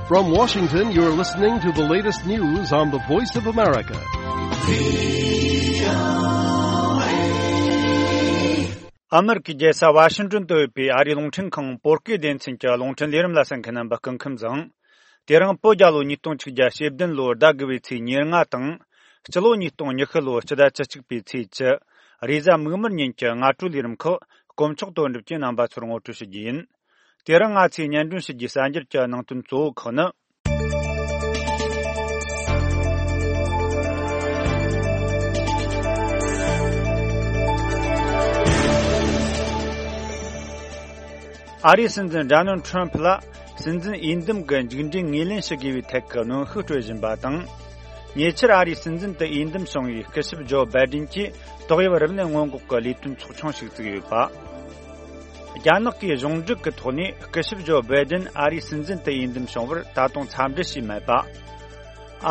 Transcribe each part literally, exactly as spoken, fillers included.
From Washington, you're listening to the latest news on the Voice of America. ཨ་མེ་རི་ཀའི་རྒྱལ་ས་ཝ་ཤིང་ཏོན་དུ་ཡོད་པའི་ཨ་རིའི་རླུང་འཕྲིན་ཁང་བོད་སྐད་སྡེ་ཚན་གྱི་རླུང་འཕྲིན་ལས་རིམ་ལ་གསན་མཁན་རྣམ་པ་སྐུ་ཁམས་བཟང་། དེ་རིང་བོད་རྒྱལ་ལོ་ཉིས་སྟོང་ཆིག་བརྒྱ་ཞེ་བདུན་ལོར་ཟླ་དགུ་བའི་ཚེས་ཉེར་ལྔ་དང་། སྤྱི་ལོ་ཉིས་སྟོང་ཉི་ཤུ་ལོར་སྤྱི་ཟླ་བཅུ་གཅིག་པའི་ཚེས་བཅུ། རེས་གཟའ་མིག་དམར་ཉིན་གྱི་སྔ་དྲོའི་ལས་རིམ་ཁག་དཀོན་མཆོག་དོན་གྲུབ་ཀྱིས་རྣམ་པ་ཚོར་ངོ་སྤྲོད་ཞུ་རྒྱུ་ཡིན། དེ་རིང་ང་ཚོས་སྙན་སྒྲོན་ཞུ་རྒྱུའི་གསར་འགྱུར་གྱི་ནང་དོན་གཙོ་བོ་ཁག་ནི། ཨ་རིའི་སྲིད་འཛིན་ཌོ་ནལ་ཁྲམ་ཕུ་ལ་སྲིད་འཛིན་འོས་འདེམས་ཀྱི་མཇུག་འབྲས་ངོས་ལེན་ཞུ་དགོས་པའི་ཐད་ཀྱི་གནོན་ཤུགས་སྤྲོད་བཞིན་པ་དང་། ཉེ་ཆར་ཨ་རིའི་སྲིད་འཛིན་དུ་འོས་འདེམས་བྱུང་བའི་སྐུ་ཞབས་ཇོ་བྷའི་ཌེན་གྱིས་ཏོག་དབྱིབས་རིམས་ནད་སྔོན་འགོག་གི་ལས་དོན་ཚོགས་ཆུང་ཞིག་བཙུགས་ཡོད་པ། རྒྱ་ནག་གིས་གཞུང་སྒྲིག་གི་ཐོག་ནས་སྐུ་ཞབས་ཇོ་བྷའི་ཌེན་ཨ་རིའི་སྲིད་འཛིན་དུ་འོས་འདེམས་བྱུང་བར་ད་དུང་འཚམས་འདྲི་བྱས་མེད་པ།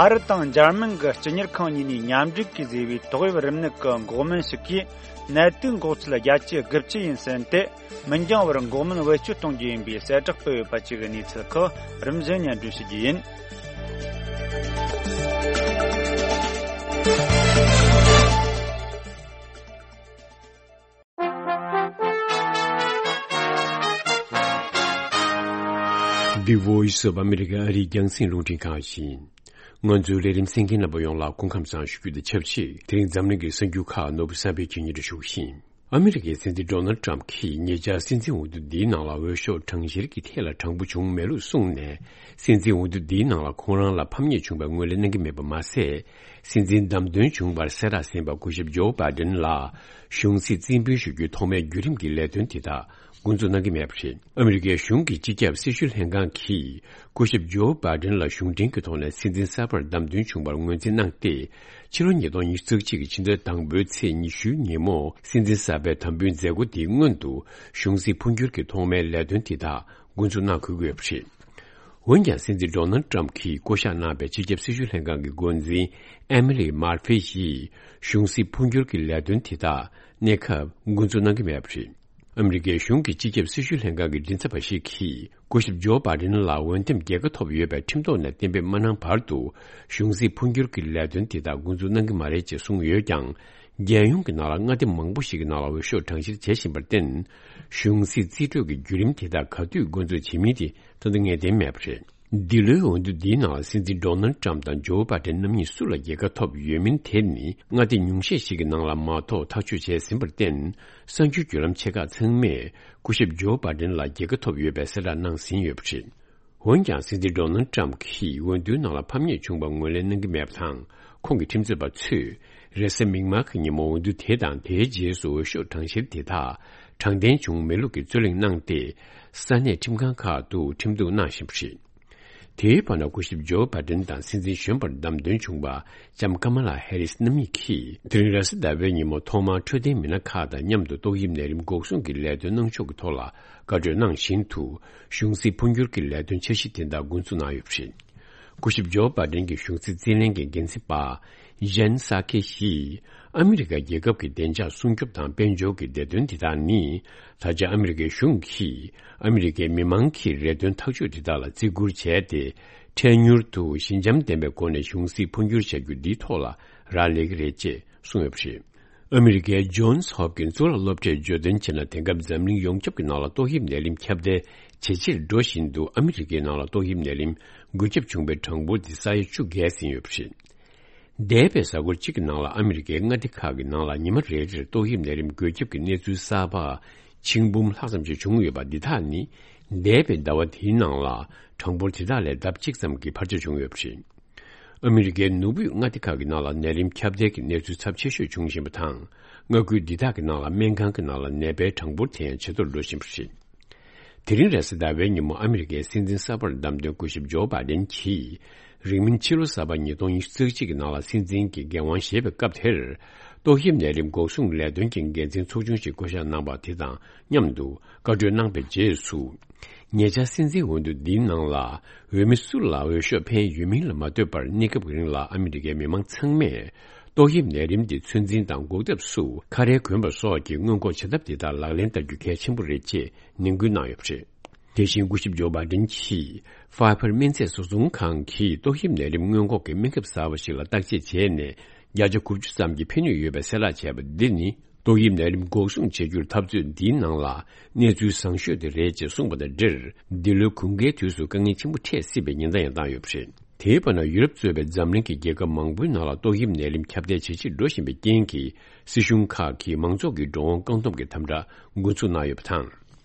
ཨ་རི་དང་འཇར་མན་གྱི་སྤྱི་གཉེར་ཁང་གཉིས་ནས་མཉམ་འབྲེལ་གྱིས་བཟོས་པའི་ཏོག་དབྱིབས་རིམས་ནད་ཀྱི་འགོག་སྨན་ཞིག་གིས་ནད་དུག་འགོག་ཚད་བརྒྱ་ཆའི་དགུ་བཅུ་ཡིན་ཟེར་ཏེ། མི་འགྱངས་བར་འགོག་སྨན་བེད་སྤྱོད་གཏོང་རྒྱུ་ཡིན་པའི་གསལ་བསྒྲགས་སྤེལ་ཡོད་པ་བཅས་ཀྱི་གནས་ཚུལ་ཁག་རིམ་བཞིན་སྙན་སྒྲོན་ཞུ་རྒྱུ་ཡིན། The Voice of America ཨ་རིའི་རྒྱང་སྲིང་རླུང་འཕྲིན་ཁང་ཡིན། ང་ཚོའི་ལས་རིམ་གསན་མཁན་རྣམ་པ་ཡོངས་ལ་སྐུ་ཁམས་བཟང་ཞུ་རྒྱུ་དང་ཆབས་ཅིག་དེ་རིང་འཛམ་གླིང་གི་གསར་འགྱུར་ཁག་ནོར་བུ་བསམ་འཕེལ་གྱིས་སྙན་སྒྲོན་ཞུ་གི་ཡིན། ཨ་མི་རི་ཀའི་སྲིད་འཛིན་ཌོ་ནལ་ཊམ་གྱིས་ཉེ་ཆར་སྲིད་འཛིན་འོས་བསྡུ་འདིའི་ནང་ལ་འོས་ཤོག་གྲངས་བཤེར་གྱི་ཐད་ལ་དྲང་པོ་བྱུང་མེད་ལུགས་གསུངས་ནས། སྲིད་འཛིན་འོས་བསྡུ་འདིའི་ནང་ལ་ཁོང་རང་ལ་ཕམ་ཉེས་བྱུང་བའི་ངོས་ལེན་གནང་གི་མེད་པ་མ་ཟད། སྲིད་འཛིན་བདམས་ཐོན་བྱུང་བར་གསལ་བསྒྲགས་ཟིན་པ་སྐུ་ཞབས་ཇོ་བྷའི་ཌེན་ལ་གཞུང་སྲིད་རྩིས་འབུལ་ཞུ་རྒྱུའི་ཐོག་མའི་བརྒྱུད་རིམ་གྱི་ལས་དོན་དེ་དག་འགོ་འཛུགས་གནང་གི་མེད་པ་རེད། ཨ་མི་རི་ཀའི་གཞུང་གི་སྤྱི་ཁྱབ་སྲི་ཞུ་ལྷན་ཁང་གིས་སྐུ་ཞབས་ཇོ་བྷའི་ཌེན་ལ་གཞུང་འབྲེལ་གྱི་ཐོག་ནས་སྲིད་འཛིན་གསར་པར་བདམས་ཐོན་བྱུང་བར་ངོས་འཛིན་གནང་སྟེ། ཕྱི་ལོ་ཉིས་སྟོང་ཉི་ཤུ་རྩ་གཅིག་གི་ཕྱི་ཟླའི་དང་པོའི་ཚེས་ཉི་ཤུའི་ཉིན་མོ་སྲིད་འཛིན་གསར་པའི་དམ་འབུལ་མཛད་སྒོ་དེའི་སྔོན་དུ་གཞུང་སྲིད་འཕོ་འགྱུར་གྱི་ཐོག་མའི་ལས་དོན་དེ་དག་འགོ་འཛུགས་གནང་དགོས་ཀྱི་ཡོད་པ་རེད། འོན་ཀྱང་སྲིད་འཛིན་ཌོ་ནལ་ཊམ་གྱིས་བསྐོ་གཞག་གནང་བའི་སྤྱི་ཁྱབ་སྲི་ཞུ་ལྷན་ཁང་གི་འགོ་འཛིན་ཨེ་མི་ལི་མར་ཕི་ཡིས་གཞུང་སྲིད་འཕོ་འགྱུར་གྱི་ལས་དོན་དེ་དག་གནས་སྐབས་འགོ་འཛུགས་གནང་གི་མེད་པ་རེད། ཨ་མི་རི་ཀའི་གཞུང་གི་སྤྱི་ཁྱབ་སྲི་ཞུ་ལྷན་ཁང་གི་མགྲིན་ཚབ་པ་ཞིག་གིས་སྐུ་ཞབས་ཇོ་བྷའི་ཌེན་ལ་འོས་འདེམས་རྒྱལ་ཁ་ཐོབ་ཡོད་པའི་ཁྲིམས་ཐོག་ནས་གཏན་འབེབས་མ་གནང་བར་དུ་གཞུང་སྲིད་འཕོ་འགྱུར་གྱི་ལས་དོན་དེ་དག་འགོ་འཛུགས་གནང་གི་མ་རེད་ཅེས་གསུངས་ཡོད་ཀྱང་། རྒྱལ་ཡོངས་ཀྱི་ནང་ལ་མངའ་སྡེ་མང་པོ་ཞིག་གི་ནང་ལ་འོས་ཤོག་གྲངས་བཤེར་བྱེད་བཞིན་པར་བརྟེན། གཞུང་སྲིད་རྩིས་སྤྲོད་ཀྱི་བརྒྱུད་རིམ་དེ་དག་ག་དུས་འགོ་འཛུགས་བྱེད་མིན་དེ་ད་ལྟ་ངེས་གཏན་མེད་པ་རེད། འདི་ལོའི་འོས་བསྡུ་འདིའི་ནང་ལ་སྲིད་འཛིན་ཌོ་ནལ་ཊམ་དང་ཇོ་བྷའི་ཌེན་རྣམ་གཉིས་སུ་ལ་རྒྱལ་ཁ་ཐོབ་ཡོད་མིན་དེ་ནི་མངའ་སྡེ་ཉུང་ཤས་ཤིག་གི་ནང་ལ་མ་གཏོགས་ཐག་གཅོད་བྱས་ཟིན་པར་བརྟེན། གསར་འགྱུར་བརྒྱུད་ལམ་ཆེ་ཁག་ཚང་མས་སྐུ་ཞབས་ཇོ་བྷའི་ཌེན་ལ་རྒྱལ་ཁ་ཐོབ་ཡོད་པའི་གསལ་བསྒྲགས་གནང་ཟིན་ཡོད་པ་རེད། འོན་ཀྱང་སྲིད་འཛིན་ཌོ་ནལ་ཊམ་གྱིས་འོས་བསྡུའི་ནང་ལ་ཕམ་ཉེས་བྱུང་བ་ངོས་ལེན་གནང་གི་མེད་པ་དང་། ཁོང་གི་ཁྲིམས་རྩོད་པ་ཚོས་རེས་གཟའ་མིག་དམར་གྱི་ཉིན་མོ་འོས་བསྡུ་དེ་དང་དེའི་རྗེས་སུ་འོས་ཤོག་གྲངས་བཤེར་དེ་དག་དྲང་བདེན་བྱུང་མེད་ལུགས་ཀྱི་རྩོད་གླེང་གནང་སྟེ། ས་གནས་ཁྲིམས་ཁང་ཁག་ཏུ་ཁྲིམས་གཏུག་གནང་བཞིན་པ་རེད། དེའི་བར་ན་སྐུ་ཞབས་ཇོ་བྷའི་ཌེན་དང་སྲིད་འཛིན་གཞོན་པར་བདམས་ཐོན་བྱུང་བ་ལྕམ་ཀ་མ་ལ་ཧེ་རིས་རྣམ་གཉིས་ཀྱིས་དེ་རིང་རེས་གཟའ་ཟླ་བའི་ཉིན་མོ་ཐོག་མར་འཕྲོད་བསྟེན་མི་སྣ་ཁག་དང་མཉམ་དུ་ཏོག་དབྱིབས་ནད་རིམས་འགོག་སྲུང་གི་ལས་དོན་གནང་ཕྱོགས་ཀྱི་ཐོག་ལ་བཀའ་གྲོས་གནང་བཞིན་དུ། གཞུང་སྲིད་འཕོ་འགྱུར་གྱི་ལས་དོན་འཆར་གཞི་དེ་དག་འགོ་འཛུགས་གནང་ཡོད་པ་རེད། སྐུ་ཞབས་ཇོ་བྷའི་ཌེན་གྱི་གཞུང་སྲིད་རྩིས་ལེན་གྱི་འགན་འཛིན་པ་ཇན་སཱ་ཁེ་ཡིས་ཨ་མི་རི་ཀ་རྒྱལ་ཁབ་ཀྱི་བདེ་འཇགས་སྲུང་སྐྱོབ་དང་དཔལ་འབྱོར་གྱི་བདེ་དོན་དེ་དག་ནི་ད་ཆ་ཨ་མི་རི་ཀའི་གཞུང་གིས་ཨ་མི་རི་ཀའི་མི་མང་གི་རེ་འདུན་ཐག་གཅོད་དེ་དག་ལ་བརྩི་བཀུར་བྱས་ཏེ། འཕྲལ་མྱུར་དུ་ཞི་འཇམ་ལྡན་པའི་སྒོ་ནས་གཞུང་སྲིད་འཕོ་འགྱུར་བྱ་རྒྱུ་འདིའི་ཐོག་ལ་རག་ལས་ཀྱི་རེད་ཅེས་གསུངས་ཡོད་པ་རེད། ཨ་མི་རི་ཀའི་ཇོན་སི་ཧོབ་ཀིན་གཙུག་ལག་སློབ་གྲྭས་བརྗོད་དོན་བྱས་ན། དེང་སྐབས་འཛམ་གླིང་ཡོངས་ཁྱབ་ཀྱི་ནང་ལ་ཏོག་དབྱིབས་ནད་རིམས་ཁྱབ་གདལ་ཇེ་ཆེར་འགྲོ་བཞིན་འདུག་ཨ་མི་རི་ཀའི་ནང་ལ་ཏོག་དབྱིབས་ནད་རིམས་འགོས་ཁྱབ་བྱུང་བའི་གྲངས་འབོར་དེ་ས་ཡ་བཅུ་བརྒལ་ཟིན་ཡོད་པ་རེད། འདས་པའི་གཟའ་འཁོར་གཅིག་གི་ནང་ལ་ཨ་མི་རི་ཀའི་མངའ་སྡེ་ཁག་གི་ནང་ལ་ཉི་མ་རེ་རེར་ཏོག་དབྱིབས་ནད་རིམས་འགོས་ཁྱབ་ཀྱི་གནས་ཚུལ་གསར་པ་ཆིག་འབུམ་ལྷག་ཙམ་ཞིག་བྱུང་ཡོད་པ་འདི་དག་ནི་འདས་པའི་ཟླ་བ་དེའི་ནང་ལ་གྲངས་འབོར་དེ་དག་ལས་ལྡབ་གཅིག་ཙམ་གྱི་འཕར་ཆ་བྱུང་ཡོད་པ་རེད། ཨ་མི་རི་ཀའི་ནུབ་དབུས་མངའ་སྡེ་ཁག་གི་ནང་ལ་ནད་རིམས་ཁྱབ་གདལ་གྱི་གནས་ཚུལ་ཚབས་ཆེ་ཤོས་བྱུང་བཞིན་པ་དང་། མངའ་ཁུལ་འདི་དག་གི་ནང་ལ་སྨན་ཁང་གི་ནང་ལ་ནད་པའི་གྲངས་འབོར་དེ་ཡང་ཇེ་མཐོར་འགྲོ་བཞིན་པ་རེད། དེ་རིང་རེས་གཟའ་ཟླ་བའི་ཉིན་མོ་ཨ་མི་རི་ཀའི་སྲིད་འཛིན་གསར་པར་བདམས་ཐོན་སྐུ་ཞབས་ཇོ་བྷའི་ཌེན་གྱིས་རིང་མིན་ཕྱི་ལོ་གསར་པ་ཉིས་སྟོང་ཉི་ཤུ་རྩ་གཅིག་གི་ནང་ལ་སྲིད་འཛིན་གྱི་འགན་དབང་བཞེས་པའི་སྐབས་དེར། ཏོག་དབྱིབས་ནད་རིམས་འགོག་སྲུང་ལས་དོན་གྱི་འགན་འཛིན་ཚོགས་ཆུང་ཞིག་བསྐོ་གཞག་གནང་བ་དེ་དང་མཉམ་དུ་བཀའ་གྲོས་གནང་པའི་རྗེས་སུ། ཉེ་ཆར་སྲིད་འཛིན་འོས་བསྡུ་འདིའི་ནང་ལ་འོས་མི་སུ་ལ་འོས་ཤོག་འཕེན་ཡོད་མིན་ལ་མ་ལྟོས་པར། གནས་སྐབས་ཀྱི་རིང་ལ་ཨ་མི་རི་ཀའི་མི་མང་ཚང་མས་ཏོག་དབྱིབས་ནད་རིམས་དེ་ཚོད་འཛིན་དང་འགོག་ཐབས་སུ་ཁ་རས་གོན་པ་སོགས་ཀྱི་སྔོན་འགོག་བྱ་ཐབས་དེ་དག་ལག་ལེན་བསྟར་རྒྱུ་གལ་ཆེན་པོ་རེད་ཅེས་ནན་སྐུལ་གནང་ཡོད་པ་རེད། དེ་བཞིན་སྐུ་ཞབས་ཇོ་བྷའི་ཌེན་གྱིས་ཕའི་ཕར་སྨན་རྫས་བཟོ་ཚོང་ཁང་གིས་ཏོག་དབྱིབས་ནད་རིམས་སྔོན་འགོག་གི་སྨན་ཁབ་གསར་པ་ཞིག་ལ་བརྟག་དཔྱད་བྱས་ནས་བརྒྱ་ཆ་དགུ་བཅུ་ཙམ་གྱི་ཕན་ནུས་ཡོད་པའི་གསལ་བསྒྲགས་བྱས་པ་འདི་ནི་ཏོག་དབྱིབས་ནད་རིམས་འགོག་སྲུང་བྱེད་རྒྱུར་འཐབ་རྩོད་འདིའི་ནང་ལ་གནས་ཚུལ་བཟང་ཤོས་དེ་རེད་ཅེས་གསུངས་པ་དང་འབྲེལ། འདི་ལོའི་དགུན་ཁའི་དུས་སུ་དཀའ་ངལ་ཆེན་པོ་འཕྲད་སྲིད་པའི་ཉེན་བརྡ་ཡང་བཏང་ཡོད་པ་རེད། དེའི་བར་ན་ཡུ་རོབ་གཙོས་པའི་འཛམ་གླིང་གི་རྒྱལ་ཁབ་མང་པོའི་ནང་ལ་ཏོག་དབྱིབས་ནད་རིམས་ཁྱབ་གདལ་ཇེ་ཆེར་འགྲོ་བཞིན་པའི་རྐྱེན་གྱིས། སྲིད་གཞུང་ཁག་གིས་མང་ཚོགས་ཀྱི་འགྲོ་འོང་བཀག་སྡོམ་གྱི་དམ་དྲག་འགོ་འཛུགས་གནང་ཡོད་པ་དང་།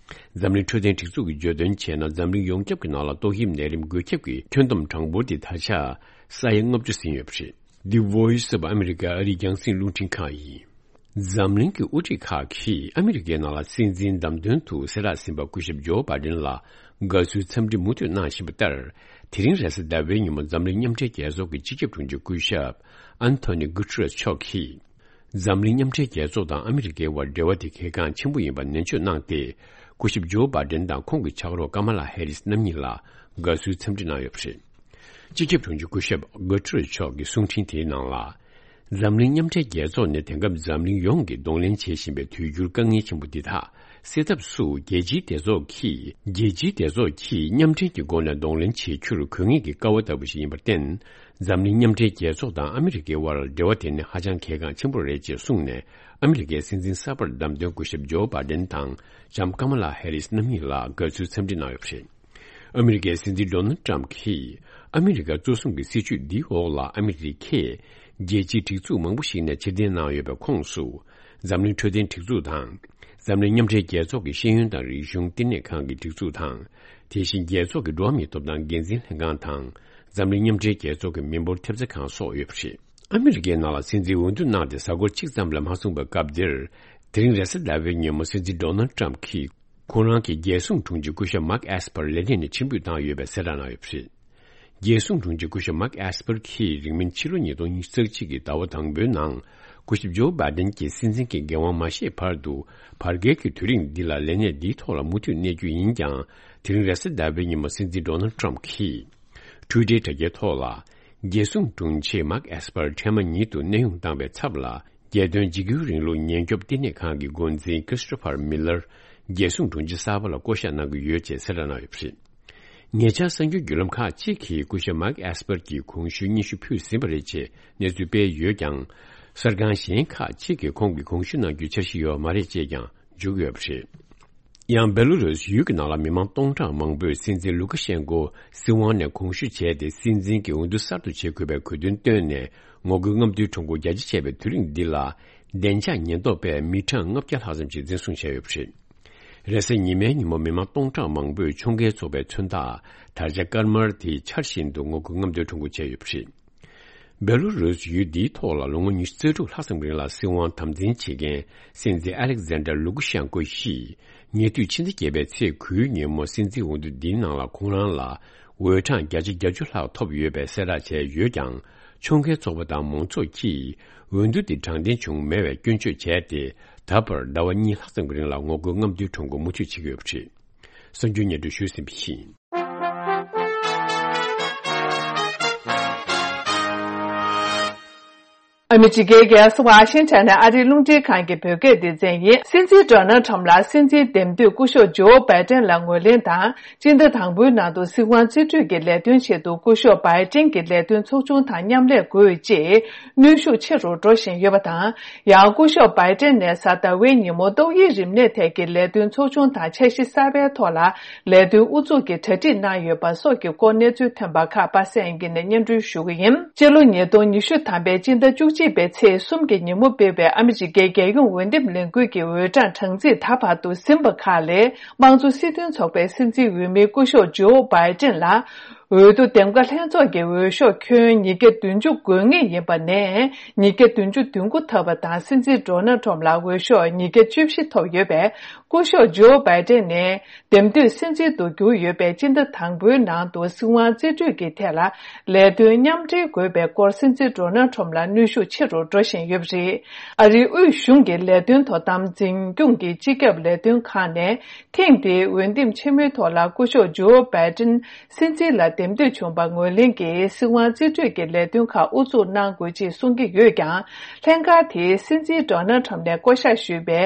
འཛམ་གླིང་འཕྲོད་བསྟེན་སྒྲིག་འཛུགས་ཀྱིས་བརྗོད་དོན་བྱས་ན། འཛམ་གླིང་ཡོངས་ཁྱབ་ཀྱི་ནང་ལ་ཏོག་དབྱིབས་ནད་རིམས་འགོས་ཁྱབ་ཀྱི་ཁྱོན་བསྡོམས་གྲངས་འབོར་དེ་ད་ཆ་ས་ཡ་ལྔ་བཅུ་ཟིན་ཡོད་པ་རེད། The Voice of America ཨ་རིའི་རྒྱང་སྲིང་རླུང་འཕྲིན་ཁང་ཡིན། འཛམ་གླིང་གི་དབུ་ཁྲིད་ཁག་གིས་ཨ་མི་རི་ཀའི་ནང་ལ་སྲིད་འཛིན་བདམས་ཐོན་དུ་གསལ་བསྒྲགས་ཟིན་པ་སྐུ་ཞབས་ཇོ་བྷའི་ཌེན་ལ་དགའ་བསུའི་འཚམས་འདྲི་མུ་མཐུད་གནང་བཞིན་པ་ལྟར། དེ་རིང་རེས་གཟའ་ཟླ་བའི་ཉིན་མོ་འཛམ་གླིང་མཉམ་འབྲེལ་རྒྱལ་ཚོགས་ཀྱི་སྤྱི་ཁྱབ་དྲུང་ཆེ་སྐུ་ཞབས་ཨན་ཐོ་ནི་གུ་ཏྲེ་རེས་མཆོག་གིས། འཛམ་གླིང་མཉམ་འབྲེལ་རྒྱལ་ཚོགས་དང་ཨ་མི་རི་ཀའི་དབར་འབྲེལ་བ་དེ་གལ་འགངས་ཆེན་པོ་ཡིན་པ་ནན་བརྗོད་གནང་སྟེ། སྐུ་ཞབས་ཇོ་བྷའི་ཌེན་དང་ཁོང་གི་ཕྱག་རོགས་ཀ་མ་ལ་ཧེ་རིས་རྣམ་གཉིས་ལ་དགའ་བསུའི་འཚམས་འདྲི་གནང་ཡོད་པ་རེད། སྤྱི་ཁྱབ་དྲུང་ཆེ་སྐུ་ཞབས་གུ་ཏྲེ་རེས་མཆོག་གི་གསུང་འཕྲིན་དེའི་ནང་ལ། འཛམ་གླིང་མཉམ་འབྲེལ་རྒྱལ་ཚོགས་ནི་དེང་སྐབས་འཛམ་གླིང་ཡོངས་ཀྱིས་གདོང་ལེན་བྱེད་བཞིན་པའི་དུས་འགྱུར་དཀའ་ངལ་ཆེན་པོ་འདི་དག་སེལ་ཐབས་སུ། རྒྱལ་སྤྱིའི་སྡེ་ཚོགས་ཀྱིས་རྒྱལ་སྤྱིའི་སྡེ་ཚོགས་ཀྱིས་མཉམ་འབྲེལ་གྱི་སྒོ་ནས་གདོང་ལེན་བྱེད་རྒྱུར་དགོས་ངེས་ཀྱི་ཀ་བ་ལྟ་བུ་ཞིག་ཡིན་པར་བརྟེན། འཛམ་གླིང་མཉམ་འབྲེལ་རྒྱལ་ཚོགས་དང་ཨ་མི་རི་ཀའི་དབར་འབྲེལ་བ་དེ་ནི་ཧ་ཅང་གལ་འགངས་ཆེན་པོ་རེད་ཅེས་གསུངས་ནས། ཨ་མི་རི་ཀའི་སྲིད་འཛིན་གསར་པར་བདམས་ཐོན་སྐུ་ཞབས་ཇོ་བྷའི་ཌེན་དང་ལྕམ་ཀ་མ་ལ་ཧེ་རིས་རྣམ་གཉིས་ལ་དགའ་བསུའི་འཚམས་འདྲི་གནང་ཡོད་པ་རེད། ཨ་མི་རི་ཀའི་སྲིད་འཛིན་ཌོ་ནལ་ཏྲམ་གྱིས་ཨ་མི་རི་ཀ་གཙོ་བཟུང་གི་སྲིད་བྱུས་འདིའི་འོག་ལ་ཨ་མི་རི་ཀས་རྒྱལ་སྤྱིའི་སྒྲིག་འཛུགས་མང་པོ་ཞིག་ནས་ཕྱིར་འཐེན་གནང་ཡོད་པའི་ཁོངས་སུ། འཛམ་གླིང་འཕྲོད་བསྟེན་སྒྲིག་འཛུགས་དང་། འཛམ་གླིང་མཉམ་འབྲེལ་རྒྱལ་ཚོགས་ཀྱི་ཤེས་ཡོན་དང་རིག་གཞུང་བསྟི་གནས་ཁང་གི་སྒྲིག་འཛུགས་དང་། དེ་བཞིན་རྒྱལ་ཚོགས་ཀྱི་འགྲོ་བ་མིའི་ཐོབ་ཐང་འགན་འཛིན་ལྷན་ཁང་དང་། འཛམ་གླིང་མཉམ་འབྲེལ་རྒྱལ་ཚོགས་ཀྱི་མི་འབོར་ཐེབས་རྩ་ཁང་སོགས་ཡོད་པ་རེད། ཨ་མི་རི་ཀའི་ནང་ལ་སྲིད་འཛིན་འོས་བསྡུ་གནང་སྟེ་གཟའ་འཁོར་གཅིག་ཙམ་ལས་མ་སོང་བའི་སྐབས་འདིར། དེ་རིང་རེས་གཟའ་ཟླ་བའི་ཉིན་མོ་སྲིད་འཛིན་ཌོ་ནལ་ཏྲམ་གྱིས། ཁོང་རང་གི་རྒྱལ་སྲུང་དྲུང་ཆེ་སྐུ་ཞབས་མཱག་ཨེས་པར་ལས་གནས་ནས་ཕྱིར་འབུད་བཏང་ཡོད་པའི་གསལ་བསྒྲགས་གནང་ཡོད་པ་རེད། རྒྱལ་སྲུང་དྲུང་ཆེ་སྐུ་ཞབས་མཱག་ཨེས་པར་གྱིས་རིང་མིན་ཕྱི་ལོ་ཉིས་སྟོང་ཉི་ཤུ་རྩ་གཅིག་གི་ཟླ་བ་དང་པོའི་ནང་། སྐུ་ཞབས་ཇོ་བྷའི་ཌེན་གྱི་སྲིད་འཛིན་གྱི་འགན་དབང་མ་བཞེས་བར་དུ། བར་བརྒལ་གྱི་དུས་རིང་འདི་ལ་ལས་གནས་འདིའི་ཐོག་ལ་མུ་མཐུད་གནས་རྒྱུ་ཡིན་ཀྱང་། དེ་རིང་རེས་གཟའ་ཟླ་བའི་ཉིན་མོ་སྲིད་འཛིན་ཌོ་ནལ་ཏྲམ་གྱིས། ཊུའི་ཊར་དྲ་རྒྱའི་ཐོག་ལ། རྒྱལ་སྲུང་དྲུང་ཆེ་མཱག་ཨེས་པར་འཕྲལ་མ་ཉིད་དུ་གནས་དབྱུང་བཏང་བའི་ཚབ་ལ། རྒྱལ་དོན་འཇིགས་སྐུལ་རིང་ལུགས་ཉེན་སྐྱོབ་བསྟི་གནས་ཁང་གི་འགོ་འཛིན་ཀི་རིས་ཊོ་ཕར་མི་ལར། རྒྱལ་སྲུང་དྲུང་ཆེ་གསར་པ་ལ་བསྐོ་གཞག་གནང་གི་ཡོད་ཅེས་གསལ་བསྒྲགས་གནང་ཡོད་པ་རེད། ཉེ་ཆར་གསར་འགྱུར་བརྒྱུད་ལམ་ཁག་ཅིག་གིས་སྐུ་ཞབས་མཱག་ཨེས་པར་གྱིས་གོང་ཞུའི་སྙན་ཞུ་ཕུལ་ཟིན་པ་རེད་ཅེས་གནས་ཚུལ་སྤེལ་ཡོད་ཀྱང་། གསར་ཁང་གཞན་ཁག་ཅིག་གིས་ཁོང་གིས་གོང་ཞུ་གནང་རྒྱུའི་འཆར་གཞི་ཡོད་མ་རེད་ཅེས་ཀྱང་འཇོག་ཡོད་པ་རེད། ཡང་། སྦེ་ལུ་རུས་ཡུལ་གྱི་ནང་ལ་མི་མང་སྟོང་ཕྲག་མང་པོས་སྲིད་འཛིན་ལུ་ཀ་ཤན་ཀོ་སྲིད་དབང་ནས་གོང་ཞུ་བྱས་ཏེ། སྲིད་འཛིན་གྱི་འོས་བསྡུ་གསར་དུ་བྱེད་དགོས་པའི་དགོས་འདུན་བཏོན་ནས། ངོ་རྒོལ་རྔམ་སྟོན་ཁྲོམ་སྐོར་རྒྱ་ཆེ་བྱས་པའི་དུས་རིང་འདི་ལ། བདེ་འཇགས་ཉེན་རྟོག་པས་མི་གྲངས་ལྔ་བརྒྱ་ལྷག་ཙམ་ཞིག་འཛིན་བཟུང་བྱས་ཡོད་པ་རེད། རེས་གཟའ་ཉི་མའི་ཉིན་མོ་མི་མང་སྟོང་ཕྲག་མང་པོས་ཁྱོང་རྒན་ཚོགས་པའི་མཚོན་རྟགས་དར་ཆ་དཀར་དམར་དེ་འཕྱར་བཞིན་དུ་ངོ་རྒོལ་རྔམ་སྟོན་ཁྲོམ་སྐོར་བྱས་ཡོད་པ་རེད། སྦེ་ལུ་རུས་ཡུལ་འདིའི་ཐོག་ལ་ལོ་ངོ་ཉི་ཤུ་རྩ་དྲུག་ལྷག་ཙམ་རིང་ལ་སྲིད་དབང་དམ་འཛིན་བྱེད་མཁན་སྲིད་འཛིན་ཨ་ལེག་ཛན་ཌར་ལུ་ཀུ་ཤན་ཀོ་ཡིས། ཉེ་དུས་ཕྱི་ཟླ་བརྒྱད་པའི་ཚེས་དགུའི་ཉིན་མོ་སྲིད་འཛིན་འོས་བསྡུ་འདིའི་ནང་ལ་ཁོང་རང་ལ་འོས་གྲངས་བརྒྱ་ཆ་བརྒྱད་ཅུ་ལྷག་ཐོབ་ཡོད་པའི་གསལ་བསྒྲགས་བྱས་ཡོད་ཀྱང་། ཁྱོང་རྒན་ཚོགས་པ་དང་མང་ཚོགས་ཀྱིས་འོས་བསྡུ་འདི་དྲང་བདེན་བྱུང་མེད་པའི་སྐྱོན་བརྗོད་བྱས་ཏེ། ད་བར་ཟླ་བ་གཉིས་ལྷག་ཙམ་གྱི་རིང་ལ་ངོ་རྒོལ་རྔམ་སྟོན་ཁྲོམ་སྐོར་མུ་མཐུད་བྱེད་ཀྱི་ཡོད་པ་རེད། གསར་འགྱུར་སྙན་སྒྲོན་ཞུས་ཟིན་པ་ཡིན། ཨ་མི་རི་ཀའི་རྒྱལ་ས་ཝ་ཤིང་ཊོན་ནས་ཨ་རིའི་རླུང་འཕྲིན་ཁང་གི་བོད་སྐད་སྡེ་ཚན་ཡིན། སྲིད་འཛིན་ཌོ་ནལ་ཁྲམ་ལ་སྲིད་འཛིན་འདེམས་ཐོན་སྐུ་ཞབས་ཇོ་བྷའི་ཏན་ལ་ངོས་ལེན་དང་། སྤྱི་ཟླ་དང་པོའི་ནང་དུ་སྲིད་དབང་རྩིས་སྤྲོད་ཀྱི་ལས་དོན་ཆེད་དུ་སྐུ་ཞབས་བྷའི་ཏན་གྱི་ལས་དོན་ཚོགས་ཆུང་དང་མཉམ་ལས་དགོས་ཅེས་གནོན་ཤུགས་ཆེ་རུ་འགྲོ་བཞིན་ཡོད་པ་དང་། ཡང་སྐུ་ཞབས་བྷའི་ཏན་ནས་གཟའ་ཟླ་བའི་ཉིན་མོ་ཏོག་དབྱིབས་རིམས་ནད་ཐད་ཀྱི་ལས་དོན་ཚོགས་ཆུང་དང་འཆར་གཞི་གསར་པའི་ཐོག་ལ་ལས་དོན་དབུ་འཛུགས་ཀྱི་གྲ་སྒྲིག་གནང་ཡོད་པ་སོགས་ཀྱི་སྐོར་གནས་ཚུལ་ཐོན་པ་ཁག་པ་སངས་སྐྱིད་ནས་སྙན་སྒྲོན་ཞུ་གི་ཡིན། སྤྱི་ལོ་ཉིས་སྟོང་ཉི་ཤུ་ཐམ་པའི་སྤྱི་ཟླ་བཅུ་གཅིག་པའི་ཚེས་གསུམ་གྱི་ཉིན་མོ་སྤེལ་བའི་ཨ་མི་རི་ཀའི་རྒྱལ་ཡོངས་འོས་འདེམས་ལས་འགུལ་གྱི་འོས་གྲངས་གྲངས་རྩིས་ད་བར་དུ་ཟིན་པ་ཁག་ལས། དམངས་གཙོ་སྲིད་དོན་ཚོགས་པའི་སྲིད་འཛིན་འོས་མི་སྐུ་ཞབས་ཇོ་བྷའི་ཏན་ལ། འོས་བསྡུ་འདེམས་ཀ་ལྷན་ཚོགས་ཀྱི་འོས་ཤོག་ཁྱོན་ཉིས་བརྒྱ་བདུན་ཅུ་དགོས་ངེས་ཡིན་པ་ནས། ཉིས་བརྒྱ་བདུན་ཅུ་དོན་དགུ་ཐོབ་པ་དང་། སྲིད་འཛིན་ཌོ་ནལ་ཁྲམ་ལ་འོས་ཤོག་ཉིས་བརྒྱ་བཅུ་བཞི་ཐོབ་ཡོད་པས། སྐུ་ཞབས་ཇོ་བྷའི་ཏན་ནས་འདེམས་ཐོན་སྲིད་འཛིན་དུ་གྱུར་ཡོད་པའི་སྤྱི་ཟླ་དང་པོའི་ནང་དུ་སྲིད་དབང་རྩིས་སྤྲོད་ཀྱི་ཐད་ལ་ལས་དོན་མཉམ་འབྲེལ་དགོས་པའི་སྐོར་སྲིད་འཛིན་ཌོ་ནལ་ཁྲམ་ལ་གནོན་ཤུགས་ཆེ་རུ་འགྲོ་བཞིན་ཡོད་པ་རེད། ཨ་རིའི་དབུས་གཞུང་གི་ལས་དོན་དོ་དམ་འཛིན་སྐྱོང་གི་སྤྱི་ཁྱབ་ལས་དོན་ཁང་ནས་ཐེངས་འདིའི་འོས་འདེམས་ཆེན་མོའི་ཐོག་ལ་སྐུ་ཞབས་ཇོ་བྷའི་ཏན་སྲིད་འཛིན་ལ་ འདེམས་ཐོན་བྱུང་པ་ངོས་ལེན་གྱིས་སྲིད་དབང་རྩིས་སྤྲོད་ཀྱི་ལས་དོན་ཁག་དབུ་འཛུགས་གནང་དགོས་ཅེས་གསུང་གི་ཡོད་ཀྱང་། ལྷན་ཁང་དེས་སྲིད་འཛིན་ཌོ་ནལ་ཁྲམ་ནས་བསྐོ་གཞག་ཞུས་པའི་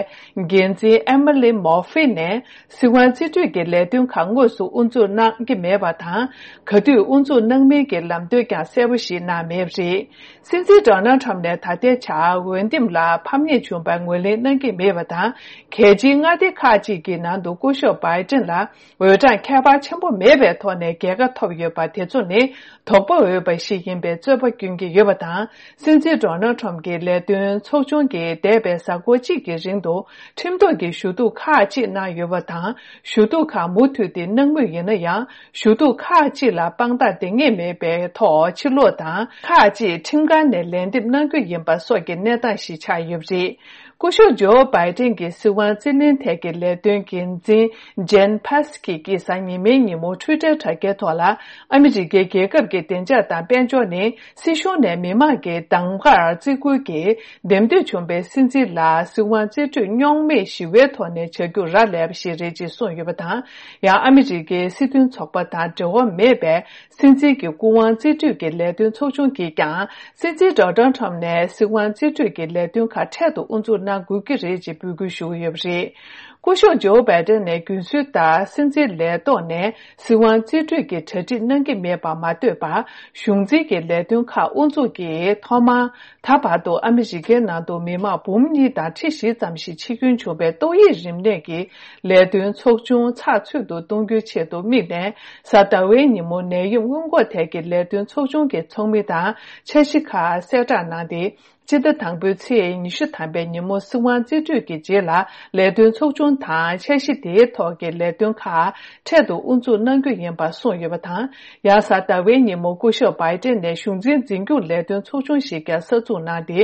འགན་འཛིན་ཨེ་མ་ལི་མོར་ཧྥི་ནས་སྲིད་དབང་རྩིས་སྤྲོད་ཀྱི་ལས་དོན་ཁག་དངོས་སུ་དབུ་འཛུགས་གནང་གི་མེད་པ་དང་། ག་དུས་དབུ་འཛུགས་གནང་མིན་གྱི་ལམ་སྟོན་ཀྱང་གསལ་པོ་ཞིག་གནང་མེད་པ་རེད། སྲིད་འཛིན་ཌོ་ནལ་ཁྲམ་ནས་ད་ལྟའི་ཆར་འོས་འདེམས་ལ་ཕམ་ཉེས་བྱུང་པར་ངོས་ལེན་གནང་གི་མེད་པ་དང་། གལ་ཆེའི་མངའ་སྡེ་ཁག་ཅིག་གི་ནང་དུ་སྐུ་ཞབས་བྷའི་ཏིན་ལ་འོས་གྲངས་ཁྱད་པར་ཆེན་པོ་མེད་པའི་ཐོག་ནས་རྒྱལ་ཁ་ཐོབ་ཡོད་པ་དེ་ཚོ་ནི་དོགས་པ་འོས་པ་ཞིག་ཡིན་པའི་རྩོད་པ་བསྐྱོན་གྱི་ཡོད་པ་དང་། སྲིད་འཛིན་ཌོ་ནལ་ཁྲམ་གྱི་ལས་དོན་ཚོགས་ཆུང་གིས་འདས་པའི་གཟའ་འཁོར་གཅིག་གི་རིང་དུ་ཁྲིམས་ཐོག་གི་ཞུ་གཏུག་ཁག་ཅིག་གནང་ཡོད་པ་དང་། ཞུ་གཏུག་ཁག་མུ་མཐུད་དེ་གནང་མུས་ཡིན་ན་ཡང་། ཞུ་གཏུག་ཁག་ཅིག་ལ་དཔང་རྟགས་འདང་ངེས་མེད་པའི་ཐོག་ཕྱིར་ལོག་དང་། ཁག་ཅིག་ཁྲིམས་ཁང་ནས་ལན་འདེབས་གནང་རྒྱུ་ཡིན་པ་སོགས་ཀྱི་གནས་སྟངས་ཤིག་ཆགས་ཡོད་པ་རེད། སྐུ་ཞབས་ཇོ་བྷའི་ཏིན་གྱི་སྲིད་དབང་རྩིས་ལེན་ཐད་ཀྱི་ལས་དོན་འགན་འཛིན་ཇན་ཕཱ་སི་ཀི་གིས་གཟའ་ཉི་མའི་ཉིན་མོ་ཊུའི་ཊར་དྲ་རྒྱའི་ཐོག་ལ། ཨ་མི་རི་ཀའི་རྒྱལ་ཁབ་ཀྱི་བདེ་འཇགས་དང་དཔལ་འབྱོར་ནི་སྲིད་གཞུང་ནས་མི་དམངས་ཀྱི་གདམ་གར་བརྩི་བཀུར་གྱིས་འདེམས་ཐོན་བྱུང་པའི་སྲིད་འཛིན་ལ་སྲིད་དབང་རྩིས་སྤྲོད་རྙོག་མེད་ཞི་བའི་ཐོག་ནས་བྱ་རྒྱུར་རག་ལས་པ་ཞིག་རེད་ཅེས་གསུངས་ཡོད་པ་དང་། ཡང་ཨ་མི་རི་ཀའི་སྲིད་དོན་ཚོགས་པ་དང་འབྲེལ་བ་མེད་པའི་སྲིད་འཛིན་གྱི་སྐུ་དབང་རྩིས་སྤྲོད་ཀྱི་ལས་དོན་ཚོགས་ཆུང་གིས་ཀྱང་། སྲིད་འཛིན་ཌོ་ནལ་ཁྲམ་ནས་སྲིད་དབང་རྩིས་སྤྲོད་ཀྱི་ལས་དོན་ཁག་འཕྲལ་དུ་དབུ་འཛུགས་གནང་དགོས་ཀྱི་རེད་ཅེས་འབོད་སྐུལ་ཞུ་གི་ཡོད་པ་རེད། སྐུ་ཞབས་ཇོ་བྷའི་ཏན་ནས་རྒྱུན་སྲོལ་ལྟར་སྲིད་འཛིན་ལས་ཐོག་ནས་སྲིད་དབང་རྩིས་སྤྲོད་ཀྱི་གྲ་སྒྲིག་གནང་གི་མེད་པར་མ་ལྟོས་པར། གཞུང་འཛིན་གྱི་ལས་དོན་ཁག་དབུ་འཛུགས་ཀྱིས་ཐོག་མར། ད་བར་དུ་ཨ་མི་རི་ཀའི་ནང་དུ་མི་མང་འབུམ་གཉིས་དང་ཁྲི་བཞི་ཙམ་ཞིག་འཆི་སྐྱོན་བྱུང་བའི་ཏོག་དབྱིབས་རིམས་ནད་ཀྱི་ལས་དོན་ཚོགས་ཆུང་ཚགས་ཚུད་དུ་གཏོང་རྒྱུའི་ཆེད་དུ་དམིགས་ནས། གཟའ་ཟླ་བའི་ཉིན་མོ་ནད་ཡམས་སྔོན་འགོག་ཐད་ཀྱི་ལས་དོན་ཚོགས་ཆུང་གི་ཚོགས་མི་དང་འཆར་གཞི་ཁག་གསལ་བསྒྲགས་གནང་སྟེ། སྤྱི་ཟླ་དང་པོའི་ཚེས་ཉི་ཤུ་ཐམ་པའི་ཉིན་མོ་སྲིད་དབང་རྩིས་སྤྲོད་ཀྱི་རྗེས་ལ་ལས་དོན་ཚོགས་ཆུང་དང་འཆར་གཞི་དེའི་ཐོག་གི་ལས་དོན་ཁག་འཕྲལ་དུ་དབུ་འཛུགས་གནང་རྒྱུ་ཡིན་པ་གསུངས་ཡོད་པ་དང་། ཡང་གཟའ་ཟླ་བའི་ཉིན་མོ་སྐུ་ཞབས་བྷའི་ཏིན་ནས་གཞུང་འཛིན་འཛིན་སྐྱོང་ལས་དོན་ཚོགས་ཆུང་ཞིག་ཀྱང་གསར་འཛུགས་གནང་སྟེ།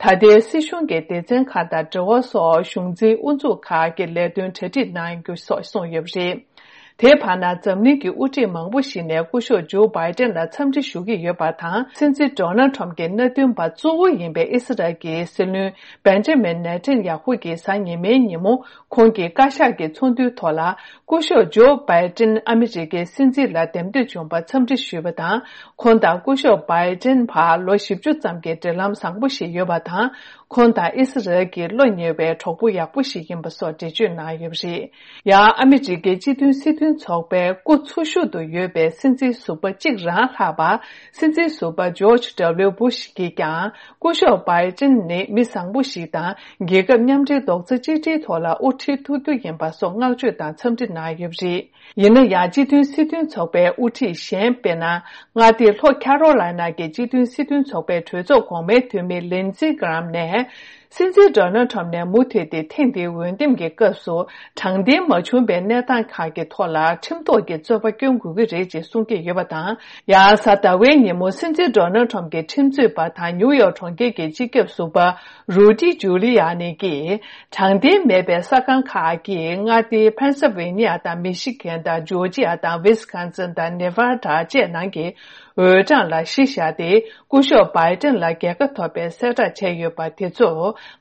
ད་ལྟའི་སྲིད་གཞུང་གི་སྡེ་ཚན་ཁག་དང་འབྲེལ་བ་སོགས་གཞུང་འཛིན་དབུ་འཛུགས་ཁག་གི་ལས་དོན་གྲ་སྒྲིག་གནང་རྒྱུ་སོགས་གསུངས་ཡོད་པ་རེད། དེའི་བར་ན་འཛམ་གླིང་གི་དབུ་ཁྲིད་མང་པོ་ཞིག་ནས་སྐུ་ཞབས་ཇོ་བྷའི་ཏན་ལ་འཚམས་འདྲི་ཞུ་གི་ཡོད་པ་དང་། སྲིད་འཛིན་ཌོ་ནལ་ཁྲམ་གྱི་མནའ་མཐུན་པ་གཙོ་བོ་ཡིན་པའི་ཨི་སི་རལ་གྱི་སྲིད་བློན་བེན་ཇ་མིན་ནེ་ཐན་ཡ་ཧུ་གིས་གཟའ་ཉི་མའི་ཉིན་མོ་ཁོང་གི་བཀའ་ཤག་གི་ཚོགས་འདུའི་ཐོག་ལ། སྐུ་ཞབས་ཇོ་བྷའི་ཏན་ཨ་མི་རི་ཀའི་སྲིད་འཛིན་ལ་འདེམས་ཐོན་བྱུང་བར་འཚམས་འདྲི་ཞུས་པ་དང་། ཁོང་དང་སྐུ་ཞབས་བྷའི་ཏན་བར་ལོ་བཞི་བཅུ་ཙམ་གྱི་འབྲེལ་ལམ་བཟང་པོ་ཞིག་ཡོད་པ་དང་། ཁོང་དང་ཨི་སི་རལ་གྱི་བློ་ཉེ་བའི་གྲོགས་པོ་ཡག་པོ་ཞིག་ཡིན་པ་སོགས་འགྲེལ་བརྗོད་གནང་ཡོད་པ་རེད། ཡང་ཨ་མི་རི་ཀའི་སྤྱི་མཐུན་སྲིད་དོན་ཚོགས་པའི་སྐུ་འཚོ་བཞུགས་སུ་ཡོད་པའི་སྲིད་འཛིན་ཟུར་པ་གཅིག་རང་ལྷག་པ། སྲིད་འཛིན་ཟུར་པ་ཇོརྗ་ཌབ་ལིའུ་བྷུ་ཤ་གིས་ཀྱང་སྐུ་ཞབས་བྷའི་ཏིན་ནི་མི་བཟང་པོ་ཞིག་དང་། རྒྱལ་ཁབ་མཉམ་འབྲེལ་རྡོག་རྩ་གཅིག་སྒྲིལ་ཐོག་ལ་དབུ་ཁྲིད་ཐུབ་རྒྱུ་ཡིན་པ་སོགས་བསྔགས་བརྗོད་དང་འཚམས་འདྲི་གནང་ཡོད་པ་རེད། ཡིན་ན་ཡང་། སྤྱི་མཐུན་སྲིད་དོན་ཚོགས་པའི་དབུ་ཁྲིད་གཞན། དཔེར་ན། མངའ་སྡེ་ལྷོ་ཁ་རོ་ལའི་ན་གྱི་སྤྱི་མཐུན་སྲིད་དོན་ཚོགས་པའི་གྲོས་ཚོགས་གོང་མའི་འཐུས་མི་ལིན་ཛི་གྷ་རམ་ནས། སྲིད་འཛིན་ཌོ་ནལ་ཁྲམ་ནས་མུ་མཐུད་དེ་ཐེངས་འདིའི་འོས་འདེམས་ཀྱི་སྐབས་སུ་དྲང་བདེན་མ་བྱུང་པའི་གནས་སྟངས་ཁག་གི་ཐོག་ལ་ཁྲིམས་ཐོག་གི་རྩོད་པ་སྐྱོན་དགོས་ཀྱི་རེད་ཅེས་གསུང་གི་ཡོད་པ་དང་། ཡང་གཟའ་ཟླ་བའི་ཉིན་མོ་སྲིད་འཛིན་ཌོ་ནལ་ཁྲམ་གྱི་ཁྲིམས་རྩོད་པ་དང་ནིའུ་ཡོག་གྲོང་ཁྱེར་གྱི་སྤྱི་ཁྱབ་ཟུར་པ་རུ་ཌི་ཇུ་ལི་ཡ་ནི་གིས། དྲང་བདེན་མེད་པའི་ས་ཁང་ཁག་གིས་མངའ་སྡེ་ཕེན་སིལ་ཝེ་ནི་ཡ་དང་མི་ཤི་གན་དང་ཇོར་ཇི་ཡ་དང་ཝིས་ཀོན་སིན་དང་ནེ་ཝ་ཌ་བཅས་ནང་གི་འོས་གྲངས་ལ་གཞི་བཞག་སྟེ། སྐུ་ཞབས་བྷའི་ཏན་ལ་རྒྱལ་ཁ་ཐོབ་པའི་གསལ་བསྒྲགས་བྱས་ཡོད་པ་དེ་ཚོ་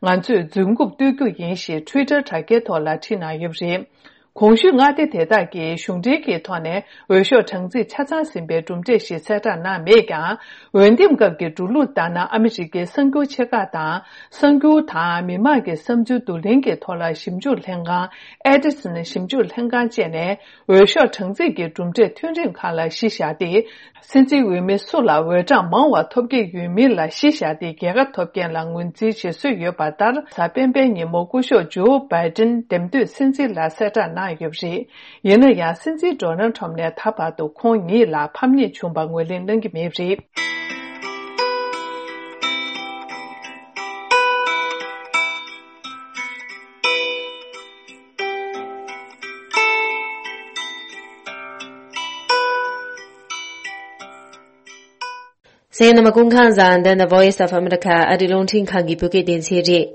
ང་ཚོས་རྫུན་རྐུབ་གཏོར་རྒྱུ་ཡིན་ཞེས་ཊུའི་ཊར་དྲ་རྒྱའི་ཐོག་ལ་བྲིས་གནང་ཡོད་པ་རེད། གོང་ཞུས་མངའ་སྡེ་དེ་དག་གིས་གཞུང་འབྲེལ་གྱི་ཐོག་ནས་འོས་ཤོག་གྲངས་རྩིས་ཆ་ཚང་ཟིན་པའི་གྲུབ་འབྲས་ཤིག་གསལ་བསྒྲགས་གནང་མེད་ཀྱང་། འོས་འདེམས་སྐབས་ཀྱི་འགྲོ་ལུགས་ལྟར་ན། ཨ་མི་རི་ཀའི་གསར་འགྱུར་ཆེ་ཁག་དང་། གསར་འགྱུར་དང་མི་མང་གི་བསམ་ཚུལ་བསྡུ་ལེན་གྱི་ཐོག་ལ་ཞིབ་འཇུག་ལྷན་ཁང་། ཨེ་ཌི་སན་ཞིབ་འཇུག་ལྷན་ཁང་བཅས་ནས། འོས་ཤོག་གྲངས་རྩིས་ཀྱི་གྲུབ་འབྲས་ཐོན་རིམ་ཁག་ལ་གཞི་བཞག་སྟེ། སྲིད་འཛིན་འོས་མི་སུ་ལ་འོས་གྲངས་མང་བ་ཐོབ་ཀྱི་ཡོད་མིན་ལ་གཞི་བཞག་སྟེ། རྒྱལ་ཁ་ཐོབ་མཁན་ལ་ངོས་འཛིན་བྱེད་སྲོལ་ཡོད་པ་ལྟར། གཟའ་སྤེན་པའི་ཉིན་མོ་སྐུ་ཞབས་ཇོ་བྷའི་ཏིན་འདེམས་ཐོན་སྲིད་འཛིན་ལ་གསལ་བསྒྲགས་གནང་ཡོད་པ་རེད། ཡིན་ན་ཡང་། སྲིད་འཛིན་ཌོ་ནལ་ཁྲམ་ནས་ད་བར་དུ་ཁོང་ཉིད་ལ་ཕམ་ཉེས་བྱུང་བ་ངོས་ལེན་གནང་གི་མེད་པ་རེད། གསན་མཁན་རྣམ་པ་སྐུ་ཁམས་བཟང་། འདི་ནི་Voice of America ཨ་རིའི་རླུང་འཕྲིན་ཁང་གི་བོད་སྐད་སྡེ་ཚན་རེད།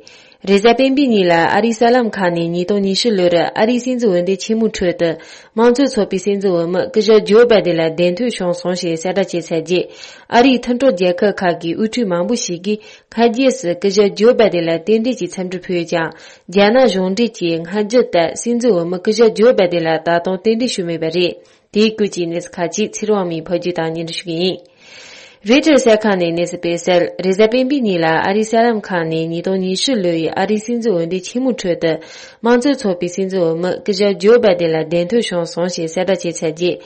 རེས་གཟའ་སྤེན་པའི་ཉིན་ལ་ཨ་རིའི་གསར་ལམ་ཁག་ནས་ཉིས་སྟོང་ཉི་ཤུ་ལོར་ཨ་རིའི་སྲིད་འཛིན་འོས་འདེམས་ཆེན་མོའི་ཁྲོད་དུ་དམངས་གཙོའི་ཚོགས་པའི་སྲིད་འཛིན་འོས་མི་སྐུ་ཞབས་ཇོ་བྷའི་ཌེན་ལ་གདན་འཐོན་བྱུང་སོང་ཞེས་གསལ་བསྒྲགས་བྱས་ཚར་རྗེས། ཨ་རིའི་མཐུན་གྲོགས་རྒྱལ་ཁབ་ཁག་གི་དབུ་ཁྲིད་མང་པོ་ཞིག་གིས་སྔ་རྗེས་སུ་སྐུ་ཞབས་ཇོ་བྷའི་ཌེན་ལ་རྟེན་འབྲེལ་གྱི་འཚམས་འདྲི་ཕུལ་ཡོད་ཀྱང་། རྒྱ་ནག་གཞུང་འབྲེལ་གྱིས་སྔ་རྒྱུད་ལྟར་སྲིད་འཛིན་འོས་མི་སྐུ་ཞབས་ཇོ་བྷའི་ཌེན་ལ་ད་དུང་རྟེན་འབྲེལ་ཞུས་མེད་པ་རེད། དེའི་སྐོར་གྱི་གནས་ཚུལ་ཁག་ཅིག་ཚེ་རིང་དབང་མོས་ཕབ་སྒྱུར་དང་སྙན་སྒྲོན་ཞུ་གི་ཡིན། རོའི་ཊར་གསར་ཁང་ནས་གནས་ཚུལ་སྤེལ་གསལ། རེས་གཟའ་སྤེན་པའི་ཉིན་ལ་ཨ་རིའི་གསར་ལམ་ཁག་ནས་ཉིས་སྟོང་ཉི་ཤུ་ལོའི་ཨ་རིའི་སྲིད་འཛིན་འོས་འདེམས་ཆེན་མོའི་ཁྲོད་དུ་དམངས་གཙོའི་ཚོགས་པའི་སྲིད་འཛིན་འོས་མི་སྐུ་ཞབས་ཇོ་བྷའི་ཌེན་ལ་གདན་འཐོན་བྱུང་སོང་ཞེས་གསལ་བསྒྲགས་བྱས་ཚར་རྗེས།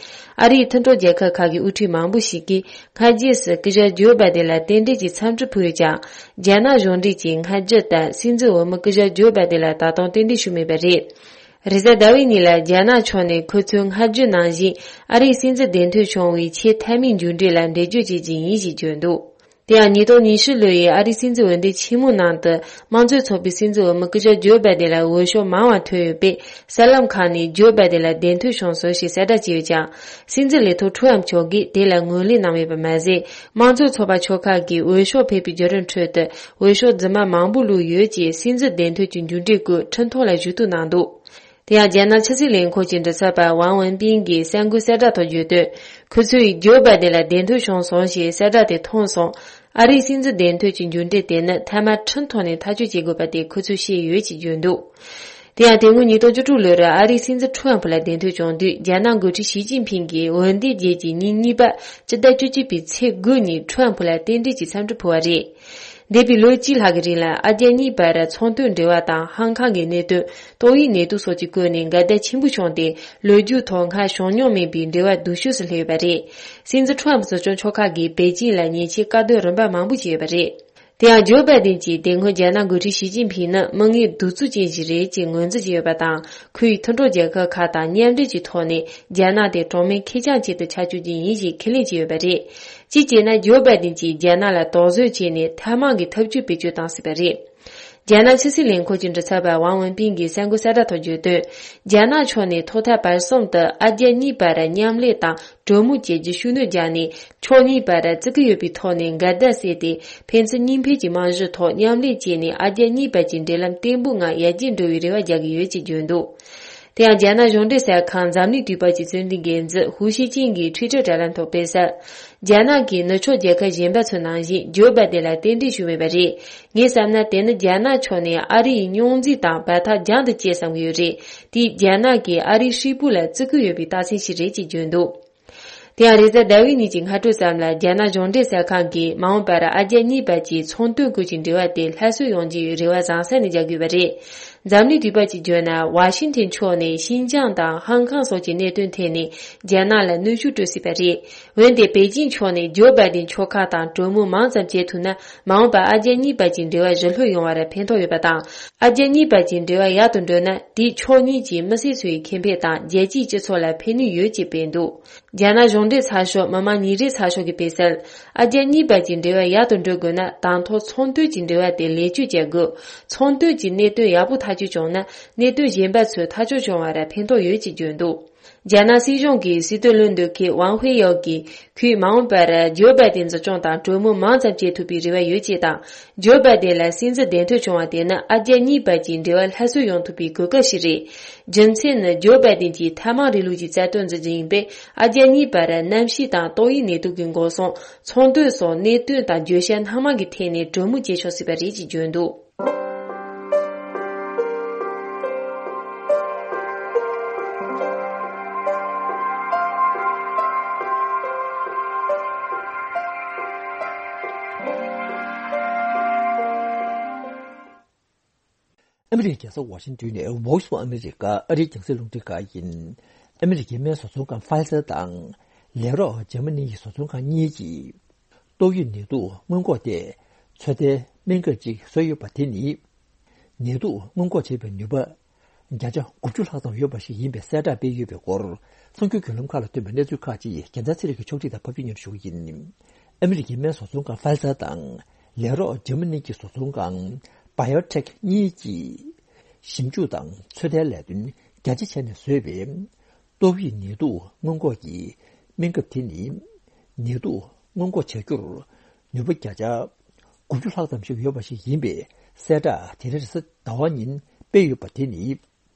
ཨ་རིའི་མཐུན་གྲོགས་རྒྱལ་ཁབ་ཁག་གི་དབུ་ཁྲིད་མང་པོ་ཞིག་གིས་སྔ་རྗེས་སུ་སྐུ་ཞབས་ཇོ་བྷའི་ཌེན་ལ་རྟེན་འབྲེལ་གྱི་འཚམས་འདྲི་ཕུལ་ཡོད་ཀྱང་། རྒྱ་ནག་གཞུང་འབྲེལ་གྱིས་སྔ་རྒྱུད་ལྟར་སྲིད་འཛིན་འོས་མི་སྐུ་ཞབས་ཇོ་བྷའི་ཌེན་ལ་ད་དུང་རྟེན་འབྲེལ་ཞུས་མེད་པ་རེད། རེས་གཟའ་ཟླ་བའི་ཉིན་ལ་རྒྱ་ནག་ཕྱོགས་ནས་ཁོ་ཚོས་སྔ་རྒྱུད་ནང་བཞིན་ཨ་རིའི་སྲིད་འཛིན་གདན་འཐོན་བྱུང་བའི་ཆེས་མཐའ་མའི་མཇུག་འབྲས་ལ་འགྲེལ་བརྗོད་བྱེད་ཀྱི་ཡིན་ཞེས་བརྗོད་འདུག་དེ་ཡང་ཉིས་སྟོང་ཉི་ཤུ་ལོའི་ཨ་རིའི་སྲིད་འཛིན་འོས་འདེམས་ཆེན་མོའི་ནང་དུ་དམངས་གཙོའི་ཚོགས་པའི་སྲིད་འཛིན་འོས་མི་སྐུ་ཞབས་ཇོ་བྷའི་ཌེན་ལ་འོས་ཤོག་མང་བ་ཐོན་ཡོད་པས། གསར་ལམ་ཁག་ནས་ཇོ་བྷའི་ཌེན་ལ་གདན་འཐོན་བྱུང་སོང་ཞེས་གསལ་བསྒྲགས་བྱས་ཡོད་ཀྱང་། སྲིད་འཛིན་ལས་ཐོག་ཁྲུའམ་མཆོག་གིས་དེ་ལ་ངོས་ལེན་གནང་མེད་པ་མ་ཟད། དམངས་གཙོའི་ཚོགས་པ་ཆོལ་ཁ་གིས་འོས་ཤོག་ཕུལ་བའི་བརྒྱུད་རིམ་ཁྲོད་དུ་འོས་ཤོག་རྫུན་མ་མང་པོ་བླུགས་ཡོད་ཅེས་སྲིད་འཛིན་གདན་འཐོན་གྱི་མཇུག་འབྲས་སྐོར་ཁྲིམས་ཐོག་ལ་ཞུ་གཏུག་གནང་འདུག་དེ་ཡང་རྒྱ་ནག་ཕྱི་སྲིད་ལས་ཁུངས་ཀྱི་མགྲིན་ཚབ་པ་ཝང་ཝུན་པིན་གྱིས་གསར་འགོད་གསལ་བསྒྲགས་ཐོག་བརྗོད་དོན། ཁོ་ཚོས་ཇོ་བྷའི་ཌེན་ལ་གདན་འཐོན་བྱུང་སོང་ཞེས་གསལ་བསྒྲགས་དེ་མཐོང་སོང་། ཨ་རིའི་སྲིད་འཛིན་གདན་འཐོན་གྱི་མཇུག་འབྲས་དེ་ནི་མཐའ་མ་ཁྲིམས་ཐོག་ནས་ཐག་གཅོད་བྱེད་དགོས་པ་དེ་ཁོ་ཚོས་ཤེས་ཡོད་ཅེས་བརྗོད་འདུག་དེ་ཡང་དེ་སྔོན་ཉིས་སྟོང་བཅུ་དྲུག་ལོར་ཨ་རིའི་སྲིད་འཛིན་ཁྲུའམ་ཕུ་ལ་གདན་འཐོན་བྱུང་དུས། རྒྱ་ནག་འགོ་ཁྲིད་ཞི་ཅིན་ཕིང་གིས་འོས་འདེམས་རྗེས་ཀྱི་ཉིན་གཉིས་པ་སྤྱི་ཟླ་བཅུ་གཅིག་པའི་ཚེས་དགུ་ཉིན་ཁྲུའམ་ཕུ་ལ་རྟེན་འབྲེལ་གྱི་འཚམས་འདྲི་ཕུལ་བ་རེད། འདས་པའི་ལོ་གཅིག་ལྷག་གི་རིང་ལ་ཨ་རྒྱ་གཉིས་བར་ཚོང་དོན་འབྲེལ་བ་དང་ཧང་ཀང་གི་གནད་དོན། ཏོག་དབྱིབས་ནད་དུག་སོགས་ཀྱི་སྐོར་ནས་འགལ་ཟླ་ཆེན་པོ་བྱུང་སྟེ། ལོ་རྒྱུས་ཐོག་སྔར་བྱུང་མྱོང་མེད་པའི་འབྲེལ་བ་སྡུག་ཤོས་སུ་སླེབས་ཡོད་པ་རེད། སྲིད་འཛིན་ཁྲུའམ་ཕུ་གཙོ་སྐྱོང་ཕྱོགས་ཁག་གིས་པེ་ཅིང་ལ་ཉེས་ཆད་བཀག་སྡོམ་རིམ་པ་མང་པོ་བྱས་ཡོད་པ་རེད། དེ་ཡང་ཇོ་བྷའི་ཌེན་གྱིས་དེ་སྔོན་རྒྱ་ནག་འགོ་ཁྲིད་ཞི་ཅིན་ཕིང་ནི་མི་ངན་གདུག་རྩུབ་ཅན་ཞིག་རེད་ཅེས་ངོས་འཛིན་བྱས་ཡོད་པ་དང་། ཁོ་ཡི་མཐུན་གྲོགས་རྒྱལ་ཁབ་ཁག་དང་མཉམ་འབྲེལ་གྱི་ཐོག་ནས་རྒྱ་ནག་དེ་གྲངས་མེད་ཁེར་རྐྱང་ཅན་དུ་ཆ་བཅུག་རྒྱུ་ཡིན་ཞེས་ཁས་ལེན་བྱས་ཡོད་པ་རེད། གཅིག་བྱས་ན། ཇོ་བྷའི་ཌེན་གྱིས་རྒྱ་ནག་ལ་དོགས་ཟོན་བྱས་ནས་ཐབས་མང་གི་ཐབས་ཇུས་བེད་སྤྱོད་བཏང་སྲིད་པ་རེད། རྒྱ་ནག་ཕྱི་སྲིད་ལས་ཁུངས་ཀྱི་མགྲིན་ཚབ་པ་ཝང་ཝུན་པིན་གྱིས་གསར་འགོད་གསལ་བསྒྲགས་ཐོག་བརྗོད་དོན། རྒྱ་ནག་ཕྱོགས་ནས་ཐོག་མཐའ་བར་གསུམ་དུ་ཨ་རྒྱ་གཉིས་བར་མཉམ་ལས་དང་གྲོས་མོལ་བྱེད་རྒྱུ་ཤུགས་སྣོན་བརྒྱབ་ནས། ཕྱོགས་གཉིས་བར་བརྩི་བཀུར་ཡོད་པའི་ཐོག་ནས་འགལ་ཟླ་སེལ་ཏེ། ཕན་ཚུན་གཉིས་ཕན་གྱི་རྨང་གཞིའི་ཐོག་མཉམ་ལས་བྱས་ནས། ཨ་རྒྱ་གཉིས་བར་གྱི་འབྲེལ་ལམ་བརྟན་པོའི་ངང་ཡར་རྒྱས་འགྲོ་བའི་རེ་བ་རྒྱག་གི་ཡོད་ཅེས་བརྗོད་འདུག་དེ་ཡང་རྒྱ་ནག་གཞུང་འབྲེལ་གསར་ཁང་འཛམ་གླིང་དུས་བབ་ཀྱི་རྩོམ་སྒྲིག་འགན་འཛིན་ཧུའུ་ཤི་ཅིན་གྱིས་ཊུའི་ཊར་དྲ་ལམ་ཐོག་སྤེལ་གསལ། རྒྱ་ནག་གིས་ནུབ་ཕྱོགས་རྒྱལ་ཁབ་གཞན་པ་ཚོ་ནང་བཞིན་ཇོ་བྷའི་ཌེན་ལ་རྟེན་འབྲེལ་ཞུས་མེད་པ་རེད། ངས་བསམ་ན། དེ་ནི་རྒྱ་ནག་ཕྱོགས་ནས་ཨ་རི་ཡི་རྙོག་འཛིང་དང་བར་ཐག་རྒྱང་དུ་བཅད་བསམ་གྱི་ཡོད་རེད། དེས་རྒྱ་ནག་གིས་ཨ་རིའི་ཧྲིལ་པོ་ལ་བརྩི་བཀུར་ཡོད་པའི་རྟགས་མཚན་ཞིག་རེད་ཅེས་བརྗོད་འདུག་དེ་ཡང་རེས་གཟའ་ཟླ་བའི་ཉིན་གྱི་སྔ་དྲོ་ཙམ་ལ། རྒྱ་ནག་གཞུང་འབྲེལ་གསར་ཁང་གིས་མ་འོངས་པར་ཨ་རྒྱ་གཉིས་བར་གྱི་ཚོང་དོན་སྐོར་གྱི་འབྲེལ་བ་དེ་སླར་གསོ་ཡོང་རྒྱུའི་རེ་བ་བཟང་ས་ནས་རྒྱག་དགོས་པ་རེད། འཛམ་གླིང་དུས་བབ་ཀྱིས་བརྗོད་ན། ཝ་ཤིང་ཐན་ཕྱོགས་ནས་ཤིན་ཅང་དང་ཧང་ཀང་སོགས་ཀྱི་གནད་དོན་ཐད་ནས་རྒྱ་ནག་ལ་གནོན་ཤུགས་སྤྲོད་སྲིད་པ་རེད། འོན་ཏེ། པེ་ཅིང་ཕྱོགས་ནས་ཇོ་བྷའི་ཌེན་ཕྱོགས་ཁག་དང་གྲོས་མོལ་མང་ཙམ་བྱེད་ཐུབ་ན། མ་འོངས་པར་ཨ་རྒྱ་གཉིས་བར་གྱི་འབྲེལ་བ་ཞི་ལྷོད་ཡོང་བར་ཕན་ཐོགས་ཡོད་པ་དང་། ཨ་རྒྱ་གཉིས་བར་གྱི་འབྲེལ་བ་ཡག་ཏུ་འགྲོ་ན། དེས་ཕྱོགས་གཉིས་ཀྱི་མི་སེར་ཚོའི་ཁེ་ཕན་དང་། རྒྱལ་སྤྱིའི་སྤྱི་ཚོགས་ལ་ཕན་ནུས་ཡོད་ཅེས་སྤེལ་འདུག་རྒྱ་ནག་གཞུང་འབྲེལ་ཚགས་ཤོག་མི་དམངས་ཉིན་རེའི་ཚགས་ཤོག་གིས་སྤེལ་གསལ། ཨ་རྒྱ་གཉིས་བར་གྱི་འབྲེལ་བ་ཡག་ཏུ་འགྲོ་དགོས་ན། དང་ཐོག་ཚོང་དོན་གྱི་འབྲེལ་བ་དེ་ལེགས་བཅོས་བྱ་དགོས། ཚོང་དོན་གྱི་གནད་དོན་ཡག་པོ་ཐག་གཅོད་བྱུང་ན། གནད་དོན་གཞན་པ་ཚོས་ཐག་གཅོད་བྱུང་བར་ཕན་ཐོགས་ཡོད་ཅེས་བརྗོད་འདུག་རྒྱ་ནག་སྲིད་གཞུང་གི་སྲིད་དོན་བློ་འདྲི་མཁན་ཝང་ཧུའེ་ཡའོ་གིས། ཁོས་མ་འོངས་པར་ཇོ་བྷའི་ཌེན་འཛིན་སྐྱོང་དང་གྲོས་མོལ་མང་ཙམ་བྱེད་ཐུབ་པའི་རེ་བ་ཡོད་ཅེས་དང་། ཇོ་བྷའི་ཌེན་ལ་སྲིད་འཛིན་གདན་འཐོན་བྱུང་བ་དེ་ནི་ཨ་རྒྱ་གཉིས་བར་གྱི་འབྲེལ་བ་སླར་གསོ་ཡོང་ཐུབ་པའི་གོ་སྐབས་ཤིག་རེད། རྒྱུ་མཚན་ནི། ཇོ་བྷའི་ཌེན་གྱིས་ཐབས་མང་རིང་ལུགས་ཀྱི་རྩ་དོན་འཛིན་རྒྱུ་ཡིན་པས། ཨ་རྒྱ་གཉིས་བར་གནམ་གཤིས་དང་ཏོག་དབྱིབས་ནད་དུག་གི་འགོག་སྲུང་། ཚོང་དོན་སོགས་གནད་དོན་དང་བརྗོད་བྱ་སྣ་མང་གི་ཐད་ནས་གྲོས་མོལ་བྱེད་ཆོག་སྲིད་པ་རེད་ཅེས་བརྗོད་འདུག་ཨ་མི་རི་ཀའི་རྒྱལ་ས་ཝ་ཤིང་ཏོན་ནས་Voice of America ཨ་རིའི་རྒྱང་སྲིང་རླུང་འཕྲིན་ཁང་ཡིན། ཨ་མི་རི་ཀའི་སྨན་བཟོ་ཚོང་ཁང་Pfizer་དང་ལས་རོགས་འཇར་མ་ནི་ཡི་བཟོ་ཚོང་ཁང་གཉིས་ཀྱིས། ཏོག་དབྱིབས་ནད་དུག་སྔོན་འགོག་ཐད་ཚོད་ལྟའི་སྨན་ཁབ་ཅིག་བཟོས་ཡོད་པ་དེ་ནི། ནད་དུག་སྔོན་འགོག་བྱེད་པའི་ནུས་པ་བརྒྱ་ཆ་དགུ་བཅུ་ལྷག་ཙམ་ཡོད་པ་ཞིག་ཡིན་པའི་གསལ་བསྒྲགས་སྤེལ་ཡོད་པའི་སྐོར། གསར་འགྱུར་བརྒྱུད་ལམ་ཁག་ལ་ཐོན་པའི་གནས་ཚུལ་ཁག་ཅིག་རྒྱལ་མཚན་ཚེ་རིང་གིས་ཕྱོགས་སྒྲིག་དང་ཕབ་སྒྱུར་སྙན་སྒྲོན་ཞུ་གི་ཡིན། ཨ་མི་རི་ཀའི་སྨན་བཟོ་ཚོང་ཁང་Pfizer་དང་ལས་རོགས་འཇར་མ་ནི་གི་བཟོ་ཚོང་ཁང་BioNTech་གཉིས་ཀྱིས་ཞིབ་འཇུག་དང་ཚོད་ལྟའི་ལས་དོན་རྒྱ་ཆེ་བྱས་ནས་བཟོས་པའི་ཏོག་དབྱིབས་ནད་དུག་སྔོན་འགོག་གི་སྨན་ཁབ་དེ་ནི། ནད་དུག་སྔོན་འགོག་བྱ་རྒྱུར་ ནུས་པ་བརྒྱ་ཆ་དགུ་བཅུ་ལྷག་ཙམ་ཞིག་ཡོད་པ་ཞིག་ཡིན་པའི་གསལ་བསྒྲགས་དེ་རིང་རེས་གཟའ་ཟླ་བ་ཉིན་སྤེལ་ཡོད་པ་དེ་ནི།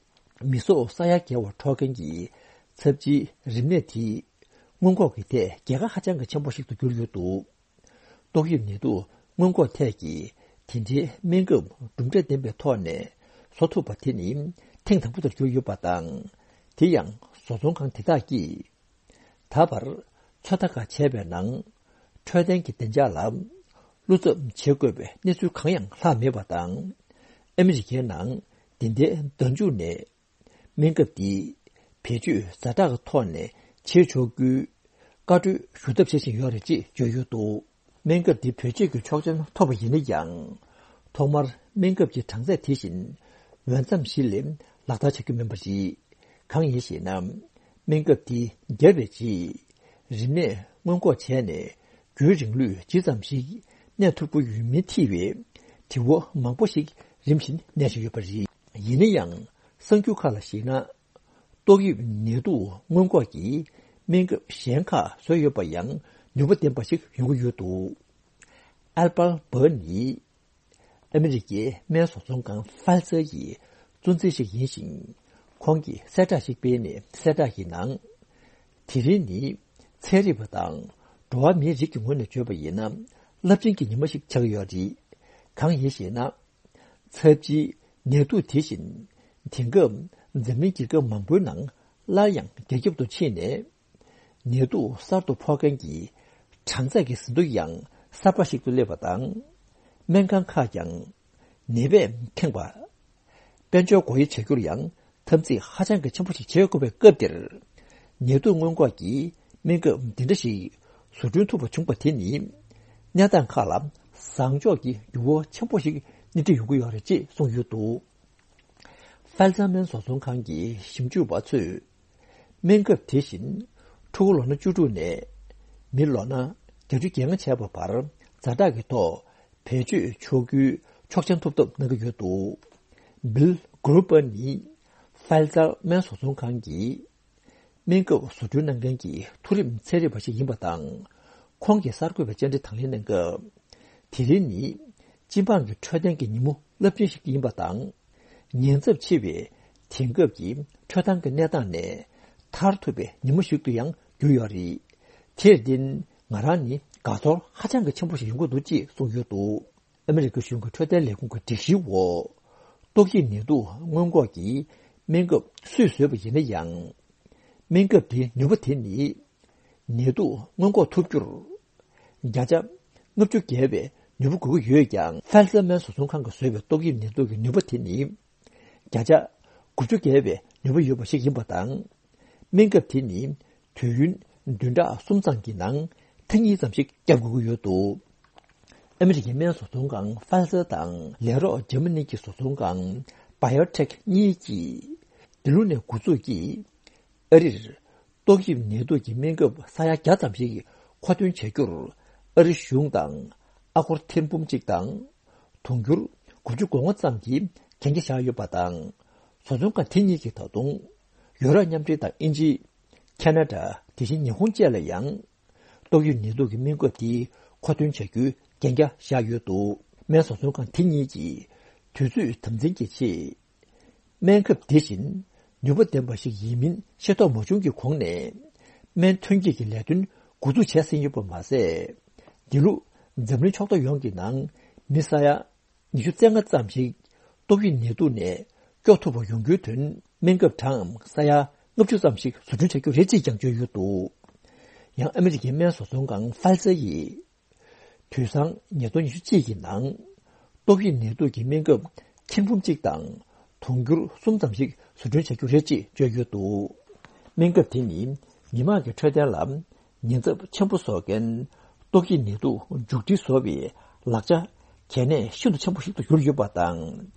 མི་སྲོག་ས་ཡ་བརྒལ་བ་འཕྲོག་མཁན་གྱི་ཚབས་ཆེའི་རིམས་ནད་དེ་སྔོན་འགོག་གི་ཐད་རྒྱལ་ཁ་ཧ་ཅང་གི་ཆེན་པོ་ཞིག་ཏུ་གྱུར་ཡོད་འདུག་ཏོག་དབྱིབས་ནད་དུག་སྔོན་འགོག་ཐད་ཀྱི་དེ་འདྲའི་སྨན་ཁབ་གྲུབ་འབྲས་ལྡན་པའི་ཐོག་ནས་བཟོ་ཐུབ་པ་དེ་ནི་ཐེངས་དང་པོ་དེར་གྱུར་ཡོད་པ་དང་། དེ་ཡང་བཟོ་ཚོང་ཁང་དེ་དག་གིས་ད་བར་ཚོད་ལྟ་ཁག་བྱས་པའི་ནང་འཕྲོད་བསྟེན་གྱི་བདེ་འཇགས་ལ་བློ་འཚབ་བྱེད་དགོས་པའི་གནས་ཚུལ་གང་ཡང་ལྷག་མེད་པ་དང་། ཨ་མི་རི་ཀའི་ནང་འདི་ཟླའི་ཟླ་མཇུག་ནས། སྨན་ཁབ་འདི་བེད་སྤྱོད་ཛ་དྲག་གི་ཐོག་ནས་བྱེད་ཆོག་རྒྱུའི་བཀའ་འཁྲོལ་ཞུ་ཐབས་བྱེད་བཞིན་ཡོད་རེད་ཅེས་བརྗོད་ཡོད་འདུག་སྨན་ཁབ་འདི་བེད་སྤྱོད་ཀྱི་ཆོག་མཆན་ཐོབ་པ་ཡིན་ན་ཡང་། ཐོག་མར་སྨན་ཁབ་ཀྱི་གྲངས་ཚད་དེ་བཞིན་འོས་འཚམ་ཞིག་ལས་ལག་བསྟར་བྱ་རྒྱུ་མིན་པ་རེད། གང་ཡིན་ཞེ་ན། སྨན་ཁབ་འདི་བརྒྱབ་པའི་རྗེས་རིམས་ནད་སྔོན་འགོག་བྱས་ནས། རྒྱུན་རིང་ལུས་ཇི་ཙམ་ཞིག་གནས་ཐུབ་ཀྱི་ཡོད་མིན་ཐེ་བའི་དྲི་བ་མང་པོ་ཞིག་རིམ་བཞིན་གནས་བཞིན་ཡོད་པ་རེད། ཡིན་ན་ཡང་གསར་འགྱུར་ཁག་ལ་གཞིགས་ན། ཏོག་དབྱིབས་ནད་དུག་སྔོན་འགོག་གི་སྨན་ཁབ་གཞན་ཁག་བཟོས་ཡོད་པ་ཡང་ནུས་པ་ལྡན་པ་ཞིག་ཡོང་གི་ཡོད་འདུག་ཨལ་པར་བྷར་ནི་ཨ་མི་རི་ཀའི་སྨན་བཟོ་ཚོང་ཁང་ཕཱི་ཛར་ཡི་གཙོ་འཛིན་ཞིག་ཡིན་ཞིང་། ཁོང་གིས་གསལ་བསྒྲགས་ཤིག་སྤེལ་ནས་གསལ་བསྒྲགས་ཀྱི་ནང་། དེ་རིང་ནི་ཚན་རིག་པ་དང་འགྲོ་བ་མིའི་རིགས་ཀྱི་ངོས་ནས་བརྗོད་པ་ཡིན་ན་རླབས་ཆེན་གྱི་ཉི་མ་ཞིག་ཆགས་ཀྱི་ཡོད་རེད། གང་ཡིན་ཞེ་ན། ཚབས་ཆེའི་ནད་དུག་དེ་བཞིན་དེང་སྐབས་འཛམ་གླིང་རྒྱལ་ཁབ་མང་པོའི་ནང་སླར་ཡང་རྒྱ་ཁྱབ་ཏུ་ཕྱིན་ནས། ནད་དུག་གསར་དུ་ཕོག་མཁན་གྱི་གྲངས་ཚད་ཀྱི་ཟིན་ཐོ་ཡང་གསར་པ་ཞིག་ཏུ་སླེབས་པ་དང་། སྨན་ཁང་ཁག་ཀྱང་ནད་པས་ཁེངས་པ། དཔལ་འབྱོར་སྒོ་དབྱེ་བྱ་རྒྱུར་ཡང་འཐབ་འཛིང་ཧ་ཅང་གི་ཆེན་པོ་ཞིག་བྱེད་དགོས་པའི་སྐབས་འདིར། ནད་དུག་སྔོན་འགོག་གི་སྨན་ཁབ་འདི་འདྲ་ཞིག་བཟོ་སྐྲུན་ཐུབ་པ་བྱུང་པ་དེ་ནི། གནས་སྟངས་ཁག་ལ་བཟང་ཕྱོགས་ཀྱི་འགྱུར་བ་ཆེན་པོ་ཞིག་སྣེ་ཁྲིད་ཡོང་གི་ཡོད་རེད་ཅེས་གསུངས་ཡོད་འདུག་ཕཱི་ཛར་སྨན་བཟོ་ཚོང་ཁང་གི་ཞིབ་འཇུག་པ་ཚོས། སྨན་ཁབ་དེ་བཞིན་ཕྲུ་གུ་ལོ་ན་བཅུ་དྲུག་ནས་མི་ལོ་ན་བརྒྱད་ཅུ་གྱ་ལྔ་བྱས་པ་བར་ཛ་དྲག་གི་ཐོག་བེད་སྤྱོད་ཆོག་རྒྱུའི་ཆོག་མཆན་ཐོབ་ཐབས་གནང་གི་ཡོད་འདུག་བིལ་གྷུ་རུ་པར་ནི་ཕཱི་ཛར་སྨན་བཟོ་ཚོང་ཁང་གི་སྨན་ཁབ་བཟོ་སྐྲུན་གནང་མཁན་གྱི་མཐོ་རིམ་ཚན་རིག་པ་ཞིག་ཡིན་པ་དང་། ཁོང་གིས་གསར་འགོད་པའི་བཅར་འདྲི་དང་ལེན་གནང་སྐབས། དེ་རིང་ནི་སྤྱི་འབངས་ཀྱི་འཕྲོད་བསྟེན་གྱི་ཉིན་མོ་རླབས་ཆེན་ཞིག་ཡིན་པ་དང་། ཉེན་ཚབས་ཆེ་བའི་དེང་སྐབས་ཀྱི་འཕྲོད་བསྟེན་གྱི་གནས་སྟངས་ནས་ཐར་ཐུབ་པའི་ཉིན་མོ་ཞིག་ཏུ་ཡང་གྱུར་ཡོད་རེད། དེར་བརྟེན་ང་རང་ནི་དགའ་ཚོར་ཧ་ཅང་གི་ཆེན་པོ་ཞིག་ཡོང་གི་འདུག་ཅེས་གསུངས་ཡོད་འདུག་ཨ་མི་རི་ཀ་གཞུང་གི་འཕྲོད་བསྟེན་ལས་ཁུངས་ཀྱི་སྒྲིག་གཞིའི་འོག་ཏོག་དབྱིབས་ནད་དུག་སྔོན་འགོག་གི་སྨན་ཁབ་སུས་བཟོས་པ་ཡིན་ན་ཡང་། སྨན་ཁབ་དེའི་ནུས་པ་དེ་ནི། ནད་དུག་སྔོན་འགོག་ཐུབ་རྒྱུར། བརྒྱ་ཆ་ལྔ་བཅུ་བརྒལ་བའི་ནུས་པ་དགོས་ཀྱི་ཡོད་ཀྱང་། ཕཱི་ཛར་སྨན་བཟོ་ཚོང་ཁང་གིས་བཟོས་པའི་ཏོག་དབྱིབས་ནད་དུག་གི་ནུས་པ་དེ་ནི། བརྒྱ་ཆ་དགུ་བཅུ་བརྒལ་བའི་ནུས་པ་ཡོད་པ་ཞིག་ཡིན་པ་དང་། སྨན་ཁབ་དེ་ནི་དུས་ཡུན་བདུན་ཕྲག་གསུམ་ཙམ་གྱི་ནང་ཐེངས་གཉིས་ཙམ་ཞིག་བརྒྱབ་དགོས་ཀྱི་ཡོད་འདུག་ཨ་མི་རི་ཀའི་སྨན་བཟོ་ཚོང་ཁང་ཕཱི་ཛར་དང་ལས་རོགས་འཇར་མ་ནི་གི་བཟོ་ཚོང་ཁང་བྷ་ཡོ་ཊེག་གཉིས་ཀྱིས། འདི་ལོ་ནས་འགོ་འཛུགས་ཀྱིས་ཨ་རིར་ཏོག་དབྱིབས་ནད་དུག་གི་སྨན་ཁབ་ས་ཡ་བརྒྱ་ཙམ་ཞིག་མཁོ་འདོན་བྱ་རྒྱུར་ཨ་རི་གཞུང་དང་ཨ་སྒོར་ཐེར་འབུམ་གཅིག་དང་། དུང་ཕྱུར་དགུ་བཅུ་གོ་ལྔ་ཙམ་གྱི་གན་རྒྱ་བཞག་ཡོད་པ་དང་། བཟོ་ཚོང་ཁང་དེ་གཉིས་ཀྱིས་ད་དུང་ཡུ་རོབ་མཉམ་འབྲེལ་དང་དབྱིན་ཇི། ཁེ་ན་ཌ། དེ་བཞིན་ཉི་ཧོང་བཅས་ལ་ཡང་། ཏོག་དབྱིབས་ནད་དུག་གི་སྨན་ཁབ་དེ་མཁོ་འདོན་བྱ་རྒྱུའི་གན་རྒྱ་བཞག་ཡོད་འདུག་སྨན་བཟོ་ཚོང་ཁང་དེ་གཉིས་ཀྱིས་དུས་ཚོད་དམ་འཛིན་གྱི་ཆེད། སྨན་ཁབ་དེ་བཞིན་ནུས་པ་ལྡན་པ་ཞིག་ཡིན་མིན་ཤེས་རྟོགས་མ་བྱུང་གི་གོང་ནས། སྨན་ཐོན་སྐྱེད་ཀྱི་ལས་དོན་འགོ་འཛུགས་བྱས་ཟིན་ཡོད་པ་མ་ཟད། འདི་ལོ་འཛམ་གླིང་ཕྱོགས་བསྡོམས་ཡོངས་ཀྱི་ནང་མི་ས་ཡ་ཉི་ཤུ་རྩ་ལྔ་ཙམ་ཞིག་ཏོག་དབྱིབས་ནད་དུག་ནས་སྐྱོབ་ཐུབ་པ་ཡོང་རྒྱུའི་དོན། སྨན་ཁབ་གྲངས་ས་ཡ་ལྔ་བཅུ་ཙམ་ཞིག་བཟོ་སྐྲུན་བྱ་རྒྱུ་རེད་ཅེས་ཀྱང་བརྗོད་ཡོད་འདུག་ཡང་ཨ་མི་རི་ཀའི་སྨན་བཟོ་ཚོང་ཁང་ཕཱི་ཛར་ཡིས། དུས་སང་ཉིས་སྟོང་ཉི་ཤུ་གཅིག་གི་ནང་ཏོག་དབྱིབས་ནད་དུག་གི་སྨན་ཁབ་ཐེར་འབུམ་གཅིག་དང་དུང་ཕྱུར་གསུམ་ཙམ་ཞིག་བཟོ་སྐྲུན་བྱ་རྒྱུ་རེད་ཅེས་བརྗོད་ཡོད་འདུག་སྨན་ཁབ་དེ་ནི་མི་དམངས་ཀྱི་འཕྲོད་བསྟེན་ལ་ཉེན་ཚབས་ཆེན་པོ་བཟོ་མཁན་ཏོག་དབྱིབས་ནད་དུག་མཇུག་སྒྲིལ་བཟོ་བའི་ལག་ཆ་གལ་གནད་ཤིན་ཏུ་ཆེན་པོ་ཞིག་ཏུ་གྱུར་ཡོད་པ་དང་།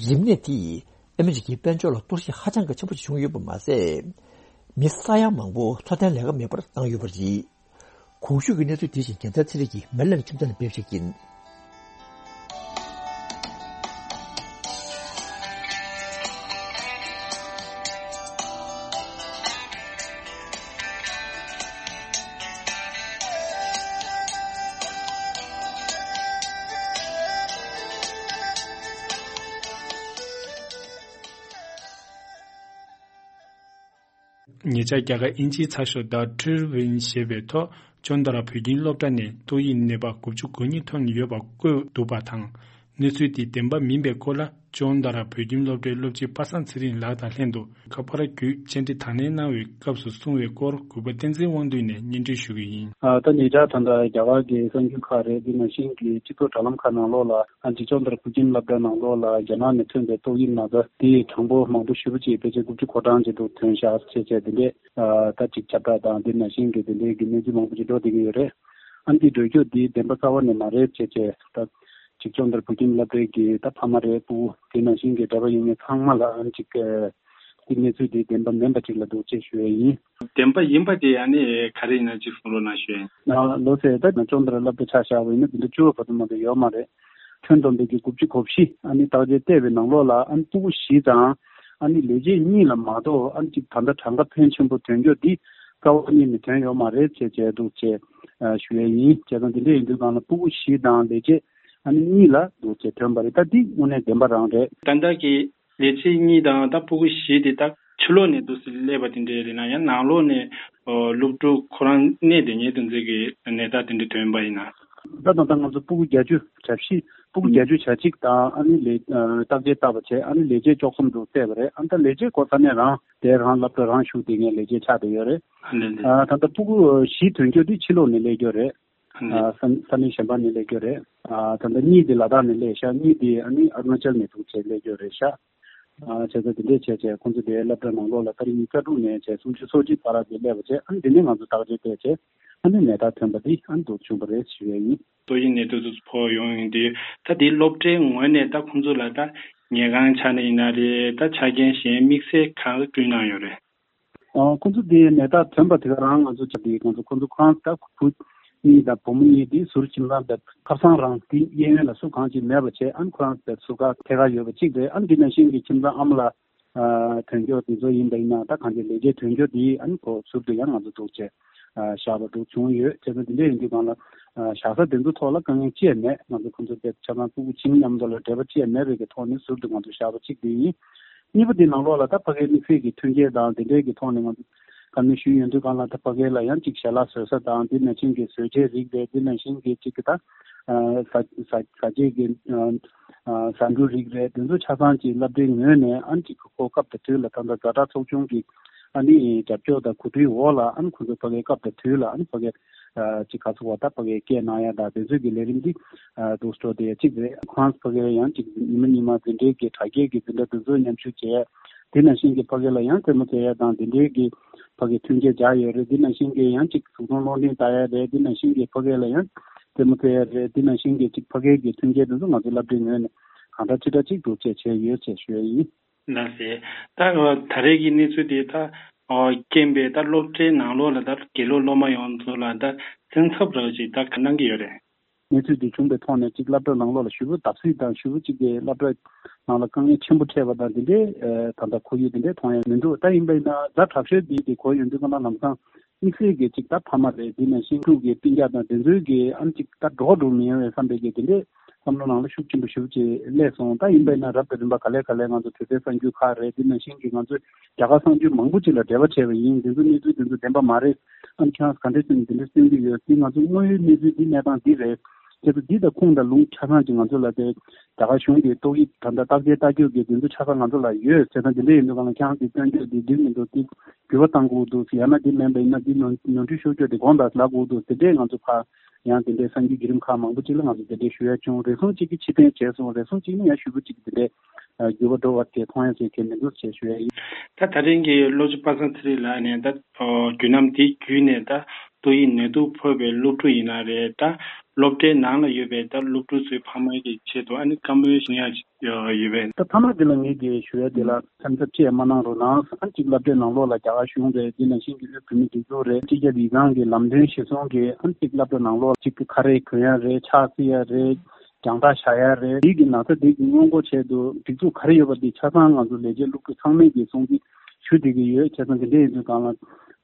རིམས་ནད་དེས་ཨ་མི་རི་ཀའི་དཔལ་འབྱོར་ལ་གཏོར་བཤིག་ཧ་ཅང་གི་ཆེན་པོ་ཞིག་བྱུང་ཡོད་པ་མ་ཟད། མི་ས་ཡ་མང་པོ་འཚོ་རྟེན་ལས་ཀ་མེད་པར་བཏང་ཡོད་པ་རེད། གོང་ཞུས་ཀྱི་གནས་ཚུལ་དེ་བཞིན་རྒྱལ་མཚན་ཚེ་རིང་གིས་མེ་ལན་ཁྱིམ་ཚང་ནས་སྤེལ་བ་ཞིག་ཡིན། ཉེ་ཆར་རྒྱ་གར་དབྱིན་ཇིའི་ཚགས་ཤོག་The Tribune ཞེས་པའི་ཐོག་ཅོན་ཏ་ར་བོད་ཁྱིམ་སློབ་གྲྭ་ནས་ཏོག་དབྱིབས་ནད་པ་དགུ་བཅུ་གོ་གཉིས་ཐོན་ཡོད་པ་བཀོད་འདུག་པ་དང་། གནས་ཚུལ་དེ་བདེན་པ་མིན་པའི་སྐོར་ལ་ཅོན་ཏ་ར་བོད་ཁྱིམ་སློབ་གྲྭའི་སློབ་སྤྱི་པ་སངས་ཚེ་རིང་ལགས་དང་ལྷན་དུ་ཁ་པར་བརྒྱུད་བཅར་འདྲི་དང་ལེན་གནང་བའི་སྐབས་སུ་གསུངས་པའི་སྐོར་གུས་པ་བསྟན་འཛིན་དབང་འདུས་ནས་སྙན་སྒྲོན་ཞུ་གི་ཡིན། ཨ། ད་ཉེ་ཆར་ད་ལྟ་རྒྱ་གར་གྱི་གསར་འགྱུར་ཁག་རེད། དེ་ནང་བཞིན་གྱི་སྤྱི་ཚོགས་དྲ་ལམ་ཁག་ནང་ལོགས་ལ་ཨ་ཅིག་ཅོན་ཏ་ར་བོད་ཁྱིམ་སློབ་གྲྭ་ནང་ལོགས་ལ་རྒྱ་ནག་ནས་ཐོན་པའི་ཏོག་དབྱིབས་ན་ཚ་དེ་གྲངས་འབོར་མང་པོ་ཞེ་པོ་ཅིག་ཕལ་ཆེར་དགུ་བཅུ་གོ་གྲངས་ཅིག་འདུག་ཐོན་ཤག་ཅེས་བྱས་དེ་འདྲས། ཨ། ད་ཅིག་ཁྱབ་བསྒྲགས་དང་དེ་ནང་བཞིན་གྱི་དེ་འདྲའི་གི་གནས་ཚུལ་མང་པོ་ཅིག་འགྲོ་བསྡད་ཀྱི་ཡོད་རེད། ཨ་ནི་འདི་འགྲོ་རྒྱུ་འདི་བདེན་པ་རྩ་བ་ནས་མ་རེད་ཅེས་བྱས། ད་ཅིག་ཅོན་ཏ་ར་བོད་ཁྱིམ་སློབ་གྲྭའི་གི་ད་ཕ་མ་རེད། སྤུ་གུ་དེ་ནང་བཞིན་གྱི་འདྲ་པར་ཡོད་མཁན་ཚང་མ་ལ་ཨ་ནི་ཅིག་ཨ། འདི་གནས་ཚུལ་འདི་བདེན་པ་མིན་པ་ཅིག་ལ་འདུག་ཅེས་ཞུ་ཡས་ཡིན། བདེན་པ་ཡིན་པ་དེ་ཨ་ནི་ག་རེ་ཡིན་ན་ཅིག་གསུང་རོགས་གནང་ཞུ་ཡས་ཡིན། ལགས་སེ། ད་ཅོན་ཏ་ར་སློབ་གྲྭ་ཆ་བཞག་པ་ཡིན་ན་འདི་འདྲ་བཅུ་བ་བར་དུ་མ་གཏོགས་ཡོད་མ་རེད། ཁྱོན་བསྡོམས་པའི་གི་དགུ་བཅུ་གོ་བཞི་ཨ་ནི་བརྟག་དཔྱད་བལྟས་པའི་ནང་ལོགས་ལ་ཨ་ནི་སྤུ་གུ་བཞི་དང་ཨ་ནི་ལས་བྱེད་གཉིས་ལ་མ་གཏོགས་ཨ་ནི་ཅིག་ད་ལྟ་གྲངས་ཀ་ཕོན་ཆེན་པོ་ཐོན་རྒྱུ་འདི་རྩ་བ་ཉིད་ནས་ཐོན་ཡོད་མ་རེད་ཅེས་བྱས་འདུག་ཅེས་ཞུ་ཡས་ཡིན། བྱས་ཙང་འདི་འདྲ་ཡིན་དུས་སྒང་ལ་སྤུ་གུ་བཞི་དང་ལས་བྱེད་ཨ་ནི་གཉིས་ལ་འདུག་ཅེས་ཐོན་པ་རེད། ད་འདི་དངོས་གནས་བདེན་པ་རང་རེད། ད་ལྟ་གི་ལས་བྱེད་གཉིས་དང་ད་སྤུ་གུ་བཞི་དེ་ད་ཕྱི་ལོགས་ནས་འདུག་སེ་སླེབས་པ་དེ་འདྲས་རེད་ན། ཡང་ནང་ལོགས་ནས་ཨོ་སློབ་ཕྲུག་ཁོ་རང་གནས་དེ་ཉིད་དུ་འཛིན་གྱི་ནད་རྟགས་དེ་འདྲ་ཐོན་པ་ཡིན་ན། ད་ད་ལྟ་ང་ཚོ་སྤུ་གུ་བརྒྱད་ཅུ་གྱ་བཞི། སྤུ་གུ་བརྒྱད་ཅུ་གྱ་གཅིག་དང་ཨ་ནི་ལས་བརྟག་དཔྱད་བཏང་བ་བྱས། ཨ་ནི་ལས་བྱེད་བཅུ་གསུམ་དུ་བསྡད་པ་རེད། ཨ་ནི་ད་ལས་བྱེད་ཁོ་ས་གནས་རང་དེ་རང་སློབ་གྲྭ་རང་ཞུགས་བསྡད་མཁན་ལས་བྱེད་ཆགས་བསྡད་ཡོད་རེད། ཨ་ནི་ཨ་ད་ལྟ་སྤུ་གུ་བཞི་ཐོན་རྒྱུ་དེ་ཕྱི་ལོགས་ནས་སླེབས་རྒྱུ་རེད། ཨ་ནི་ཨ་ས་ས་གནས་གཞན་པ་ནས་སླེབས་རྒྱུ་རེད། ཨ་ད་ལྟ་གཉིས་དེ་ལ་དྭགས་ནས་སླེབས་ཤག་གཉིས་དེ་ཨ་ནི་ཨ་རུ་ན་ཅལ་ནས་འདུག་བྱས་སླེབས་རྒྱུ་རེད་ཤག་ཨ་བྱས་ཙང་དེ་འདྲས་བྱས་བྱས་ཁོང་ཚོ་དེའི་སློབ་གྲྭ་ནང་ལོགས་ལ་ཏ་རིག་ཉི་ཤུ་རྩ་དྲུག་ནས་བྱས་སུམ་ཅུ་སོ་གཅིག་བར་དེ་སླེབས་པ་བྱས། ཨ་ནི་དེ་ནས་ང་ཚོ་བརྟག་དཔྱད་བལྟས་བྱས་ཨ་ནི་ནད་རྟགས་ཐོན་པ་འདི་ཨ་ནི་འདུག་བྱུང་བ་རེད་ཞུ་ཡས་ཡིན། ཏོག་དབྱིབས་ནད་དུག་ཚོ་ཕོག་ཡོང་ཡོང་དུས་ད་དེའི་སློབ་གྲྭའི་ངོས་ནས་ད་ཁོང་ཚོ་ལ་ད་ཉལ་ཁང་ཆ་ནས་ཡིན་ན་རེད། ད་ཆ་རྐྱེན་གཞན་དམིགས་བསལ་གང་བསྐྲུན་གནང་ཡོད་རེད། ཨ་ཁོང་ཚོ་དེ་ནད་རྟགས་ཐོན་པ་དེ་ག་རང་ང་ཚོ་ཆ་དེ་ང་ཚོ་ཁོང་ཚོ་ཁོ་རང་ད་བུ་གཉིས་དང་བུ་མོ་གཉིས་དེ་ཟུར་ཁྱིམ་ཚང་དེ་ཁ་སང་རང་དེ་གཡས་གཡོན་ལ་སུ་གང་ཅིག་མེད་པ་བྱས། ཨ་ནི་ཁོ་རང་དེ་ཟུར་ཁ་ཐད་ཀར་ཡོད་པ་གཅིག་རེད། ཨ་ནི་དེ་ནང་བཞིན་གྱི་ཁྱིམ་ཚང་ཨ་མ་ལགས་ཨ་ཐོན་སྐྱོར་དེ་ཚོ་ཡིན་པ་ཡིན་ན་ད་གང་ཅི་ལས་བྱེད་ཐོན་སྐྱོར་དེ་ཨ་ནི་ཁོ་ཟུར་དུ་ཡང་ང་ཚོ་འདུག་བྱས་ཨ་བཞག་པ་འདུག་བྱུང་ཡོད། བྱས་ཙང་དེ་འདྲ་ཡིན་དུས་སྒང་ལ་ཨ་བཞག་ས་དེ་ཚོ་ཐོག་ལ་དཀའ་ངལ་ཅི་ཡང་མེད། ང་ཚོ་ཁོང་ཚོ་དེ་ཆ་ཚང་སྤུ་གུ་ཆུང་མཉམ་དུ་ལ་འབྲེལ་བ་ཅི་ཡང་མེད་པའི་གི་ཐོག་ནས་ཟུར་དུ་ང་ཚོ་བཞག་པ་གཅིག་དེ་ཡིན། གཉིས་པ་དེ་ནང་ལོགས་ལ་ད་ཕ་གིའི་དམིགས་བསལ་གྱི་མཐུན་རྐྱེན་དང་དེ་འདྲའི་གི་ཐོག་ནས་ང་ཚོ་བཀའ་མོལ་ཞུས་ཡོང་དུས་སྒང་ལ་ད་ཕ་གི་ལ་ཡང་ཅིག་ཞལ་ལག་བཟོ་ས་དང་དེ་ནང་བཞིན་གྱི་བཟོ་བྱའི་རིགས་རེད། དེ་ནང་བཞིན་གྱི་ཅིག་གི་ད་ཨ་ཟ་ཟ་ཟ་བྱེད་ཀྱི་ཨ་ཟ་འབྲུ་རིགས་རེད། དེ་ཚོ་ཆ་ཚང་ཅིག་སློབ་གྲྭའི་ངོས་ནས་ཨ་ནི་ཅིག་ཁོ་སྐབས་དང་དུས་ལ་ད་ལྟ་ཛ་དྲག་ཚོགས་ཆུང་གི་ཨ་ནི་རྒྱབ་སྐྱོར་དང་གོ་སྒྲིག་འོག་ལ་ཨ་ནི་ཁོ་ཚོ་ཕ་གི་སྐབས་དང་དུས་ལ་ཨ་ནི་ཕ་གི་ཨ་ཅིག་ག་ཚོད་བ་ད་ཕ་གིའི་སྐད་གནང་ཡ་དང་དེ་ཚོའི་གི་ལས་རིམ་འདི་ཨ་འདུག་སྤྲོ་དེ་གཅིག་རེད། ཁོ་རང་ཕ་གིར་ཡང་ཅིག་ཉི་མ་ཉི་མ་འཛིན་གྲྭའི་གི་དྲ་རྒྱའི་གི་འཛིན་གྲྭ་དེ་ཚོ་མཉམ་ཞུགས་བྱས། དེ་ནང་བཞིན་གི་ཕ་གི་ལ་ཡང་རྩེད་མོ་རྩེ་ཡ་དང་དེ་འདྲའི་གི་ཕ་གི་མཐུན་རྐྱེན་སྦྱར་ཡོད་རེད། དེ་ནང་བཞིན་གི་ཡང་ཅིག་གཟུགས་མཐོང་སློབ་འབྲིང་ལྟ་ཡ་རེད། དེ་ནང་བཞིན་གི་ཕ་གི་ལ་ཡང་རྩེད་མོ་རྩེ་ཡ་རེད། དེ་ནང་བཞིན་གི་ཅིག་ཕ་གིའི་གི་མཐུན་རྐྱེན་དེ་ཚོ་ང་ཚོ་སློབ་གྲྭའི་ངོས་ནས་གང་འདྲ་ཅི་འདྲ་ཅིག་འདུག་བྱས་བྱས་ཡོད་ཅེས་ཞུ་ཡ་ཡིན། ལགས་སེ། ད་ད་རེས་ཀྱི་གནས་ཚུལ་དེ་ད་རྐྱེན་པས་ད་སློབ་གྲྭའི་ནང་ལོགས་ལ་ད་དགེ་སློབ་སློབ་མ་ཡོངས་རྫོགས་ལ་ད་སེམས་འཚབ་རོགས་ཅིག་ད་ག་གནང་གི་ཡོད་རེད། གནས་ཚུལ་དེ་བྱུང་པའི་ཐོག་ནས་ཅིག་སློབ་གྲྭ་ནང་ལོགས་ལ་ཞེ་པོ་བརྡབ་གསིག་དང་ཞེ་པོ་ཅིག་གི་སློབ་གྲྭ་ནང་ལ་དཀའ་ངལ་ཆེན་པོ་འཕྲད་པ་དང་དེ་འདྲའི་ད་ལྟ་ཁོར་ཡུག་དེ་འདྲའི་མཐོང་ཡ་མི་འདུག་ད་ཡིན་པ་ཡིན་ན་ཛ་དྲག་ཤོས་དེ་དེ་གོ་ཡོང་དུས་ཀ་ན་ལམ་སང་དམིགས་བསལ་གྱི་ཅིག་ད་ཕ་མ་རེད། དེ་ནས་ཤིང་ཕྲུག་གི་སྤུན་ཀྱག་དང་དེ་ཚོའི་གི་ཨ་ནི་ཅིག་ད་འགྲོ་འགྲོ་མི་ཡོང་བའི་བསམ་པའི་གི་དེ་འདྲའི་བསམ་བློ་ནང་ལ་ཤུགས་ཆེན་པོ་ཞེ་པོ་ཅིག་སླེབས་སོང་། ད་ཡིན་པ་ཡིན་ན་རབ་དང་རིམ་པ་ག་ལེ་ག་ལེ་ང་ཚོ་དུས་དེབ་གསར་འགྱུར་ཁག་རེད། དེ་ནང་བཞིན་གྱི་ང་ཚོས་རྒྱ་གར་གསར་འགྱུར་མང་པོ་ཅིག་ལ་འབྲེལ་བ་བྱས་པ་ཡིན། དེ་ཚོ་གནས་ཚུལ་དེ་ཚོ་བདེན་པ་མ་རེད། ཨ་ནི་ཁྱེད་རང་ག་འདྲ་ཞིག་དེ་འདྲ་སྟོན་གྱི་ཡོད་དེ། ང་ཚོ་དངོས་ཡོད་གནས་ཚུལ་འདི་གནས་སྟངས་འདི་རེད། དེ་ཚོ་འདི་དང་ཁུངས་དང་ལུང་ཆ་ཚང་ཅིག་ང་ཚོ་ལ་དེ་རྒྱ་གར་གཞུང་གི་ཏོག་དབྱིབས་ད་ལྟ་བརྟག་དཔྱད་ལྟ་རྒྱུ་གི་དེ་ཚོ་ཆ་ཚང་ང་ཚོ་ལ་ཡོད། བྱས་ཙང་དེ་འདྲ་ཡིན་དུས་གང་ལ་ཁྱེད་རང་གི་སྟོན་རྒྱུ་འདི་འགྲིག་མི་འདུག་དེ་འགྱུར་བ་གཏང་དགོས་འདུག་ཡང་ན་དེ་མིན་པ་ཡིན་ན་དེ་ནོར་ནོར་འཁྲུལ་ཤོར་རྒྱུ་དེ་དགོངས་དག་ལབ་དགོས་འདུག་དེ་འདྲས་ང་ཚོ་ཕར་ཡང་དེ་འདྲའི་གསར་འགྱུར་བརྒྱུད་རིམ་ཁག་མང་པོ་ཅིག་ལ་ང་ཚོ་དེ་འདྲའི་ཞུ་ཡ་བྱུང་། རེ་ཟུང་གཅིག་གིས་ཕྱིར་འཐེན་བྱས་སོང་། རེ་ཟུང་གཅིག་ནི་ཡང་ཞུ་བ་གཅིག་དེ་འདྲའི་འགྱུར་བ་འགྲོ་བ་དེ་མཐོང་ཡ་ཟེར་གྱི་མི་འདུག་ཅེས་ཞུ་ཡ་ཡིན། ད་ད་རིང་གི་སློབ་སྤྱི་པ་སངས་ཚེ་རིང་ལགས་ནས་ད་རྒྱུན་ལམ་དེ་བརྒྱུད་ནས་ད་ཏོག་དབྱིབས་ནད་དུག་ཕོག་པའི་སློབ་ཕྲུག་ཡིན་ན་རེད། ད་སློབ་གྲྭའི་ནང་ལ་ཡོད་པའི་ད་སློབ་ཕྲུག་ཚོའི་ཕ་མ་གི་ཆེད་དུ་ཨ་ནི་བཀའ་མོལ་གསུང་ཡ་ཅིག་ཡོད་པས། ད་ཕ་མ་དེ་ལ་ངེད་ཀྱིས་ཞུ་ཡ་དེ་ལ་སེམས་འཚབ་ཅི་ཡང་མ་གནང་རོགས་གནང་། ཨ་ནི་གཅིག་སློབ་གྲྭའི་ནང་ལོགས་ལ་རྒྱ་གར་གཞུང་རེད། དེ་ནང་བཞིན་གྱི་དབུས་བོད་མིའི་སྒྲིག་འཛུགས་རེད། སྤྱི་ཁྱབ་ཡིག་ཚང་གི་ལམ་སྟོན་གཞིར་བཟུང་གིས་ཨ་ནི་གཅིག་སློབ་གྲྭ་ནང་ལོགས་ལ་གཅིག་གི་ཁ་རས་གོན་ཡ་རེད། ཕྱག་བསིལ་ཡ་རེད། རྒྱང་ཐག་བཞག་ཡ་རེད། དེའི་གི་ན་ཚ་དེ་གི་སྔོན་འགོག་ཆེད་དུ་སྒྲིག་འཛུགས་ག་རེ་ཡོད་པ་དེ་ཆ་ཚང་ང་ཚོ་ལས་བྱེད་སློབ་ཕྲུག་ཚང་མས་ཀྱི་སྲུང་བརྩི་ཞུ་བསྡད་ཀྱི་ཡོད། བྱས་ཙང་དེ་འདྲ་ཡིན་དུས་སྒང་ལ་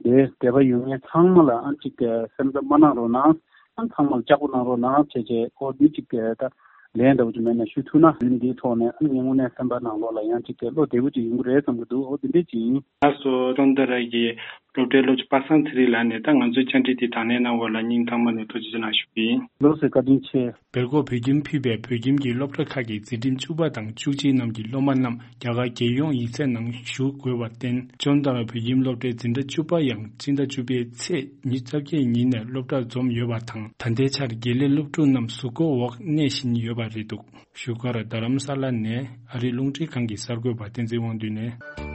དེ་འབྲེལ་བ་ཡོད་མཁན་ཚང་མ་ལ་ཨ་ཅིག་སེམས་འཚབ་མ་གནང་རོགས་གནང་། ཨ་ཚང་མ་ལ་ལྕགས་པོ་གནང་རོགས་གནང་བྱས་བྱས་ཁོ་འདི་ཅིག་ད་ ལན་འདྲ་བོ་ཅིག་མེད་ན་ཞུ་ཐུབ་ན། ལན་འདིའི་ཐོག་ནས་ཨ་ནི་ངས་དངོས་གནས་སེམས་པ་ནང་ལོགས་ལ་ཡང་ཅིག་གི་བློ་བདེ་བོ་ཅིག་ཡོང་གི་རེད་བསམ་གི་འདུག་འོ་དེ་འདྲས་ཅིག་ཡིན། ལགས་སོ། ཀྲོང་རྡལ་ར་གི་སློབ་གྲྭའི་སློབ་སྤྱི་པ་སངས་ཚེ་རིང་ལགས་ནས་ད་ང་ཚོའི་བཅར་འདྲི་འདི་དང་ལེན་གནང་བ་ལ་སྙིང་ཐག་མ་ནས་ཐུགས་རྗེ་ཆེ་གནང་ཞུ་གི་ཡིན། ལགས་སོ། བཀའ་དྲིན་ཆེ། སྦེལ་ཀོབ་བོད་ཁྱིམ་ཕུད་པའི་བོད་ཁྱིམ་གྱི་སློབ་གྲྭ་ཁག་གི་འཛིན་རིམ་བཅུ་པ་དང་བཅུ་གཅིག་རྣམས་ཀྱི་སློབ་མ་རྣམས་རྒྱ་གར་རྒྱལ་ཡོངས་ཡིག་ཚད་ནང་ཞུགས་དགོས་པར་བརྟེན། ཀྲོང་རྡལ་བོད་ཁྱིམ་སློབ་གྲྭའི་འཛིན་གྲྭ་བཅུ་པ་ཡང་སྤྱི་ཟླ་བཅུ་པའི་ཚེས་ཉི་ཤུ་རྩ་བརྒྱད་ཉིན་ནས་སློབ་གྲྭར་འཛོམས་ཡོད་པ་དང་། ད་ལྟའི་ཆར་དགེ་ལས་སློབ་ཕྲུག་རྣམས་གཟུགས་པོ་འོག་གནས་བཞིན་ཡོད་པ་རེད་འདུག་བཞུགས་སྒར་རྡ་རམ་ས་ལ་ནས་ཨ་རིའི་རླུང་འཕྲིན་ཁང་གི་གསར་འགོད་པ་བསྟན་འཛིན་དབང་འདུས་ནས།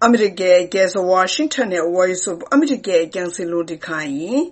ཨ་མི་རི་ཀའི་རྒྱལ་ས་ཝ་ཤིང་ཊོན་ནས་Voice of America་རྒྱང་སྲིང་རླུང་འཕྲིན་ཁང་ཡིན།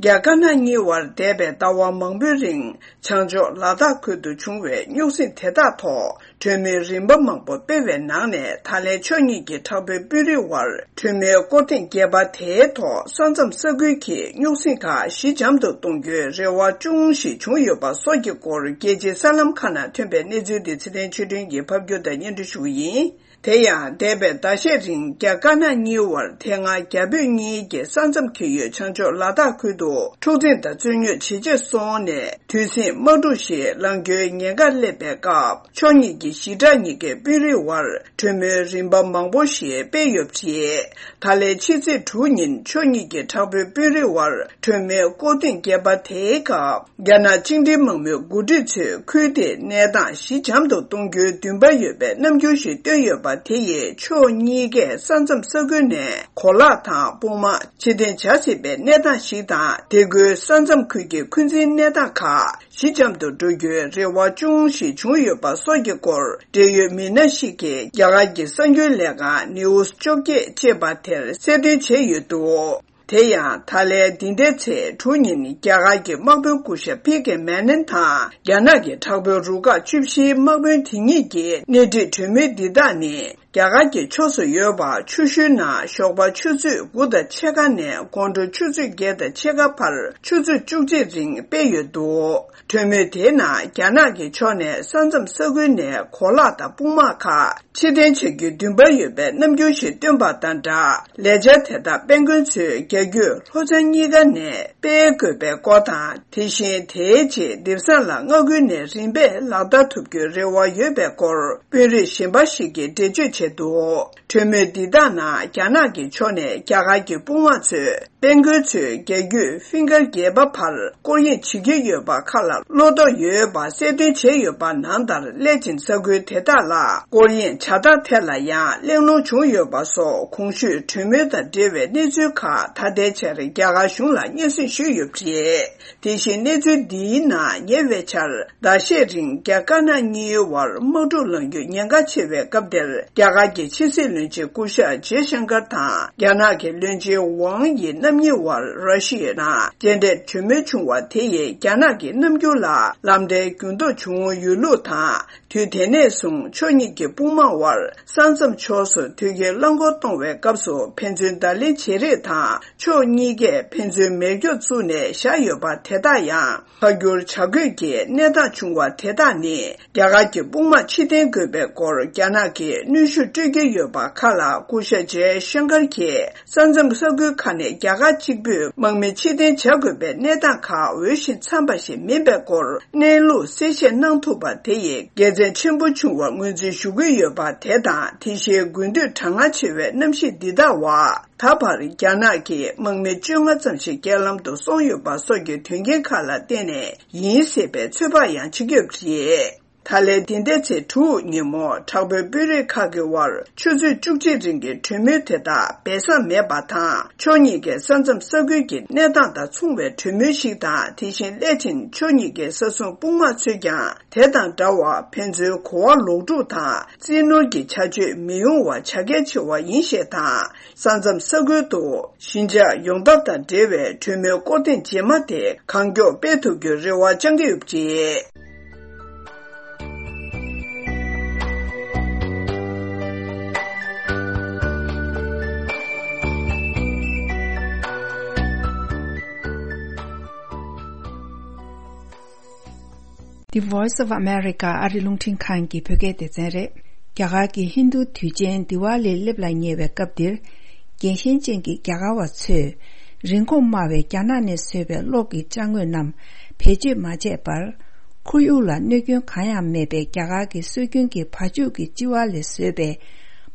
རྒྱ་དཀར་ནག་གཉིས་བར་འདས་པའི་ཟླ་བ་མང་པོའི་རིང་བྱང་ཕྱོགས་ལ་དྭགས་ཁུལ་དུ་བྱུང་བའི་རྙོག་ཟིང་དེ་དག་ཐོག་གྲོས་མོལ་རིམ་པ་མང་པོ་སྤེལ་བའི་ནང་ནས། ད་ལན་ཕྱོགས་གཉིས་ཀྱི་དྲག་པོའི་དཔོན་རིགས་དབར་གྲོས་མོལ་སྐོར་ཐེངས་བརྒྱད་པ་དེའི་ཐོག་ས་མཚམས་ས་ཁུལ་གྱི་རྙོག་ཟིང་ཁག་ཞི་འཇམ་དུ་གཏོང་རྒྱུའི་རེ་བ་ཅུང་ཞིག་བྱུང་ཡོད་པ་སོགས་ཀྱི་སྐོར། རྒྱལ་སྤྱིའི་གསར་ལམ་ཁག་ནང་ཐོན་པའི་གནས་ཚུལ་འདི་ཚེ་བརྟན་ཆོས་སྒྲོན་གྱིས་ཕབ་སྒྱུར་དང་སྙན་སྒྲོན་ཞུ་གི་ཡིན། དེ་ཡང་འདས་པའི་ཟླ་ཤས་རིང་རྒྱ་དཀར་ནག་གཉིས་བར་དེ་སྔ་རྒྱ་བོད་གཉིས་ཀྱི་ས་མཚམས་འཁེལ་ཡུལ་བྱང་ཕྱོགས་ལ་དྭགས་ཁུལ་དུ་འཁྲུག་འཛིང་དང་རྩོད་རྙོག་ཇེ་ཆེར་སོང་ནས་དུས་ཟིང་དམག་འཁྲུག་ཞིག་ལངས་རྒྱུའི་ཉེན་ཁ་སླེབས་པའི་སྐབས། ཕྱོགས་གཉིས་ཀྱི་ཞི་དྲག་གཉིས་ཀའི་དཔོན་རིགས་དབར་གྲོས་མོལ་རིམ་པ་མང་པོ་ཞིག་སྤེལ་ཡོད་པ་རེད། ད་ལན་ཕྱི་ཚེས་དྲུག་ཉིན་ཕྱོགས་གཉིས་ཀྱི་དྲག་པོའི་དཔོན་རིགས་དབར་གྲོས་མོལ་སྐོར་ཐེངས་བརྒྱད་པ་དེའི་སྐབས། རྒྱ་ནག་བཅིངས་འགྲོལ་དམག་མིའི་འགོ་ཁྲིད་ཚོས་ཁུལ་དེའི་གནས་སྟངས་ཞི་འཇམ་དུ་གཏོང་རྒྱུའི་འདུན་པ་ཡོད་པའི་རྣམ་འགྱུར་ཞིག་བཏོན་ཡོད་པ་དེ་ཡིས་ཕྱོགས་གཉིས་ཀས་ས་མཚམས་ས་ཁུལ་ནས་གོ་ལག་དང་དཔུང་དམག་ཕྱིར་འཐེན་བྱ་སྲིད་པའི་གནས་སྟངས་ཤིག་དང་། དེ་ཁུལ་ས་མཚམས་ཁུལ་གྱི་འཁོན་འཛིན་གནས་སྟངས་ཁག་ཞི་འཇམ་དུ་འགྲོ་རྒྱུའི་རེ་བ་ཅུང་ཞིག་བྱུང་ཡོད་པ་སོགས་ཀྱི་སྐོར། འབྲེལ་ཡོད་མི་སྣ་ཞིག་གིས་རྒྱ་གར་གྱི་གསར་འགྱུར་ལས་ཁང་News་བཅོ་བརྒྱད་ཅེས་པ་དེར་གསལ་སྟོན་བྱས་ཡོད་འདུག་དེ་ཡང་ད་ལན་འདི་ཟླའི་ཚེས་དྲུག་ཉིན་རྒྱ་གར་གྱི་དམག་དཔོན་སྐུ་ཞབས་པི་ཀེ་མེ་ནན་དང་རྒྱ་ནག་གི་དྲག་པོའི་རུ་ཁག་བཅུ་བཞིའི་དམག་དཔོན་དེ་གཉིས་ཀྱིས་སྣེ་ཁྲིད་གྲོས་མོལ་འདི་དག་ནི་རྒྱ་གར་གྱི་ཕྱོགས་སུ་ཡོད་པ་ཆུ་ཤུལ་ནང་ཞོགས་པ་ཆུ་ཚོད་དགུ་དང་ཕྱེད་ཀ་ནས་དགོང་དྲོ་ཆུ་ཚོད་བརྒྱད་དང་ཕྱེད་ཀ་བར་ཆུ་ཚོད་བཅུ་གཅིག་རིང་སྤེལ་ཡོད་འདུག་གྲོས་མོལ་དེའི་ནང་རྒྱ་ནག་གི་ཕྱོགས་ནས་ས་མཚམས་ས་ཁུལ་ནས་གོ་ལག་དང་དཔུང་དམག་ཁག་ཕྱིར་འཐེན་བྱ་རྒྱུའི་འདུན་པ་ཡོད་པའི་རྣམ་འགྱུར་ཞིག་བཏོན་པ་དང་སྦྲགས། ལས་འཆར་དེ་དག་དཔལ་མགོན་མཚོའི་རྒྱ་རྒྱུད་ལྷོ་བྱང་གཉིས་ཀ་ནས་སྤེལ་དགོས་པའི་སྐོར་དང་། དེ་བཞིན་དེའི་རྗེས་དེང་སང་ལ་མངའ་ཁུལ་ནས་རིམ་པས་ལག་བསྟར་ཐུབ་རྒྱུའི་རེ་བ་ཡོད་པའི་སྐོར། དཔོན་རིགས་གཞན་པ་ཞིག་གིས་འགྲེལ་བརྗོད་བྱས་འདུག་གྲོས་མོལ་འདི་དག་ནང་རྒྱ་ནག་གི་ཕྱོགས་ནས་རྒྱ་གར་གྱི་དཔུང་དམག་ཚོས་དཔལ་མགོན་མཚོའི་རྒྱ་རྒྱུད་ཧྥིང་ཀར་བརྒྱད་པ་བར་སྐོར་གཡེང་བྱེད་ཀྱི་ཡོད་པ་ཁག་ལ་བློ་དོགས་ཡོད་པ་གསལ་སྟོན་བྱས་ཡོད་པ་ནང་ལྟར། སླད་ཕྱིན་ས་ཁུལ་དེ་དག་ལ་སྐོར་གཡེང་བྱ་སྟངས་ཐད་ལ་ཡང་གླེང་སློང་བྱུང་ཡོད་པ་སོགས། གོང་ཞུས་གྲོས་མོལ་དང་འབྲེལ་བའི་གནས་ཚུལ་ཁག་ད་ལྟའི་ཆར་རྒྱ་གར་གཞུང་ལ་སྙན་སེང་ཞུས་ཡོད་པ་རེད། དེ་བཞིན་གནས་ཚུལ་འདིའི་ནང་ཉེ་བའི་ཆར་ཟླ་ཤས་རིང་རྒྱ་དཀར་ནག་གཉིས་བར་དམག་འཁྲུག་ལངས་རྒྱུའི་ཉེན་ཁ་ཆེ་བའི་སྐབས་དེར། རྒྱ་གར་གྱི་ཕྱི་སྲིད་བློན་ཆེན་སྐུ་ཞབས་ཇེ་ཤང་ཀར་དང་རྒྱ་ནག་གི་བློན་ཆེན་ཝང་ཡི་རྣམ་གཉིས་བར་ར་ཤི་ཡའི་ནང་མཇལ་འཕྲད་གྲོས་མོལ་བྱུང་བ་དེ་ཡིས་རྒྱ་ནག་གི་རྣམ་འགྱུར་ལ་ལམ་འདྲེན་འགྱུར་ལྡོག་བྱུང་ཡོད་ལུགས་དང་། དུས་དེ་ནས་བཟུང་ཕྱོགས་གཉིས་ཀྱི་དཔུང་དམག་དབར་ས་མཚམས་ཕྱོགས་སུ་དོས་སྐྱེལ་རླངས་འཁོར་གཏོང་བའི་སྐབས་སུ་ཕན་ཚུན་བརྡ་ལན་བྱེད་རེས་དང་། ཕྱོགས་གཉིས་ཀས་ཕན་ཚུན་མེ་སྒྱོགས་བཙུགས་ནས་བཞག་ཡོད་པ་དེ་དག་ཡང་། ཕར་འགྱུར་བྱ་དགོས་ཀྱི་གནས་སྟངས་བྱུང་བ་དེ་དག་ནི། རྒྱ་གར་གྱི་དཔུང་དམག་ཕྱིར་འཐེན་དགོས་པའི་སྐོར་རྒྱ་ནག་གིས་གནོན་ཤུགས་སྤྲོད་ཀྱི་ཡོད་པ་ཁག་ལ། སྐུ་ཞབས་ཇེ་ཤང་ཀར་གྱིས། ས་མཚམས་ས་ཁུལ་ཁག་ནས་རྒྱ་གར་གཅིག་པུས་དམག་མི་ཕྱིར་འཐེན་བྱ་དགོས་པའི་གནས་སྟངས་ཁག་འོས་ཤིང་འཚམས་པ་ཞིག་མིན་པའི་སྐོར་གནས་ལུགས་གསལ་བཤད་གནང་ཐུབ་པ་དེ་ཡིས་དགེ་མཚན་ཆེན་པོ་བྱུང་བར་ངོས་འཛིན་ཞུ་གི་ཡོད་པ་དེ་དང་། དེ་བཞིན་དགུན་དུས་གྲང་ངར་ཆེ་བའི་གནམ་གཤིས་འདི་དག་བར། ད་བར་རྒྱ་ནག་གིས་དམག་མི་བཅོ་ལྔ་ཙམ་ཞིག་རྐྱེན་ལམ་དུ་སོང་ཡོད་པ་སོགས་ཀྱི་དོན་རྐྱེན་ཁག་ལ་བརྟེན་ནས་ཡིན་སྲིད་པའི་ཚོད་དཔག་ཡང་བྱེད་ཀྱི་ཡོད་པ་རེད། ད་ལན་འདི་ཟླའི་ཚེས་དྲུག་ཉིན་མོ་དྲག་པོའི་དཔོན་རིགས་ཁག་གི་དབར་ཆུ་ཚོད་བཅུ་གཅིག་རིང་གི་གྲོས་མོལ་དེ་དག་སྦས་གསང་མེད་པ་དང་། ཕྱོགས་གཉིས་ཀས་ས་མཚམས་ས་ཁུལ་གྱི་གནས་སྟངས་དང་མཚུངས་པའི་གྲོས་མོལ་ཞིག་དང་། དེ་བཞིན་སླད་ཕྱིན་ཕྱོགས་གཉིས་ཀའི་ས་སྲུང་དཔུང་དམག་ཚོས་ཀྱང་དེ་དང་འདྲ་བར་ཕན་ཚུན་གོ་བ་ལོག་སྒྲུག་དང་། རྩིས་ནོར་གྱི་བྱ་སྤྱོད་མི་ཡོང་བ་བྱ་གལ་ཆེ་བ་ཡིན་ཞེས་དང་། ས་མཚམས་ས་ཁུལ་དུ་ཞི་འཇགས་ཡོང་ཐབས་དང་འབྲེལ་བའི་གྲོས་མོལ་སྐོར་ཐེངས་རྗེས་མ་དེ་གང་མགྱོགས་སྤེལ་ཐུབ་རྒྱུའི་རེ་བ་བཅང་གི་ཡོད་པ་རེད། The Voice of America ཨ་རི་རླུང་འཕྲིན་ཁང་གི་བོད་སྐད་སྡེ་ཚན་རེད། རྒྱ་གར་གྱི་ཧིན་རྡུ་དུས་ཆེན་དི་ཝཱ་ལི་སླེབས་ལ་ཉེ་བའི་སྐབས་འདིར། རྒྱལ་ཞེན་ཅན་གྱི་རྒྱ་གར་བ་ཚོས་རིན་གོང་དམའ་བའི་རྒྱ་ནག་ནས་བཟོས་པའི་གློག་གི་ཅ་དངོས་རྣམས་བེད་སྤྱོད་མ་བྱས་པར། ཁོར་ཡུག་ལ་གནོད་སྐྱོན་གང་ཡང་མེད་པའི་རྒྱ་གར་གྱི་སྲོལ་རྒྱུན་གྱི་བ་ཕྱུགས་ཀྱི་ལྕི་བ་ལས་བཟོས་པའི་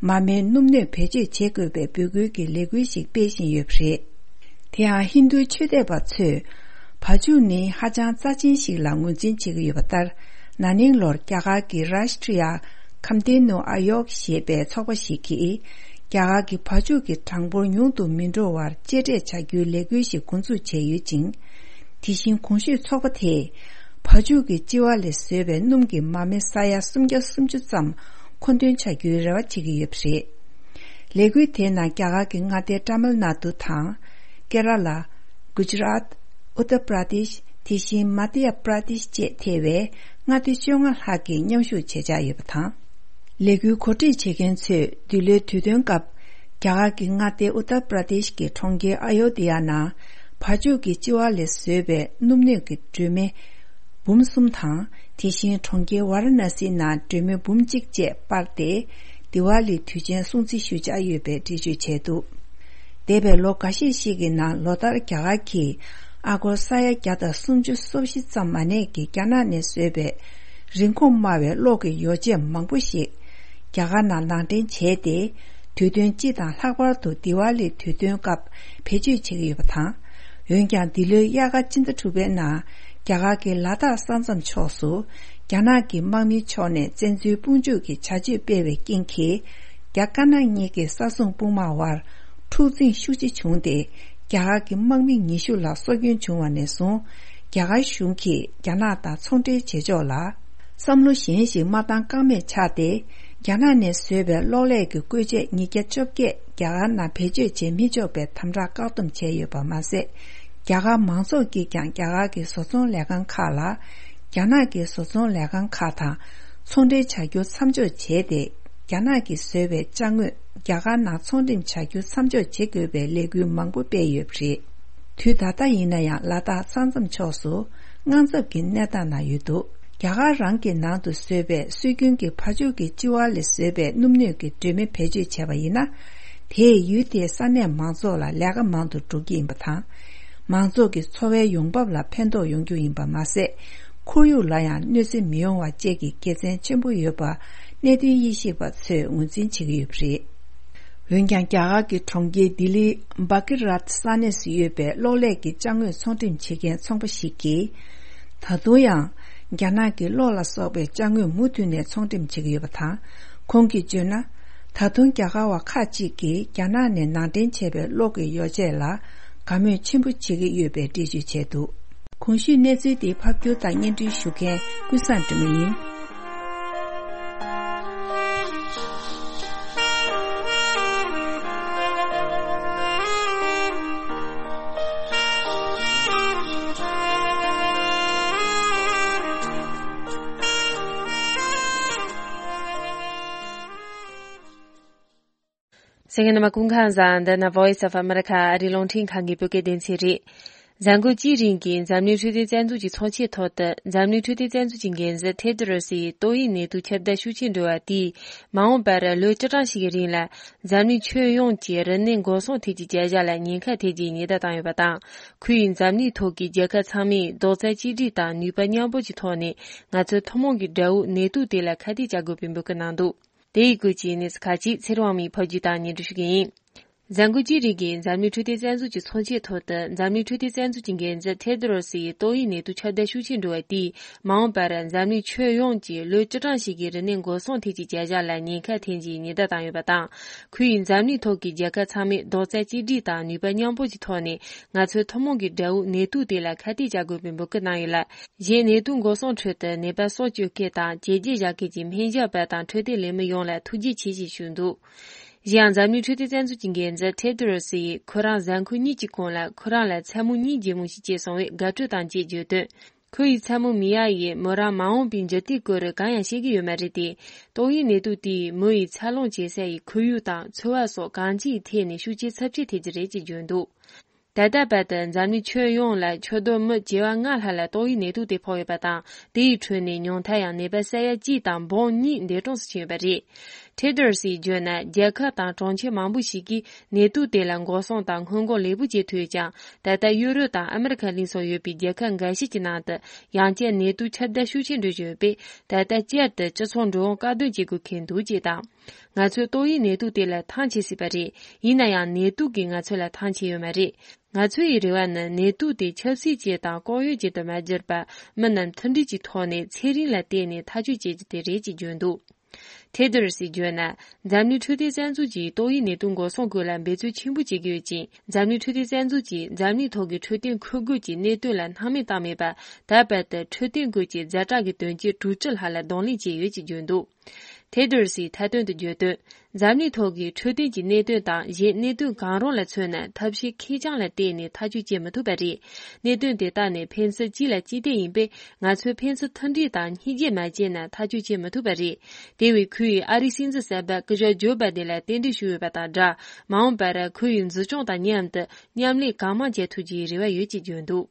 མ་རྨོས་སྣུམ་སྣོད་བེད་སྤྱོད་བྱེད་དགོས་པའི་འབོད་སྐུལ་གྱི་ལས་འགུལ་ཞིག་སྤེལ་བཞིན་ཡོད་པ་རེད། དེ་ཡང་ཧིན་རྡུའི་ཆོས་དད་པ་ཚོས་བ་ཕྱུགས་ནི་ཧ་ཅང་རྩ་ཆེན་ཞིག་ལ་ངོས་འཛིན་བྱེད་ཀྱི་ཡོད་པ་ལྟར། ན་ནིང་ལོར་རྒྱ་གར་གྱི་Rashtriya Kamdenu Ayog ཞེས་པའི་ཚོགས་པ་ཞིག་གིས། རྒྱ་གར་གྱི་བ་ཕྱུགས་ཀྱི་གྲངས་འབོར་ཉུང་དུ་མི་འགྲོ་བར་གཅེས་སྤྲས་བྱ་རྒྱུའི་ལས་འགུལ་ཞིག་འགོ་འཛུགས་བྱས་ཡོད་ཅིང་། དེ་བཞིན་གོང་ཞུས་ཚོགས་པ་དེས། བ་ཕྱུགས་ཀྱི་ལྕི་བ་ལས་བཟོས་པའི་སྣུམ་གྱི་མ་རྨོས་ས་ཡ་སུམ་བརྒྱ་སུམ་ཅུ་ཙམ་མཁོ་འདོན་བྱ་རྒྱུའི་རེ་བ་བྱེད་ཀྱི་ཡོད་པ་རེད། ལས་འགུལ་དེའི་ནང་རྒྱ་གར་གྱི་མངའ་སྡེ་ཏཱ་མིལ་ནཱ་ཏུ་དང་། ཀེ་ར་ལ། གུ་ཇ་རཱཏ། ཨུ་ཏར་པྲ་དེཤ། དེ་བཞིན་མ་དྷྱ་པྲ་དེཤ་བཅས་ཐེ་བའི་མངའ་སྡེ་བཅོ་ལྔ་ལྷག་གིས་མཉམ་ཞུགས་བྱེད་འཆར་ཡོད་པ་དང་། ལས་འགུལ་གོ་སྒྲིག་བྱེད་མཁན་ཚོས་འདི་ལོའི་དུས་སྟོན་སྐབས། རྒྱ་གར་གྱི་མངའ་སྡེ་ཨུ་ཏར་པྲ་དེཤ་གི་གྲོང་ཁྱེར་ཨ་ཡོ་དྷི་ཡ་ནང་། བ་ཕྱུགས་ཀྱི་ལྕི་བ་ལས་བཟོས་པའི་སྣུམ་སྣོད་ཀྱི་སྒྲོན་མེ་འབུམ་གསུམ་དང་། དེ་བཞིན་གྲོང་ཁྱེར་ཝཱ་ར་ཎ་སི་ནང་སྒྲོན་མེ་འབུམ་གཅིག་བཅས་སྤར་ཏེ། དི་ཝཱ་ལི་དུས་ཆེན་སྲུང་བརྩི་ཞུ་འཆར་ཡོད་པའི་འགྲེལ་བརྗོད་བྱས་འདུག་འདས་པའི་ལོ་འགའ་ཤས་ཤིག་གི་ནང་ལོ་ལྟར་རྒྱ་གར་གྱིས་ཨ་སྒོར་ས་ཡ་བརྒྱ་དང་སུམ་ཅུ་སོ་བཞི་ཙམ་མ་གནས་ཀྱི་རྒྱ་ནག་ནས་བཟོས་པའི་རིན་གོང་དམའ་བའི་གློག་གི་ཡོ་བྱད་མང་པོ་ཞིག་རྒྱ་གར་ནང་ནང་འདྲེན་བྱས་ཏེ། དུས་སྟོན་སྤྱི་དང་ལྷག་པར་དུ་དི་ཝཱ་ལི་དུས་སྟོན་སྐབས་བེད་སྤྱོད་བྱེད་ཀྱི་ཡོད་པ་དང་། འོན་ཀྱང་། འདི་ལོའི་དབྱར་ཁ་སྤྱི་ཟླ་དྲུག་པའི་ནང་། རྒྱ་གར་གྱི་ལ་དྭགས་ས་མཚམས་ཕྱོགས་སུ། རྒྱ་ནག་གི་དམག་མིའི་ཕྱོགས་ནས་བཙན་འཛུལ་དཔུང་འཇུག་གི་བྱ་སྤྱོད་སྤེལ་བའི་རྐྱེན་གྱིས། རྒྱ་དཀར་ནག་གཉིས་ཀྱི་ས་སྲུང་དཔུང་དམག་དབར། འཁྲུག་འཛིང་ཤུགས་ཆེ་བྱུང་སྟེ། རྒྱ་གར་གྱི་དམག་མི་ཉི་ཤུ་ལ་སྲོག་སྐྱོན་བྱུང་བ་ནས་བཟུང་། རྒྱ་གར་གཞུང་གིས་རྒྱ་ནག་དང་ཚོང་འབྲེལ་བྱེད་ཕྱོགས་ལ། བསམ་བློ་གཞན་ཞིག་མ་བཏང་ཀ་མེད་ཆགས་ཏེ། རྒྱ་ནག་ནས་བཟོས་པའི་གློག་ཀླད་ཀྱི་བཀོལ་ཆས་ཉིས་བརྒྱ་བཅོ་བརྒྱད་རྒྱ་གར་ནང་བེད་སྤྱོད་བྱེད་མི་ཆོག་པའི་དམ་དྲག་བཀག་སྡོམ་བྱས་ཡོད་པ་མ་ཟད། རྒྱ་གར་མང་ཚོགས་ཀྱིས་ཀྱང་རྒྱ་གར་གྱི་བཟོ་ཚོང་ལས་ཁང་ཁག་ལ། རྒྱ་ནག་གི་བཟོ་ཚོང་ལས་ཁང་ཁག་དང་ཚོང་འབྲེལ་བྱ་རྒྱུ་མཚམས་འཇོག་བྱས་ཏེ། རྒྱ་ནག་གིས་བཟོས་པའི་ཅ་དངོས་རྒྱ་གར་ནང་ཚོང་འགྲེམས་བྱ་རྒྱུ་མཚམས་འཇོག་བྱེད་དགོས་པའི་ལས་འགུལ་མང་པོ་སྤེལ་ཡོད་པ་རེད། དུས་ད་ལྟ་ཡིན་ན་ཡང་ལ་དྭགས་ས་མཚམས་ཕྱོགས་སུ་དངངས་འཚབ་ཀྱི་གནས་སྟངས་ནང་ཡོད་འདུག་རྒྱ་གར་རང་གི་ནང་དུ་བཟོས་པའི་སྲོལ་རྒྱུན་གྱི་བ་ཕྱུགས་ཀྱི་ལྕི་བ་ལས་བཟོས་པའི་སྣུམ་སྣོད་ཀྱི་སྒྲོན་མེ་བེད་སྤྱོད་བྱས་པ་ཡིན་ན། དེས་ཡུལ་དེའི་ས་གནས་མང་ཚོགས་ལ་ལས་ཀ་མང་དུ་འགྲོ་གི་ཡིན་པ་དང་། མང་ཚོགས་ཀྱི་འཚོ་བའི་ཡོང་འབབ་ལ་ཕན་ཐོགས་ཡོང་རྒྱུ་ཡིན་པ་མ་ཟད། ཁོར་ཡུག་ལ་ཡང་གནོད་འཚེ་མི་ཡོང་བ་བཅས་ཀྱི་དགེ་མཚན་ཆེན་པོ་ཡོད་པ་གནད་དོན་དབྱེ་ཞིབ་པ་ཚོས་ངོས་འཛིན་བྱེད་ཀྱི་ཡོད་པ་རེད། འོན་ཀྱང་། རྒྱ་གར་གྱི་གྲོང་ཁྱེར་ལྡི་ལིའི་བྷ་ཀི་རཱཏ་ས་གནས་སུ་ཡོད་པའི་གློག་ཀླད་ཀྱི་ཅ་དངོས་ཚོང་འགྲེམས་བྱེད་མཁན་ཚོང་པ་ཞིག་གིས། ད་དུང་ཡང་། རྒྱ་ནག་གི་གློག་ལ་སོགས་པའི་ཅ་དངོས་མུ་མཐུད་ནས་ཚོང་འགྲེམས་བྱེད་ཀྱི་ཡོད་པ་དང་། ཁོང་གིས་བརྗོད་ན། ད་དུང་རྒྱ་གར་བ་ཁག་ཅིག་གིས་རྒྱ་ནག་ནས་ནང་འདྲེན་བྱས་པའི་གློག་གི་ཡོ་བྱད་ལ་དགའ་མོས་ཆེན་པོ་བྱེད་ཀྱི་ཡོད་པའི་འགྲེལ་བརྗོད་བྱས་འདུག་གོང་ཞུས་གནས་ཚུལ་དེ་ཕབ་སྒྱུར་དང་སྙན་སྒྲོན་ཞུ་མཁན་ཀུན་བཟང་སྒྲོལ་མ་ཡིན། གསན་མཁན་རྣམ་པ་སྐུ་ཁམས་བཟང་། འདི་ནི་Voice of America ཨ་རིའི་རླུང་འཕྲིན་ཁང་གི་བོད་སྐད་སྡེ་ཚན་རེད། གཟའ་འཁོར་གཅིག་རིང་གི་འཛམ་གླིང་འཕྲོད་བསྟེན་རྩ་འཛུགས་ཀྱི་ཚོགས་ཆེན་ཐོག་ཏུ། འཛམ་གླིང་འཕྲོད་བསྟེན་རྩ་འཛུགས་ཀྱི་འགན་འཛིན་ཐེ་དོ་རོ་སི་ཡིས་ཏོག་དབྱིབས་ནད་དུག་ཁྱབ་གདལ་ཤུགས་ཆེན་འགྲོ་བ་དེས། མ་འོངས་པར་ལོ་བཅུ་གྲངས་ཤིག་གི་རིང་ལ། འཛམ་གླིང་ཁྱོན་ཡོངས་ཀྱི་རིམས་ནད་འགོག་སྲུང་ཐད་ཀྱི་བྱ་གཞག་ལ་ཉེན་ཁ་ཐེབས་རྒྱུའི་ཉེན་བརྡ་བཏང་ཡོད་པ་དང་། ཁོས་འཛམ་གླིང་ཐོག་གི་རྒྱལ་ཁབ་ཚང་མས་རྡོག་རྩ་གཅིག་སྒྲིལ་དང་ནུས་པ་མཉམ་སྤུངས་ཀྱི་ཐོག་ནས། ང་ཚོ་ཐུན་མོང་གི་དགྲ་བོ་ནད་དུག་དེ་ལ་ཁ་གཏད་གཅོག་དགོས་པའི་འབོད་སྐུལ་གནང་འདུག་དེ་ཡི་སྐོར་གྱི་གནས་ཚུལ་ཁག་ཅིག་ཚེ་རིང་དབང་མོས་ཕབ་སྒྱུར་དང་སྙན་སྒྲོན་ཞུ་གི་ཡིན། གཟའ་འཁོར་གཅིག་རིང་གི་འཛམ་གླིང་འཕྲོད་བསྟེན་རྩ་འཛུགས་ཀྱི་ཚོགས་ཆེན་ཐོག་ཏུ། འཛམ་གླིང་འཕྲོད་བསྟེན་རྩ་འཛུགས་ཀྱི་འགན་འཛིན་ཐེ་དོ་རོ་སི་ཡིས་ཏོག་དབྱིབས་ནད་དུག་ཁྱབ་གདལ་ཤུགས་ཆེན་འགྲོ་བ་དེས། མ་འོངས་པར་འཛམ་གླིང་ཁྱོན་ཡོངས་ཀྱི་ལོ་བཅུ་གྲངས་ཤིག་གི་རིམས་ནད་འགོག་སྲུང་ཐད་ཀྱི་བྱ་གཞག་ལ་ཉེན་ཁ་ཐེབས་རྒྱུའི་ཉེན་བརྡ་བཏང་ཡོད་པ་དང་། ཁོས་འཛམ་གླིང་ཐོག་གི་རྒྱལ་ཁབ་ཚང་མས་རྡོག་རྩ་གཅིག་སྒྲིལ་དང་ནུས་པ་མཉམ་སྤུངས་ཀྱི་ཐོག་ནས། ང་ཚོའི་ཐུན་མོང་གི་དགྲ་བོ་ནད་དུག་དེ་ལ་ཁ་གཏད་གཅོག་དགོས་པའི་འབོད་སྐུལ་གནང་ཡོད་ལ། གཞན་ནད་དུག་འགོག་སྲུང་ཁྲོད་དུ་ནད་པ་སྲོག་སྐྱོབ་མཁན་དང་བྱས་རྗེས་བཞག་མཁན་གྱི་སྨན་ཞབས་པ་དང་འཕྲོད་བསྟེན་ལས་མི་ཡོངས་ལ་ཐུགས་རྗེ་ཆེ་ཞེས་ཞུས་འདུག་གཞན་ཡང་། འཛམ་གླིང་འཕྲོད་བསྟེན་རྩ་འཛུགས་ཀྱི་འགན་འཛིན་ཐེ་དོ་རོ་སི་ཡིས། ཁོ་རང་གཟའ་འཁོར་གཉིས་ཀྱི་གོང་ལ་ཁོ་རང་ལ་མཚན་མོ་གཉིས་རྒྱུ་མོ་ཞིག་སྐྱེས་སོང་བས་དགའ་སྤྲོ་དང་བཅས་བརྗོད་དོན། ཁོ་ཡི་མཚན་མོ་མི་ཡ་ཡིས་མོ་རང་མ་འོངས་པའི་འཇིག་རྟེན་སྐོར་གང་ཡང་ཤེས་ཀྱི་ཡོད་མ་རེད་དེ། ཏོག་དབྱིབས་ནད་དུག་དེས་མོ་ཡི་འཚར་ལོངས་བྱེད་ས་ཡི་ཁོར་ཡུག་དང་འཚོ་བ་སོགས་གང་ཅིའི་ཐད་ནས་ཤུགས་རྐྱེན་ཚབས་ཆེ་ཐེབས་ཀྱི་རེད་ཅེས་བརྗོད་འདུག་ད་ལྟ་བར་དུ་འཛམ་གླིང་ཁྱོན་ཡོངས་ལ་ཆུ་རྡོ་མི་བྱེ་བ་ལྔ་ལྷག་ལ་ཏོག་དབྱིབས་ནད་དུག་དེ་ཕོག་ཡོད་པ་དང་། དེ་ཡི་ཁྲོད་ནས་ཉུང་མཐར་ཡང་ནད་པ་ས་ཡ་གཅིག་དང་འབུམ་གཉིས་འདས་གྲོངས་སུ་ཕྱིན་ཡོད་པ་རེད། ཁྲེ་ཌར་སིས་བརྗོད་ན། རྒྱལ་ཁབ་དང་གྲོང་ཁྱེར་མང་པོ་ཞིག་གིས་ནེ་ཏུ་དེ་ལ་འགོག་སྲུང་དང་སྔོན་འགོག་ལེགས་པོ་བྱེད་ཐུབ་ཀྱང་། ད་ལྟ་ཡུ་རོབ་དང་ཨ་མི་རི་ཁ་གླིང་སོགས་ཡོད་པའི་རྒྱལ་ཁབ་འགའ་ཤས་ཀྱི་ནང་དུ་ཡང་བསྐྱར་ནེ་ཏུ་ཁྱབ་གདལ་ཤུགས་ཆེ་འགྲོ་བཞིན་ཡོད་པས། ད་ལྟ་བསྐྱར་དུ་སྤྱི་ཚོགས་འགྲོ་འོང་བཀག་སྡོམ་བྱེད་དགོས་ཁེལ་འདུག་ཅེས་དང་། ང་ཚོས་ཏོག་དབྱིབས་ནད་དུག་དེ་ལ་ཐང་ཆད་སྲིད་པ་རེད། ཡིན་ན་ཡང་ནད་དུག་གིས་ང་ཚོ་ལ་ཐང་ཆད་ཡོད་མ་རེད། ང་ཚོའི་རེ་བ་ནི་ནད་དུག་དེ་ཆབ་སྲིད་ཅན་དང་ལྐོག་གཡོ་ཅན་དུ་མ་གྱུར་པར། མི་རྣམས་མཐུན་སྒྲིལ་གྱི་ཐོག་ནས་ཚན་རིག་ལ་བརྟེན་ནས་ཐག་གཅོད་བྱེད་རྒྱུ་དེ་རེད་ཅེས་བརྗོད་འདུག་ཐེ་དར་སིས་བརྗོད་ན། འཛམ་གླིང་འཕྲོད་བསྟེན་རྩ་འཛུགས་ཀྱིས་ཏོག་དབྱིབས་ནད་དུག་འགོག་སྲུང་སྐོར་ལ་འབད་བརྩོན་ཆེན་པོ་བྱེད་ཀྱི་ཡོད་ཅིང་། འཛམ་གླིང་འཕྲོད་བསྟེན་རྩ་འཛུགས་ཀྱིས་འཛམ་གླིང་ཐོག་གི་འཕྲོད་བསྟེན་འཁོར་སྒོ་གྱི་གནད་དོན་ལ་སྣང་མེད་བཏང་མེད་པར། ད་བར་དུ་འཕྲོད་བསྟེན་སྐོར་གྱི་ཛ་དྲག་གི་དོན་རྐྱེན་དྲུག་ཅུ་ལྷག་ལ་གདོང་ལེན་བྱས་ཡོད་ཅེས་བརྗོད་འདུག་ཐེ་དར་སིས་མཐའ་དོན་དུ་བརྗོད་དོན། འཛམ་གླིང་ཐོག་གི་འཕྲོད་བསྟེན་གྱི་གནད་དོན་དང་གཞན་གནད་དོན་གང་རུང་ལ་མཚོན་ན། ཐབས་ཤེས་ཁེར་རྐྱང་ལ་བརྟེན་ནས་ཐག་གཅོད་བྱེད་མི་ཐུབ་པ་རེད། གནད་དོན་དེ་དག་ནི་ཕན་ཚུན་གཅིག་ལ་གཅིག་བརྟེན་ཡིན་པས། ང་ཚོས་ཕན་ཚུན་མཐུན་སྒྲིལ་དང་སྙིང་རྗེ་མ་བྱས་ན་ཐག་གཅོད་བྱེད་མི་ཐུབ་པ་རེད། དེ་བས་ཁོས་ཨ་རིའི་སྲིད་འཛིན་གསར་པ་སྐུ་ཞབས་ཇོ་བྷའི་ཌེན་ལ་རྟེན་འབྲེལ་ཞུས་ཡོད་པ་དང་སྦྲགས། མ་འོངས་པར་ཁོ་ཡི་འཛིན་སྐྱོང་དང་མཉམ་དུ་མཉམ་ལས་གང་མང་བྱེད་ཐུབ་རྒྱུའི་རེ་བ་ཡོད་ཅེས་བརྗོད་འདུག་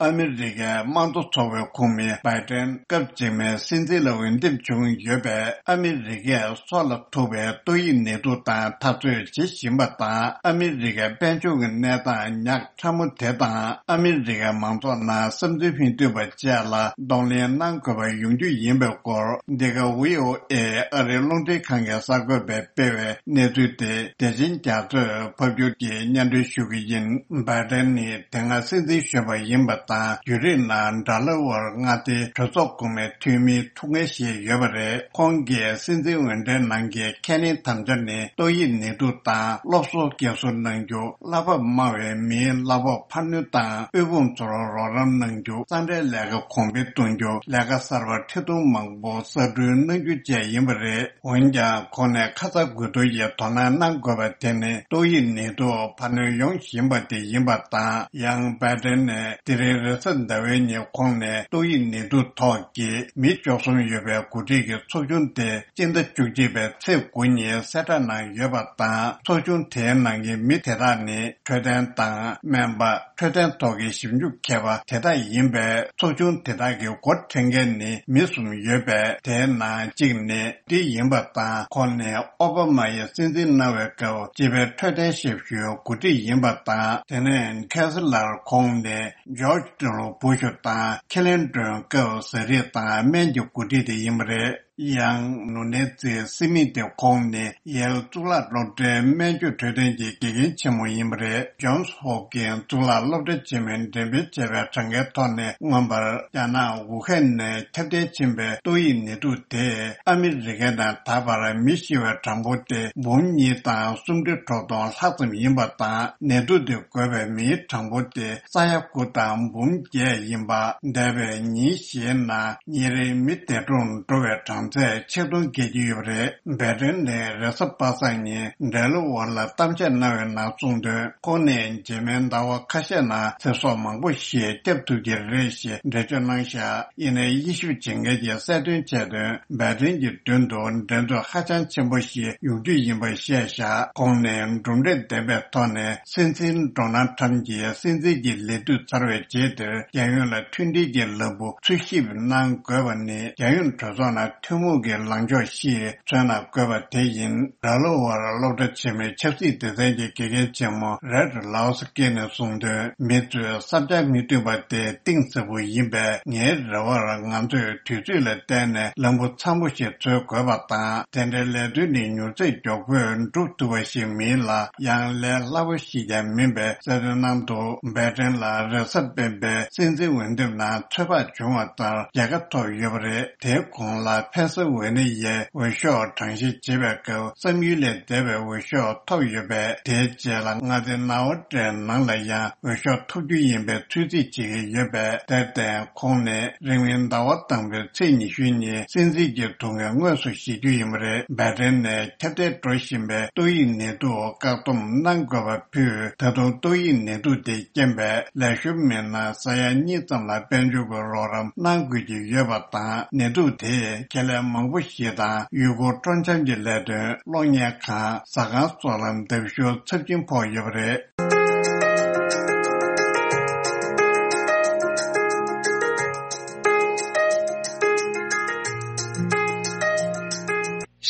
ཨ་མི་རི་ཀའི་དམངས་གཙོ་ཚོགས་པའི་ཁོངས་མི་བྷའི་ཏན་སྐབས་རྗེས་མའི་སྲིད་འཛིན་ལ་འོས་འདེམས་བྱུང་ཡོད་པས། ཨ་མི་རི་ཀས་སྲོག་ལ་ཐུག་པའི་ཏོག་དབྱིབས་ནད་དུག་དང་འཐབ་རྩོད་བྱེད་བཞིན་པ་དང་། ཨ་མི་རི་ཀའི་དཔལ་འབྱོར་གྱི་གནས་སྟངས་ཉག་ཕྲ་མོ་དེ་དང་། ཨ་མི་རི་ཀའི་མང་ཚོགས་ནང་བསམ་ཚུལ་མི་མཐུན་པ་བཅས་ལ་གདོང་ལེན་གནང་དགོས་པ་ཡོང་རྒྱུ་ཡིན་པའི་སྐོར། འདི་ག་བྷི་ཨོ་ཨེ་ཨ་རིའི་རླུང་འཕྲིན་ཁང་གི་གསར་འགོད་པས་སྤེལ་བའི་གནས་ཚུལ་དེ། བདེ་ཆེན་རྒྱ་མཚོས་ཕབ་སྒྱུར་གྱིས་སྙན་སྒྲོན་ཞུ་གི་ཡིན། བྷའི་ཏན་ནི་དེ་སྔ་སྲིད་འཛིན་གཞོན་པ་ཡིན་པ་དང་། བརྒྱུད་རིམ་ནང་ཌེ་ལ་ཝེར་མངའ་སྡེའི་གྲོས་ཚོགས་གོང་མའི་འཐུས་མིའི་ཐུགས་འགན་བཞེས་ཡོད་པ་རེད། ཁོང་གིས་སྲིད་འཛིན་འོས་འགྲན་ནང་གི་ཁས་ལེན་དམ་བཅའ་ནི། ཏོག་དབྱིབས་ནད་དུག་དང་སློབ་གསོ་སྐྱེལ་གསོ་གནང་རྒྱུ། གླ་འབབ་དམའ་བའི་མིའི་གླ་ཕོགས་འཕར་སྣོན་དང་། དབུལ་ཕོངས་ཚོར་རོགས་རམ་གནང་རྒྱུ། གསང་བའི་ལས་ཀ་གོང་འཕེལ་གཏོང་རྒྱུ། ལས་ཀ་གསར་པ་ཁྲི་སྟོང་མང་པོ་གསར་སྐྲུན་གནང་རྒྱུ་བཅས་ཡིན་པ་རེད། འོན་ཀྱང་། ཁོང་ནས་ཁ་ཚ་དགོས་གཏུག་ཡིས་དོ་སྣང་གནང་དགོས་པ་དེ་ནི། ཏོག་དབྱིབས་ནད་དུག་འཕར་སྣོན་ཡོང་བཞིན་པ་དེ་ཡིན་པ་དང་། ཡང་བྷའི་ཏན་ནས་དེ་རིང་རེས་གཟའ་ཟླ་བའི་ཉིན་ཁོང་ནས་ཏོག་དབྱིབས་ནད་དུག་ཐོག་གི་མི་བཅུ་གསུམ་ཡོད་པའི་འགོ་ཁྲིད་ཀྱི་ཚོགས་ཆུང་དེ་སྤྱི་ཟླ་བཅུ་གཅིག་པའི་ཚེས་དགུ་ཉིན་གསལ་བསྒྲགས་གནང་ཡོད་པ་དང་། ཚོགས་ཆུང་དེའི་ནང་གི་མི་དེ་དག་ནི་འཕྲོད་བསྟེན་དང་སྨན་པ། འཕྲོད་བསྟེན་ཐོག་གི་ཞིབ་འཇུག་མཁས་པ་དེ་དག་ཡིན་པས། ཚོགས་ཆུང་དེ་དག་གི་འགོ་འཁྲིད་མཁན་ནི་མི་གསུམ་ཡོད་པས། དེའི་ནང་གཅིག་ནི་འདི་ཡིན་པ་དང་། ཁོང་ནི་ཨོ་བྷ་མ་ཡིས་སྲིད་འཛིན་གནང་བའི་སྐབས་སྤྱི་པའི་འཕྲོད་བསྟེན་ཞབས་ཞུའི་འགོ་ཁྲིད་ཡིན་པ་དང་། དེ་ནས་ཁེ་སི་ལར་ཁོང་ནི་ཇོརྗ་ཏེ་ལོ་བུ་ཤུ་དང་ཁི་ལིན་ཏོན་སྐབས་ཟས་རིགས་དང་སྨན་གྱི་འགོ་ཁྲིད་དེ་ཡིན་པ་རེད། ཡང་ནུ་ནེ་ཙི་སི་མི་ཏི་ཁོང་ནི་ཡེལ་གཙུག་ལག་སློབ་གྲྭའི་སྨན་བཅོས་འཕྲོད་བསྟེན་གྱི་དགེ་རྒན་ཆེན་མོ་ཡིན་པ་རེད། ཇོན་སི་ཧོབ་ཀིན་གཙུག་ལག་སློབ་གྲྭ་ཆེན་མོའི་འགྲེམས་སྤེལ་བྱས་པའི་གྲངས་ཀའི་ཐོག་ནས། མངོན་པར་རྒྱ་ནག་ཝུ་ཧན་ནས་ཁྱབ་གདལ་ཕྱིན་པའི་ཏོག་དབྱིབས་ནད་དུག་དེས་ཨ་མི་རི་ཀའི་ནང་ད་བར་མི་ཤི་བའི་གྲངས་འབོར་དེ་འབུམ་གཉིས་དང་སུམ་ཁྲི་དྲུག་སྟོང་ལྷག་ཙམ་ཡིན་པ་དང་། ནད་དུག་དེ་འགོས་པའི་མིའི་གྲངས་འབོར་དེ་ས་ཡ་དགུ་དང་འབུམ་བརྒྱད་ཡིན་པ། འདས་པའི་ཉིན་བཞིའི་ནང་ཉིན་རེའི་མི་འདས་གྲོངས་འགྲོ་བའི་གྲངས་ཚད་ཆིག་སྟོང་བརྒལ་གྱི་ཡོད་པ་རེད། བྷའི་ཏན་ནས་རེས་གཟའ་པ་སངས་ཉིན་ཌེ་ལ་ཝར་ལ་གཏམ་བཤད་གནང་བའི་ནང་གསུངས་དོན། ཁོང་ནས་རྗེས་མའི་ཟླ་བ་ཁ་ཤས་ནང་ཚེ་སྲོག་མང་པོ་ཞིག་སྐྱབས་ཐུབ་ཀྱི་རེད་ཞེས་འགྲེལ་བརྗོད་གནང་བཞག་ཡིན་ནའི་དབྱེ་ཞིབ་བྱེད་མཁན་གྱིས་གསལ་སྟོན་བྱས་དོན། བྷའི་ཏན་གྱི་མདུན་དུ་འགྲན་རྩོད་ཧ་ཅང་ཆེན་པོ་ཞིག་ཡོང་རྒྱུ་ཡིན་པ་བཤད་བཞག་ཁོང་ནས་གྲུབ་འབྲས་ལྡན་པའི་ཐོག་ནས་སྲིད་འཛིན་ཌོ་ནལ་ཁྲམ་གྱིས་སྲིད་འཛིན་གྱི་ལས་དུས་ཚར་བའི་རྗེས་དེར་རྒྱལ་ཡོངས་ལ་མཐུན་སྒྲིལ་གྱི་ལམ་བུ་འཚོལ་ཞིབ་གནང་དགོས་པ་ནི། རྒྱལ་ཡོངས་གྲོས་ཚོགས་ནང་ཐུན་མོང་གི་ལངས་ཕྱོགས་ཤིག་མཚོན་ན་དགོས་པ་དེ་ཡིན། ཌེ་ལ་ཝར་སློབ་གྲྭ་ཆེན་མོའི་ཆབ་སྲིད་སྡེ་ཚན་གྱི་དགེ་རྒན་ཆེན་མོ་རེད་ལའོ་སི་ཀི་ནས་གསུངས་དོན། མི་ཚོས་བསམ་འཆར་མི་མཐུན་པ་དེ་གཏིང་ཟབ་པོ་ཡིན་པས། ངའི་རེ་བར་ང་ཚོས་དུས་ཚོད་ལ་བརྟེན་ནས་ལམ་བུ་འཚམ་པོ་ཞིག་འཚོལ་དགོས་པ་དང་། དེ་འདྲའི་ལས་དོན་ནི་མྱུར་ཚད་མགྱོགས་པོས་འགྲུབ་ཐུབ་པ་ཞིག་མིན་ལ། ཡང་ལས་སླ་པོ་ཞིག་ཀྱང་མིན་པའི་གསལ་སྟོན་གནང་འདུག་བྷའི་ཏན་ལ་རེས་གཟའ་སྤེན་པའི་སྲིད་འཛིན་འོས་འདེམས་ནང་ཚོད་དཔག་བྱུང་བ་ལྟར་རྒྱལ་ཁ་ཐོབ་ཡོད་པ་རེད། དེའི་གོང་ལ་ཕེན་སི་ཝེ་ནི་ཡའི་འོས་ཤོག་གྲངས་བཤེར་བྱེད་པའི་སྐབས་བསམ་ཡུལ་ལས་འདས་པའི་འོས་ཤོག་ཐོབ་ཡོད་པས། དེའི་རྗེས་ལ་མངའ་སྡེ་ནའོ་ཏྲའི་ནང་ལ་ཡང་འོས་ཤོག་ཐོབ་རྒྱུ་ཡིན་པའི་ཚོད་རྩིས་བྱེད་ཀྱི་ཡོད་པས། དེར་བརྟེན་ཁོང་ནས་རིང་མིན་ཟླ་བ་དང་པོའི་ཚེས་ཉི་ཤུ་ཉིན་སྲིད་འཛིན་གྱི་ཐུགས་འགན་དངོས་སུ་བཞེས་རྒྱུ་ཡིན་པ་རེད། བྷའི་ཏན་ནས་ཁྱབ་གདལ་འགྲོ་བཞིན་པའི་ཏོག་དབྱིབས་ནད་དུག་བཀག་སྡོམ་གནང་དགོས་པ་ཕུད། ད་དུང་ཏོག་དབྱིབས་ནད་དུག་དེའི་རྐྱེན་པས་ལེགས་ཤོམ་མེད་ན་ས་ཡ་གཉིས་ཙམ་ལ་དཔལ་འབྱོར་གྱི་རོགས་རམ་གནང་དགོས་ཀྱི་ཡོད་པ་དང་། ནད་དུག་དེས་ཁེ་ལས་ མང་པོ་ཞིག་དང་ཡུལ་སྐོར་སྤྲོ་འཆམ་གྱི་ལས་དོན། གློག་བརྙན་ཁང་། ཟ་ཁང་སོགས་ལ་འདེགས་ཞུ་ཚབས་ཆེན་ཕོག་ཡོད་པ་རེད།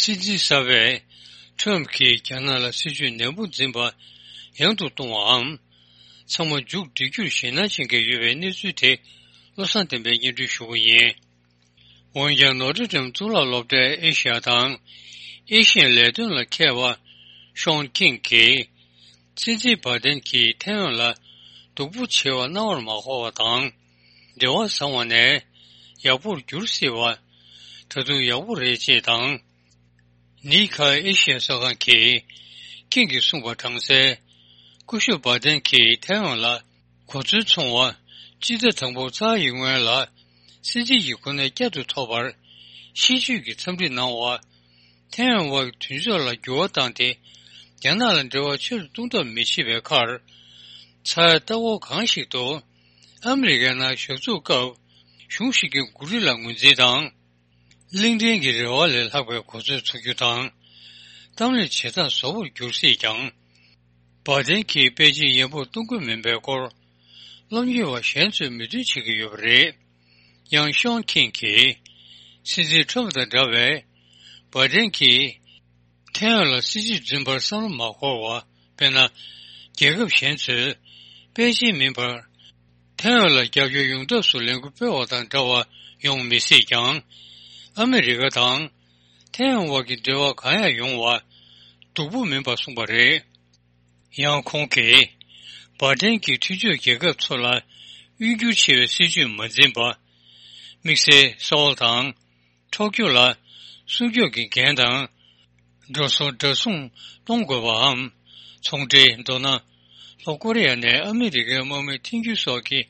སྲིད་འཛིན་གསར་པས་ཁྲོམ་གྱིས་རྒྱ་ནག་ལ་སྲིད་ཇུས་ནན་པོ་འཛིན་པ་ཡང་དུ་གཏོང་བའམ། ཚང་མ་མཇུག་སྒྲིལ་རྒྱུར་ཞེད་སྣང་ཅན་གྱི་ཡོད་པའི་གནས་ཚུལ་དེ་བློ་བཟང་བསྟན་པས་སྙན་སྒྲོན་ཞུ་གི་ཡིན། འོན་ཀྱང་ནོ་ཏྲི་ཌེམ་གཙུག་ལག་སློབ་གྲྭའི་ཨེ་ཤི་ཡ་དང་ཨེ་ཤི་ཡའི་ལས་དོན་ལ་མཁས་པ་ཤོན་ཁིང་གིས། སྲིད་འཛིན་བྷ་དན་གྱིས་ཐའེ་ཝན་ལ་སྡུག་པོ་བྱེད་པ་རྣ་བར་མ་གོ་བ་དང་། འབྲེལ་བ་བཟང་བ་ནས་ཡག་པོར་འགྱུར་སྲིད་པ། ད་དུང་ཡག་པོ་རེད་ཅེས་དང་། ནི་ཁ་ཨེ་ཤི་ཡ་གསར་ཁང་གིས་ཁིང་གིས་གསུངས་པ་དྲངས་གསལ། སྐུ་ཞབས་བྷ་དན་གྱིས་ཐའེ་ཝན་ལ་གོ་མཚོན་འཚོང་བ་སྤྱི་ཟླ་དང་པོ་ཚར་ཡི་སྔོན་ལ་སྲིད་འཛིན་གྱི་གོ་གནས་བསྐྱར་དུ་ཐོབ་པར་ཤེས་བརྗོད་ཀྱི་འཚམས་འདྲི་གནང་བ། ཐའེ་ཝན་དབར་གྱི་མཐུན་ཕྱོགས་ལ་འགྱུར་བ་བཏང་སྟེ་རྒྱ་ནག་ལ་འབྲེལ་བ་ཆེ་རུ་གཏོང་ཐབས་མི་བྱེད་པའི་ཁར། ཚ་ཡ་ལྟ་བ་གང་ཞིག་ཏུ། ཨ་མི་རི་ཀའི་ནང་ཞབས་ཞུ་སྐབས་གཞུང་ཞིག་གི་འགོ་ཁྲིད་ལ་ངོས་འཛིན་དང་། གླིང་ཕྲན་གྱི་རེ་བ་ལས་ལྷག་པའི་གོ་ཚོད་ཚུགས་རྒྱུ་དང་། གཏམ་གླེང་བྱེད་སྟངས་བཟོ་བོར་འགྱུར་སྲིད་ཀྱང་། བྷ་དན་གྱིས་པེ་ཅིན་ཡན་པོར་གཏོང་གི་མིན་པའི་སྐོར། སློབ་གཉེར་བ་གཞན་ཚོས་མོས་མཐུན་བྱེད་ཀྱི་ཡོད་པ་རེད། ཡང་ཤོན་ཁིང་གིས། སྲིད་འཛིན་ཁྲོམ་དང་འདྲ་བའི། བྷ་དན་གྱིས། ཐའེ་ཝན་ལ་སྲིད་ཇུས་འཛིན་པར་བསམ་བློ་མ་འཁོར་བ། དཔེར་ན། རྒྱལ་ཁབ་གཞན་ཚོས་པེ་ཅིན་མིན་པར་ཐའེ་ཝན་ལ་རྒྱབ་སྐྱོར་ཡོང་ཐབས་སུ་ལས་འགུལ་སྤེལ་བ་དང་འདྲ་བ་ཡོང་མི་སྲིད་ཀྱང་། ཨ་མི་རི་ཀ་དང་ཐའེ་ཝན་དབར་གྱི་འབྲེལ་བ་གང་ཡང་ཡོང་བ་སྡུག་པོ་མིན་པ་གསུངས་པ་རེད། ཡང་ཁོང་གིས་བྷ་ཏན་གྱིས་མཐུན་ཕྱོགས་རྒྱལ་ཁབ་ཚོ་ལ་དབུལ་འགྱུར་ཆེ་བའི་སྲིད་ཇུས་མ་འཛིན་པ། དམིགས་བསལ་སོལ་དང་། ཐོ་ཀྱོ་ལ་སྲུང་སྐྱོབ་ཀྱི་འགན་དང་། འགྲོ་སོང་འདྲ་མཚུངས་གཏོང་དགོས་པའམ། ཚོང་འབྲེལ། མདོར་ན། ལྷོ་ཀོ་རི་ཡ་ནས་ཨ་མི་རི་ཀའི་དམག་མི་འཐེན་རྒྱུ་སོགས་ཀྱི་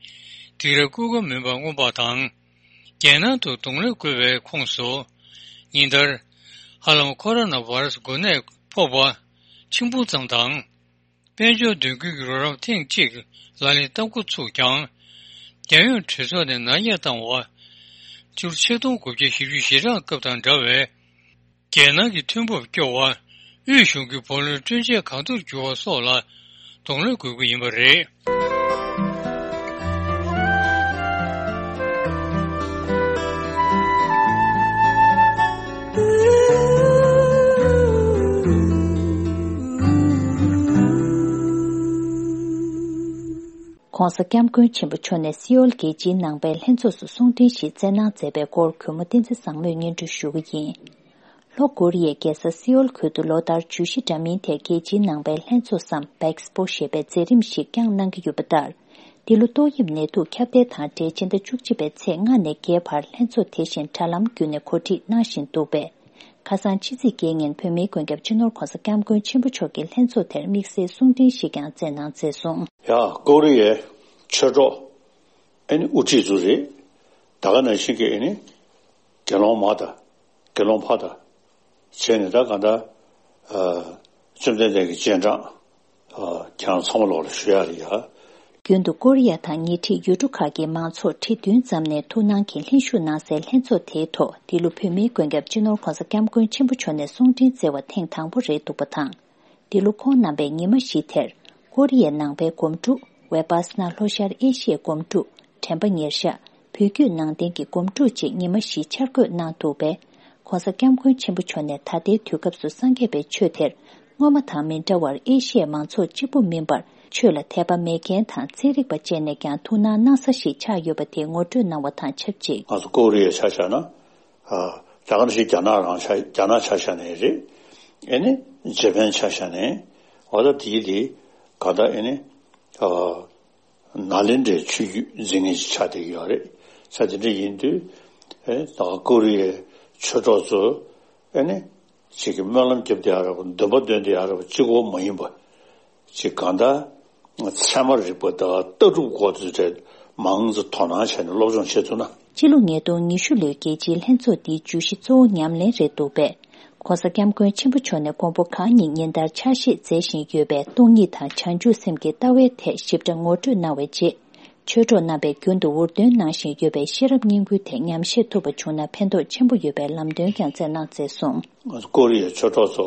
སྡིགས་ར་བསྐུལ་ཀ་མིན་པ་མངོན་པ་དང་། རྒྱལ་ནང་དུ་གདོང་ལེན་དགོས་པའི་ཁོངས་སུ། ཉིན་ལྟར། ཧ་ལམ་ཁོ་རོ་ན་བྷ་ར་སི་འགོས་ནད་ཕོག་པ་ཆེན་པོ་ཙམ་དང་། དཔལ་འབྱོར་མདུན་སྐྱོད་ཀྱི་རོགས་རམ་ཐེངས་གཅིག་ལག་ལེན་བསྟར་འགོ་ཚུགས་ཀྱང་། རྒྱལ་ཡོངས་གྲོས་ཚོགས་ནས་ནག་ཉེས་བཏང་བ། ཆུ་ཚོད་ཆིག་སྟོང་དགུ་བརྒྱ་བཞི་བཅུ་ཞེ་གྲངས་སྐབས་དང་འདྲ་བའི། རྒྱལ་ནང་གི་ཐོན་འབབ་སྐྱོ་བ། དབུས་གཞུང་གི་བུ་ལོན་སྤྲོད་འཇལ་གང་ཐུབ་འགྱུར་བ་སོགས་ལ་གདོང་ལེན་དགོས་ཀྱི་ཡིན་པ་རེད། ྋགོང་ས་ྋསྐྱབས་མགོན་ཆེན་པོ་མཆོག་ནས་སེའུལ་རྒྱལ་སྤྱིའི་ནང་པའི་ལྷན་ཚོགས་སུ་གསུང་འཕྲིན་ཞིག་སྩལ་གནང་མཛད་པའི་སྐོར་གུས་མོ་བསྟན་འཛིན་བཟང་མོས་སྙན་སྒྲོན་ཞུ་གི་ཡིན། ལྷོ་ཀོ་རི་ཡའི་རྒྱལ་ས་སེའུལ་ཁུལ་དུ་ལོ་ལྟར་བཅུ་བཞི་འདྲ་མིན་ཐད་རྒྱལ་སྤྱིའི་ནང་པའི་ལྷན་ཚོགས་སམ་པེག་སི་པོ་ཞེས་པའི་མཛད་རིམ་ཞིག་བསྐྱངས་གནང་གི་ཡོད་པ་ལྟར། འདི་ལོ་ཏོག་དབྱིབས་ནད་དུག་ཁྱབ་གདལ་དང་འབྲེལ་སྤྱི་ཟླ་བཅུ་གཅིག་པའི་ཚེས་ལྔ་ནས་བརྒྱད་བར་ལྷན་ཚོགས་དེ་བཞིན་དྲ་ལམ་བརྒྱུད་ནས་གོ་སྒྲིག་གནང་བཞིན་འདུག་པས། ཁ་སང་ཕྱི་ཚེས་བརྒྱད་ཉིན་བོད་མིའི་མགོན་སྐྱབས་སྤྱི་ནོར་ྋགོང་ས་ྋསྐྱབས་མགོན་ཆེན་པོ་མཆོག་གིས་ལྷན་ཚོགས་དེར་དམིགས་བསལ་གསུང་འཕྲིན་ཞིག་ཀྱང་སྩལ་གནང་མཛད་སོང་། ཡ། ཀོ་རི་ཡའི་ཆོས་གྲོགས་ཨེ་ནི་དབུ་ཁྲིད་ཚོ་རེད། ད་ག་ནང་བཞིན་གྱི་ཨེ་ནི་དགེ་སློང་མ་དང་དགེ་སློང་ཕ་དང་བྱས་ནས། ད་གང་ལྟར་ཨ་བཅོམ་ལྡན་འདས་ཀྱི་རྗེས་འབྲང་ཨ་ཁྱེད་རང་ཚང་མ་ལོག་ལ་ཞུ་ཡ་རེད་ཡ། རྒྱུན་དུ་ཀོ་རི་ཡ་དང་ཉེ་འཁྲིས་ཡུལ་གྲུ་ཁག་གི་མང་ཚོགས་ཁྲི་བདུན་ཙམ་ནས་ཐུགས་སྣང་གིས་ལྷན་ཞུགས་གནང་སའི་ལྷན་ཚོགས་དེའི་ཐོག་འདི་ལོ་བོད་མིའི་མགོན་སྐྱབས་སྤྱི་ནོར་ྋགོང་ས་ྋསྐྱབས་མགོན་ཆེན་པོ་མཆོག་ནས་གསུང་འཕྲིན་སྩལ་བ་ཐེངས་དང་པོ་རེད་འདུག་པ་དང་། འདི་ལོ་ཁོང་རྣམ་པས་ཉི་མ་བཞི་དེར་ཀོ་རི་ཡའི་ནང་པའི་སྒོམ་སྒྲུབ། ཝེ་པ་སི་ན་ལྷོ་ཤར་ཨེ་ཤི་ཡའི་སྒོམ་སྒྲུབ། དྲན་པ་ཉེར་བཞག། བོད་བརྒྱུད་ནང་བསྟན་གྱི་སྒོམ་སྒྲུབ་བཅས་ཉི་མ་བཞི་འཆར་འགོད་གནང་འདུག་པས། ྋགོང་ས་ྋསྐྱབས་མགོན་ཆེན་པོ་མཆོག་ནས་ད་ལྟའི་དུས་སྐབས་སུ་སངས་རྒྱས་པའི་ཆོས་དེར་སྔོན་མ་དང་མི་འདྲ་བར་ཨེ་ཤི་ཡའི་མང་ཚོགས་གཅིག་པུ་མིན་པར་ཆོས་ལ་དད་པ་མེད་མཁན་དང་ཚན་རིག་པ་བཅས་ནས་ཀྱང་ཐུགས་སྣང་གནང་ས་ཞིག་ཆགས་ཡོད་པ་དེ་ངོ་སྤྲོད་གནང་བ་དང་ཆབས་ཅིག་ང་ཚོ་ཀོ་རི་ཡ་ཆ་བཞག་ན། ཨ་ད་ག་ནང་བཞིན་རྒྱ་ནག་རང་ཆ་རྒྱ་ནག་ཆ་བཞག་ནའི་རེད། ཨེ་ནི་ཇེ་པན་ཆ་བཞག་ནའི། འོ་ད་དེའི་དེ་ག་ད་ཨེ་ནི་ཨ། ནཱ་ལེནྡྲའི་ཆོས་བརྒྱུད་འཛིན་མཁན་ཞིག་ཆགས་བསྡད་ཀྱི་ཡོད་རེད། ས་དེ་འདྲ་ཡིན་དུས། ཨེ་ད་ཀོ་རི་ཡའི་ཆོས་གྲོགས་ཚོ་ཨེ་ནི་ཅིག་གི་སྨོན་ལམ་རྒྱབ་བསྡད་ཡ་རེད་པ། འདུན་པ་འདོན་བསྡད་ཡ་རེད་པ། གཅིག་པོ་མ་ཡིན་པ། ཅིག་གང་ལྟར་ཚད་མ་རིག་པ་དང་ལྟ་གྲུབ་སྐོར་དེ་འདྲ་མང་ཙམ་དོ་སྣང་བྱས་ནས་སློབ་སྦྱོང་བྱེད་ཐུབ་ན། སྤྱི་ལོ་ཉིས་སྟོང་ཉི་ཤུ་ལོའི་རྒྱལ་སྤྱིའི་ལྷན་ཚོགས་འདིའི་བརྗོད་གཞི་གཙོ་བོ་ཉམས་ལེན་རེད་འདུག་པས། ྋགོང་ས་ྋསྐྱབས་མགོན་ཆེན་པོ་མཆོག་ནས་མགོན་པོ་གང་ཉིད་ཉིན་ལྟར་ཕྱག་བཞེས་མཛད་བཞིན་ཡོད་པའི་སྟོང་ཉིད་དང་བྱང་ཆུབ་སེམས་ཀྱི་ལྟ་བའི་ཐད་ཞིབ་ཕྲ་ངོ་སྤྲོད་གནང་བའི་རྗེས། ཆོས་གྲོགས་རྣམ་པས་རྒྱུན་དུ་འུར་འདོན་གནང་བཞིན་ཡོད་པའི་ཤེས་རབ་སྙིང་པོའི་ཐད་ཉམས་བཞེས་ཐུབ་པ་བྱུང་ན་ཕན་ཐོགས་ཆེན་པོ་ཡོད་པའི་ལམ་སྟོན་ཀྱང་སྩལ་གནང་མཛད་སོང་། ང་ཚོ་ཀོ་རི་ཡའི་ཆོས་གྲོགས་ཚོ་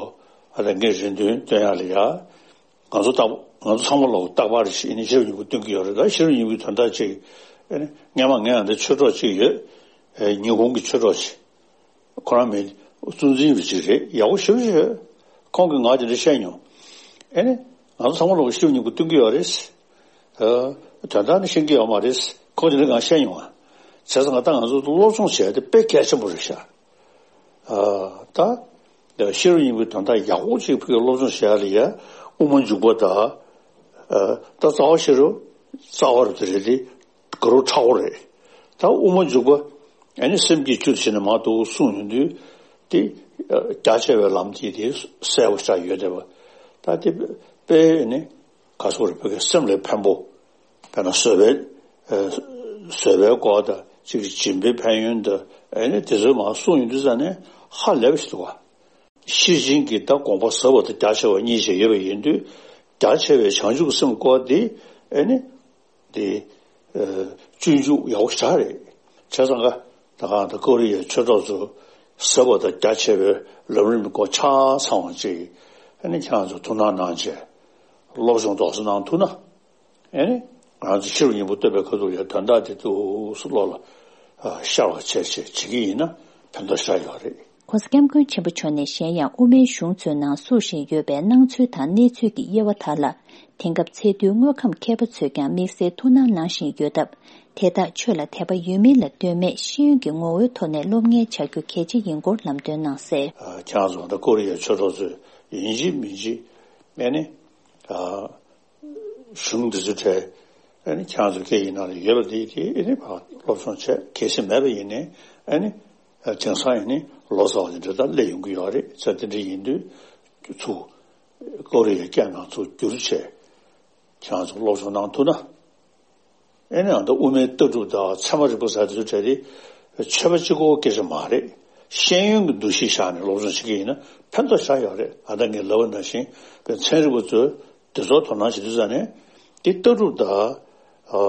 ཨ་ད་ངས་རེ་འདུན་སྟོན་ཡག་ལ་ཡ། ང་ཚོ་རྟག་ང་ཚོ་ཚང་མ་ལ་རྟག་པར་ཞིག་ནི་ཤེས་རབ་སྙིང་པོ་སྟོན་གྱི་ཡོད་རེད། ད་ཤེས་རབ་སྙིང་པོའི་དོན་དག་ཅིག་ཨ་ནི་སྔན་མ་ངས་ཨ་འདི་ཆོས་གྲོགས་ཅིག་ཡོད། ཨེ་ཉི་ཧོང་གི་ཆོས་གྲོགས་ཅིག་ཁོ་རང་མི་གཙོ་འཛིན་པ་ཅིག་རེད། ཡག་པོ་ཞེ་པོ་ཅིག་ཡོད། ཁོང་གིས་ང་དེ་འདྲ་བཤད་མྱོང་། ཨེ་ནི་ང་ཚོ་ཚང་མ་ལ་ཤེས་རབ་སྙིང་པོ་སྟོན་གྱི་ཡོད་རེད། ཨ་དོན་དག་ནི་ཤེས་ཀྱི་ཡོད་མ་རེད། ཁོང་དེ་འདྲ་ང་བཤད་མྱོང་ང་། བྱས་ཙང་ང་ད་ང་ཚོ་སློབ་སྦྱོང་བྱས་ཏེ་དཔེ་གལ་ཆེན་པོ་རེད་ཤག་ཨ་ད། ཤེས་རབ་སྙིང་པོའི་དོན་དག་ཡག་པོ་ཅིག་ཕ་གིར་སློབ་སྦྱོང་བྱེད་ཡག་ལ་ཡ། དབུ་མ་འཇུག་པ་དང་། ཨ་ད་རྩ་བ་ཤེས་རབ། རྩ་བ་རུ་དེ་རེད་དེ། དགའ་རབ་མཁྲེགས་པོ་རེད། ད་དབུ་མ་འཇུག་པ། ཨ་ནི་སེམས་བསྐྱེད་བཅུ་བྱས་ནས་མར་འདུག་གསུངས་ཡོང་དུས། དེ་རྒྱ་ཆེ་བའི་ལམ་དེ་དེ་གསལ་པོ་ཆགས་ཡོད་བསྡད་པ། ད་དེ་དཔེ་ནི་ག་སོག་རེད། ཕ་གིའི་སེམས་ལ་ཕན་པོ། དཔེར་ན་བཟོད་པའི། ཨ་བཟོད་པའི་སྐོར་དང་གཅིག་སྦྱིན་པའི་ཕན་ཡོན་དང་ཨ་ནི་དེ་ཚོའི་མར་གསུངས་ཡོང་དུས་ཙ་ནས་ཧ་ལས་པ་ཞིག་འདུག་བ། ཤེར་ཕྱིན་གྱི་ད་དགོངས་པ་ཟབ་པ་དང་རྒྱ་ཆེ་བ་གཉིས་ཀྱང་ཡོད་པ་ཡིན་དུས། རྒྱ་ཆེ་བའི་བྱང་ཆུབ་ཀྱི་སེམས་སྐོར་དེ་ཨ་ནི། དེ། ཨ་སྤྱོད་འཇུག་ཡག་པོ་ཞེ་དྲག་རེད། བྱས་ཙང་ཀ་ད་གང་ལྟར་ཀོ་རི་ཡའི་ཆོས་གྲོགས་ཚོ་ཟབ་པ་དང་རྒྱ་ཆེ་བའི་ལམ་རིམ་སྐོར་ཆ་ཚང་བ་ཅིག་ཨ་ནི་ཁྱེད་རང་ཚོ་ཐུགས་སྣང་གནང་བྱས། སློབ་སྦྱོང་རྡོག་རྩ་གནང་ཐུབ་ན། ཨེ་ནི། ང་ཚོ་ཤེས་རབ་སྙིང་པོ་སྟོན་པའི་ཁ་ཐུག་ལ་དོན་དག་དེ་ཏོག་ཙམ་བློ་ལ་ཨ་ཤར་བ་བྱས་བྱས་བྱེད་ཀྱི་ཡིན་ན་ཕན་ཐོགས་ཞེ་དྲག་ཡོད་རེད། ྋགོང་ས་ྋསྐྱབས་མགོན་ཆེན་པོ་མཆོག་ནས་གཞན་ཡང་དབུ་མའི་གཞུང་ཚོའི་ནང་བསུ་བཞིན་ཡོད་པའི་སྣང་ཚུལ་དང་གནས་ཚུལ་གྱི་དབྱེ་བ་དག་ལ། དེང་སྐབས་ཚད་མཐོའི་དངོས་ཁམས་མཁས་པ་ཚོས་ཀྱང་དམིགས་བསལ་ཐུགས་སྣང་གནང་བཞིན་ཡོད་སྟབས། དེ་དག་ཆོས་ལ་དད་པ་ཡོད་མིན་ལ་ལྟོས་མེད་ཤེས་ཡོན་གྱི་ངོ་བོའི་ཐོག་ནས་སློབ་གཉེར་བྱ་རྒྱུ་གལ་ཆེ་ཡིན་སྐོར་ལམ་སྟོན་གནང་གསལ། ཨ་ཁྱེད་རང་ཚོ་ད་ཀོ་རི་ཡའི་ཆོས་གྲོགས་ཚོས་ཡིན་གཅིག་མིན་གཅིག་ཨེ་ནི། ཨ། གཞུང་འདི་ཚོའི་གྲས། ཨ་ནི་ཁྱེད་རང་ཚོ་སྐད་ཡིག་ནང་ལ་ཡོད་པ་དེ་དེ་ཨ་ནི་ཕར་སློབ་སྦྱོང་བྱས། གལ་སྲིད་མེད་པ་ཡིན་ནའི་ཨ་ནི་དེང་སང་ཡིན་ནའི་ལོ་ཙཱ་བ་དེ་འདྲ་དང་སླེབས་ཡོང་གི་ཡོད་རེད། ཙང་དེ་འདྲ་ཡིན་དུས་ཚུར་ཀོ་རི་ཡའི་སྐད་ནང་ཚུར་བསྒྱུར་བྱས་ཁྱེད་རང་ཚོ་སློབ་སྦྱོང་གནང་ཐུབ་ན། ཨེ་ནི་ཨ་ད་དབུ་མའི་ལྟ་གྲུབ་དང་ཚད་མ་རིག་པ་ཟེར་དེ་ཚོའི་གྲས་དེ་ཆོས་པ་གཅིག་པོའི་སྐད་ཆ་མ་རེད། ཤེས་ཡོན་གྱི་འདུ་ཤེས་བཞག་ནས་སློབ་སྦྱོང་བྱེད་ཀྱི་ཡིན་ན་ཕན་ཐོགས་ཞེ་དྲག་ཡོད་རེད། ཨ་ད་ངས་ལབ་པ་ནང་བཞིན་པའི་ཚན་རིག་པ་ཚོས། དེ་ཚོར་དོ་སྣང་བྱེད་དུས་ཙ་ནས་དེ་ལྟ་གྲུབ་དང་། ཨ་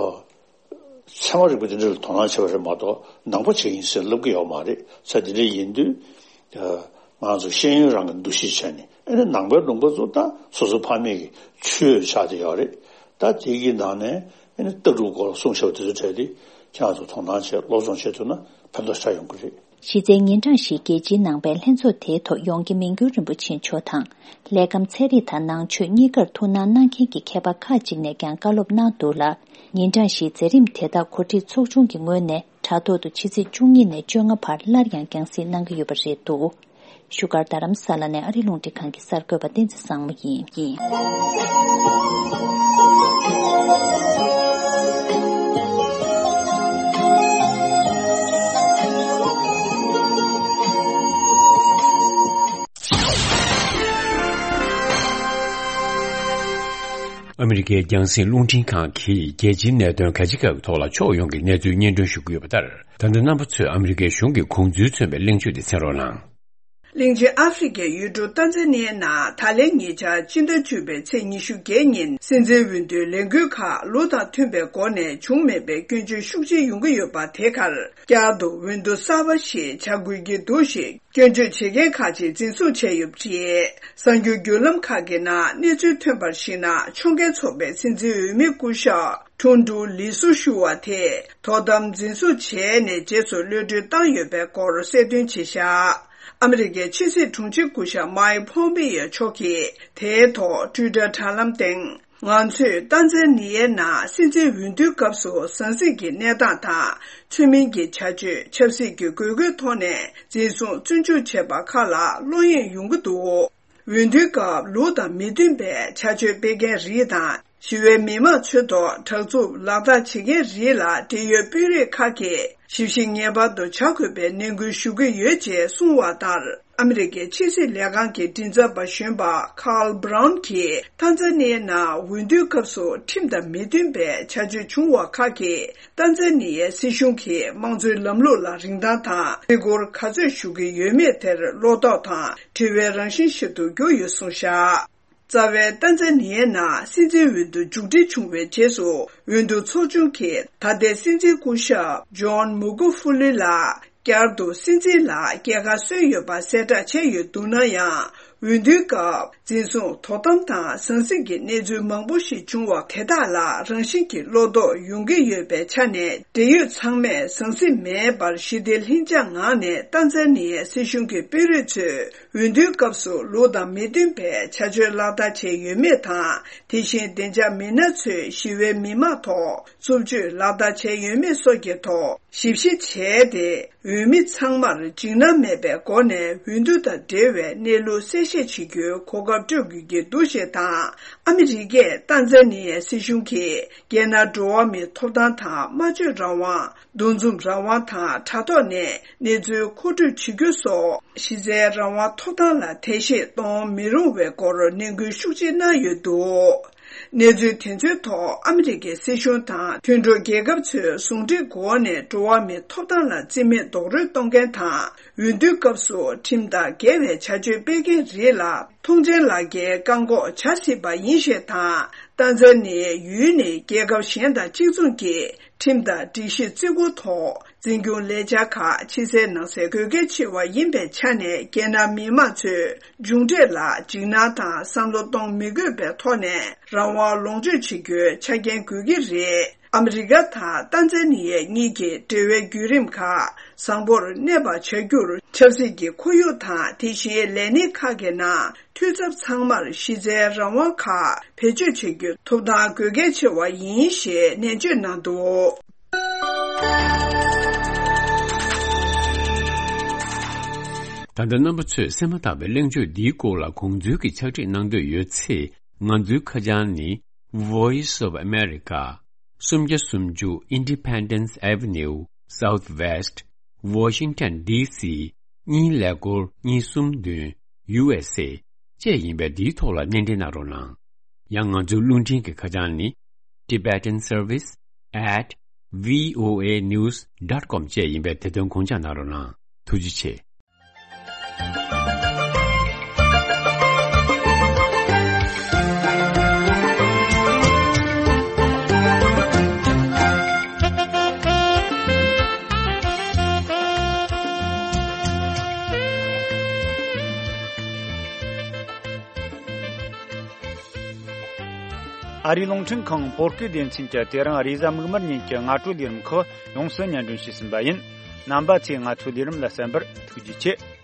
ཚད་མ་རིག་པ་དེ་འདྲ་ལ་དོ་སྣང་བྱེད་པ་རེད་མ་གཏོགས་ནང་པ་བྱེད་ཀྱི་ཡིན་ཟེར་ལབ་ཀྱི་ཡོད་མ་རེད། ས་དེ་འདྲ་ཡིན་དུས། ཨ་ང་ཚོ་ཤེས་ཡོན་རང་གི་འདུ་ཤེས་བྱས་ནས་ཨ་ནི་ནང་པའི་ལུང་པ་ཚོ་ད་སོ་སོ་ཕ་མེས་ཀྱི་ཆོས་ཆགས་བསྡད་ཡོད་རེད། ད་དེ་གི་ནང་ནས་ཨ་ནི་ལྟ་གྲུབ་སྐོར་གསུངས་བཞག་པ་དེ་ཚོ་གྲས་དེ་ཁྱེད་ཚོ་དོ་སྣང་བྱས་སློབ་སྦྱོང་བྱེད་ཐུབ་ན་ཕན་ཐོགས་ཞེ་དྲག་ཡོང་གི་རེད། གཞི་རྩའི་ཉིན་གྲངས་བཞིའི་རྒྱལ་སྤྱིའི་ནང་པའི་ལྷན་ཚོགས་དེའི་ཐོག་ཡོངས་དགེ་མིང་སྒྱུར་རིན་པོ་ཆེ་མཆོག་དང་། ལས་ཁམས་ཚན་རིག་དང་ནང་ཆོས་གཉིས་ཀར་ཐུགས་སྣང་གནང་མཁན་གྱི་མཁས་པ་ཁག་ཅིག་ནས་ཀྱང་བཀའ་སློབ་གནང་འདུག་ལ། ཉིན་གྲངས་བཞིའི་མཛད་རིམ་དེ་དག་གོ་སྒྲིག་ཚོགས་ཆུང་གི་ངོས་ནས་དྲ་ཐོག་ཏུ་ཕྱི་ཚེས་བཅུ་གཉིས་ནས་བཅོ་ལྔ་བར་སླར་ཡང་རྒྱང་སྲིང་གནང་གི་ཡོད་པ་རེད་འདུག་བཞུགས་སྒར་རྡ་རམ་ས་ལ་ནས་ཨ་རི་རླུང་འཕྲིན་ཁང་གི་གསར་འགོད་པ་བསྟན་འཛིན་བཟང་མོ་ཡིན། ཨ་མི་རི་ཀའི་རྒྱང་སྲིང་རླུང་འཕྲིན་ཁང་གིས་རྒྱལ་སྤྱིའི་གནད་དོན་ག་ཅི་ག་གི་ཐོག་ལ་ཕྱོགས་ཡོངས་ཀྱི་གནས་ཚུལ་སྙན་སྒྲོན་ཞུ་གི་ཡོད་པ་ལྟར། ད་ལྟ་རྣམ་པ་ཚོས་ཨ་མི་རི་ཀའི་གཞུང་གི་དགོངས་ཚུལ་མཚོན་པའི་གླེང་བརྗོད་དེ་གསན་རོགས་གནང་། གླིང་ཆེན་ཨ་ཧྥེ་རི་ཁའི་ཡུལ་གྲུ་ཏཱན་ཛ་ནི་ཡའི་ནང་ད་ལན་ཉེ་ཆར་སྤྱི་ཟླ་བཅུ་པའི་ཚེས་ཉི་ཤུ་བརྒྱད་ཉིན་སྲིད་འཛིན་འོས་བསྡུའི་ལས་འགུལ་ཁག་ལུགས་དང་མཐུན་པའི་སྒོ་ནས་བྱུང་མེད་པའི་སྐྱོན་བརྗོད་ཤུགས་ཆེ་ཡོང་གི་ཡོད་པ་དེ་ཁར། བསྐྱར་དུ་འོས་བསྡུ་གསར་པ་ཞིག་བྱ་དགོས་ཀྱི་འདུག་ཞེས་སྐྱོན་བརྗོད་བྱེད་མཁན་ཁག་ཅིག་འཛིན་བཟུང་བྱས་ཡོད་པ་རེད། གསར་འགྱུར་བརྒྱུད་ལམ་ཁག་གི་ནང་གནས་ཚུལ་ཐོན་པར་གཞིགས་ན། ཕྱོགས་འགལ་ཚོགས་པའི་སྲིད་འཛིན་འོས་མི་སྐུ་ཞབས་ཁྲུང་ཀྲུའུ་ལི་སུ་ཞུ་བ་དེ་དོ་དམ་འཛིན་བཟུང་བྱས་ནས་རྗེས་སུ་གློད་གྲོལ་བཏང་ཡོད་པའི་སྐོར་གསལ་སྟོན་བྱས་བཞག་ཨ་མི་རི་ཀའི་ཕྱི་སྲིད་དྲུང་ཆེ་སྐུ་ཞབས་མཱིག་ཕོམ་པེ་ཡོ་མཆོག་གིས་དེའི་ཐོག་ཊུའི་ཊར་དྲ་ལམ་སྟེང་། ང་ཚོས་ཏཱན་ཛ་ནི་ཡའི་ནང་སྲིད་འཛིན་འོས་བསྡུའི་སྐབས་སུ་ཟང་ཟིང་གི་གནས་སྟངས་དང་། ཚུལ་མིན་གྱི་བྱ་སྤྱོད། ཆབ་སྲིད་ཀྱི་དགོས་མཁོའི་ཐོག་ནས་འཛིན་བཟུང་བཙོན་འཇུག་བྱས་པ་ཁག་ལ་བློ་གཡེང་ཡོང་གི་འདུག་འོས་བསྡུའི་སྐབས་ལུགས་དང་མི་མཐུན་པའི་བྱ་སྤྱོད་སྤེལ་མཁན་རིགས་དང་། ཞི་བའི་མི་མང་ཚོའི་ཐོག་དྲག་རྩུབ་ལག་བསྟར་བྱེད་མཁན་རིགས་ལ་འབྲེལ་ཡོད་དཔོན་རིགས་ཁག་གིས་ཞིབ་བཤེར་ངེས་པར་དུ་བྱ་དགོས་པའི་ནན་སྐུལ་ཞུ་གི་ཡོད་ཅེས་གསུངས་པ་ལྟར། ཨ་མི་རི་ཀའི་ཕྱི་སྲིད་ལས་ཁང་གི་མགྲིན་ཚབ་པ་གཞོན་པ་ཁཱལ་བྷ་རའུན་གྱིས་ཏཱན་ཛ་ནི་ཡའི་ནང་འོས་བསྡུའི་སྐབས་སུ་ཁྲིམས་དང་མི་མཐུན་པའི་བྱ་སྤྱོད་བྱུང་བ་ཁག་གིས་ཏཱན་ཛ་ནི་ཡའི་སྲིད་གཞུང་གི་དམངས་གཙོའི་ལམ་ལུགས་ལ་རིན་ཐང་དང་རེ་སྐུལ་ག་ཚོད་ཞུ་གི་ཡོད་མེད་དེར་བློ་དོགས་དང་དྲི་བའི་རང་བཞིན་ཞིག་ཏུ་གྱུར་ཡོད་གསུངས་བཞག་རྩ་བའི་ཏན་ཛ་ནི་ཡའི་ནང་སྲིད་འཛིན་འོས་བསྡུ་མཇུག་སྒྲིལ་བྱུང་བའི་རྗེས་སུ། འོས་བསྡུ་ཚོགས་ཆུང་གིས་ད་ལྟའི་སྲིད་འཛིན་སྐུ་ཞབས་ཇོན་མུ་གུ་ཧྥུ་ལི་ལགས་བསྐྱར་དུ་སྲིད་འཛིན་ལ་རྒྱལ་ཁ་སོན་ཡོད་པ་གསལ་བསྒྲགས་བྱས་ཡོད་འདུག་ན་ཡང་། འོས་བསྡུའི་སྐབས་འཛིན་བཟུང་དོ་དམ་དང་ཟང་ཟིང་གི་གནས་ཚུལ་མང་པོ་ཞིག་བྱུང་བ་དེ་དག་ལ་རང་བཞིན་གྱིས་བློ་དོགས་ཡོང་གི་ཡོད་པའི་ཆ་ནས། འབྲེལ་ཡོད་ཚང་མས་ཟང་ཟིང་མེད་པར་ཞི་བདེ་ལྷིང་འཇགས་ངང་ནས་ཏན་ཛ་ནི་ཡའི་སྲིད་གཞུང་གི་དཔོན་རིགས་ཚོས་འོས་བསྡུའི་སྐབས་སུ་ལུགས་དང་མི་མཐུན་པའི་བྱ་སྤྱོད་ལག་བསྟར་བྱས་ཡོད་མེད་དང་། དེ་བཞིན་བདེ་འཇགས་མི་སྣ་ཚོས་ཞི་བའི་མི་དམངས་ཐོག་རྩུབ་སྤྱོད་ལག་བསྟར་བྱས་ཡོད་མེད་སོགས་ཀྱི་ཐོག་ཞིབ་བཤེར་བྱས་ཏེ། འོས་མི་ཚང་མར་འཇིགས་སྣང་མེད་པའི་སྒོ་ནས་འོས་བསྡུ་དང་འབྲེལ་བའི་གནས་ལུགས་གསལ་བཤད་བྱེད་རྒྱུའི་གོ་སྐབས་སྤྲོད་དགོས་ཀྱི་འདུག་ཞེས་དང་། ཨ་མི་རི་ཀས་ཏན་ཛ་ནི་ཡའི་སྲིད་གཞུང་གིས་རྒྱལ་ནང་འགྲོ་བ་མིའི་ཐོབ་ཐང་དང་། སྨྲ་བརྗོད་རང་དབང་། འདུ་འཛོམས་རང་དབང་དང་དྲ་ཐོག་ནས་གནས་ཚུལ་མཁོ་སྤྲོད་བྱེད་རྒྱུ་སོགས་གཞི་རྩའི་རང་དབང་ཐོབ་ཐང་ལ་ཐེ་བྱེད་གཏོང་མི་རུང་བའི་སྐོར་ནན་སྐུལ་ཤུགས་ཆེ་གནང་ཡོད་འདུག་གནས་ཚུལ་དེ་ཚོའི་ཐོག་ཨ་མི་རི་ཀའི་སྲིད་གཞུང་དང་མཐུན་གྲོགས་རྒྱལ་ཁབ་ཚོས་ཟུང་འབྲེལ་སྒོ་ནས་འགྲོ་བ་མིའི་ཐོབ་ཐང་ལ་བརྩི་མེད་རྡོག་རོལ་གཏོང་མཁན་དང་། འོས་བསྡུའི་སྐབས་སུ་ཁྲིམས་དང་འགལ་བའི་བྱ་སྤྱོད་སྤེལ་མཁན་རིགས་ལ་ཐོངས་མཆན་ལག་འཁྱེར་བཀག་འགོག་བྱ་སྲིད་པ་ཡིན་ཞེས་དང་། ཏན་ཛ་ནི་ཡའི་ཡུལ་ནི་རྒྱལ་ཁབ་གཞན་དང་གཅིག་མཚུངས་ཀྱི་ཁྲིམས་དང་སྒྲིག་གཞི་བརྩི་བཀུར་ཐོག་འཛིན་སྐྱོང་ལས་འཆར་ཁག་ཕྱི་གསལ་ནང་གསལ་དགོས་གལ་ཆེ་བ་ཡིན་པའི་ཆ་ནས། རྒྱལ་ནང་མི་མང་ཚོས་མཇུག་འབྲས་ལ་འཇིགས་སྣང་དང་བསམ་བློ་གཏོང་མི་དགོས་པའི་ཐོག་ནས་རང་དབང་ལོངས་སྤྱོད་བྱེད་རྒྱུའི་ཆ་རྐྱེན་དགོས་ཀྱི་རེད། ཨ་མི་རི་ཀ་དང་ཏན་ཛ་ནི་ཡ་གཉིས་ཀྱི་འབྲེལ་བའི་བརྒྱུད་རིམ་ཁག་བཟང་པོར་གནས་པ་བྱ་རྒྱུར། ཆབ་སྲིད་ཀྱི་ཁོར་ཡུག་དང་། དེ་བཞིན་ལས་གནས་ཁག་གི་ནང་འཐུས་ཚབ་ཚང་མར་གཞི་རྩའི་རང་དབང་ཁག་བེད་སྤྱོད་བྱེད་རྒྱུའི་ཐོབ་ཐང་དགོས་གལ་ཆེ་བ་ཡིན་ཞེས་ནན་བརྗོད་གནང་འདུག་ད་ལྟ་རྣམ་པ་ཚོས་གསན་མ་ཐག་པའི་གླེང་བརྗོད་འདིའི་སྐོར་ལ་དགོངས་ཚུལ་གྱི་ཕྱག་བྲིས་གནང་འདོད་ཡོད་ཚེ། ང་ཚོའི་ཁ་བྱང་ནི། Voice of America། སུམ་བརྒྱ་སུམ་ཅུ་Independence Avenue Southwest Washington DC གཉིས་ཀླད་ཀོར་གཉིས་གསུམ་བདུན། USA བཅས་ཡིན་པས། འདིའི་ཐོག་ལ་སྣེ་འདྲེན་གནང་རོགས་གནང་། ཡང་ང་ཚོའི་རླུང་འཕྲིན་གྱི་ཁ་བྱང་ནི། Tibetan Service at voanews dot com བཅས་ཡིན་པས། དེ་དོན་དགོངས་འཇགས་གནང་རོགས་གནང་། ཐུགས་རྗེ་ཆེ། ཨ་རིའི་རླུང་འཕྲིན་ཁང་བོད་སྐད་སྡེ་ཚན་གྱིས་དེ་རིང་རེས་གཟའ་མིག་དམར་ཉིན་གྱི་སྔ་དྲོའི་ལས་རིམ་ཁག་ཡོངས་སུ་སྙན་སྒྲོན་ཞུས་ཟིན་པ་ཡིན། རྣམ་པ་ཚོས་ང་ཚོའི་ལས་རིམ་ལ་གསན་པར་ཐུགས་རྗེ་ཆེ།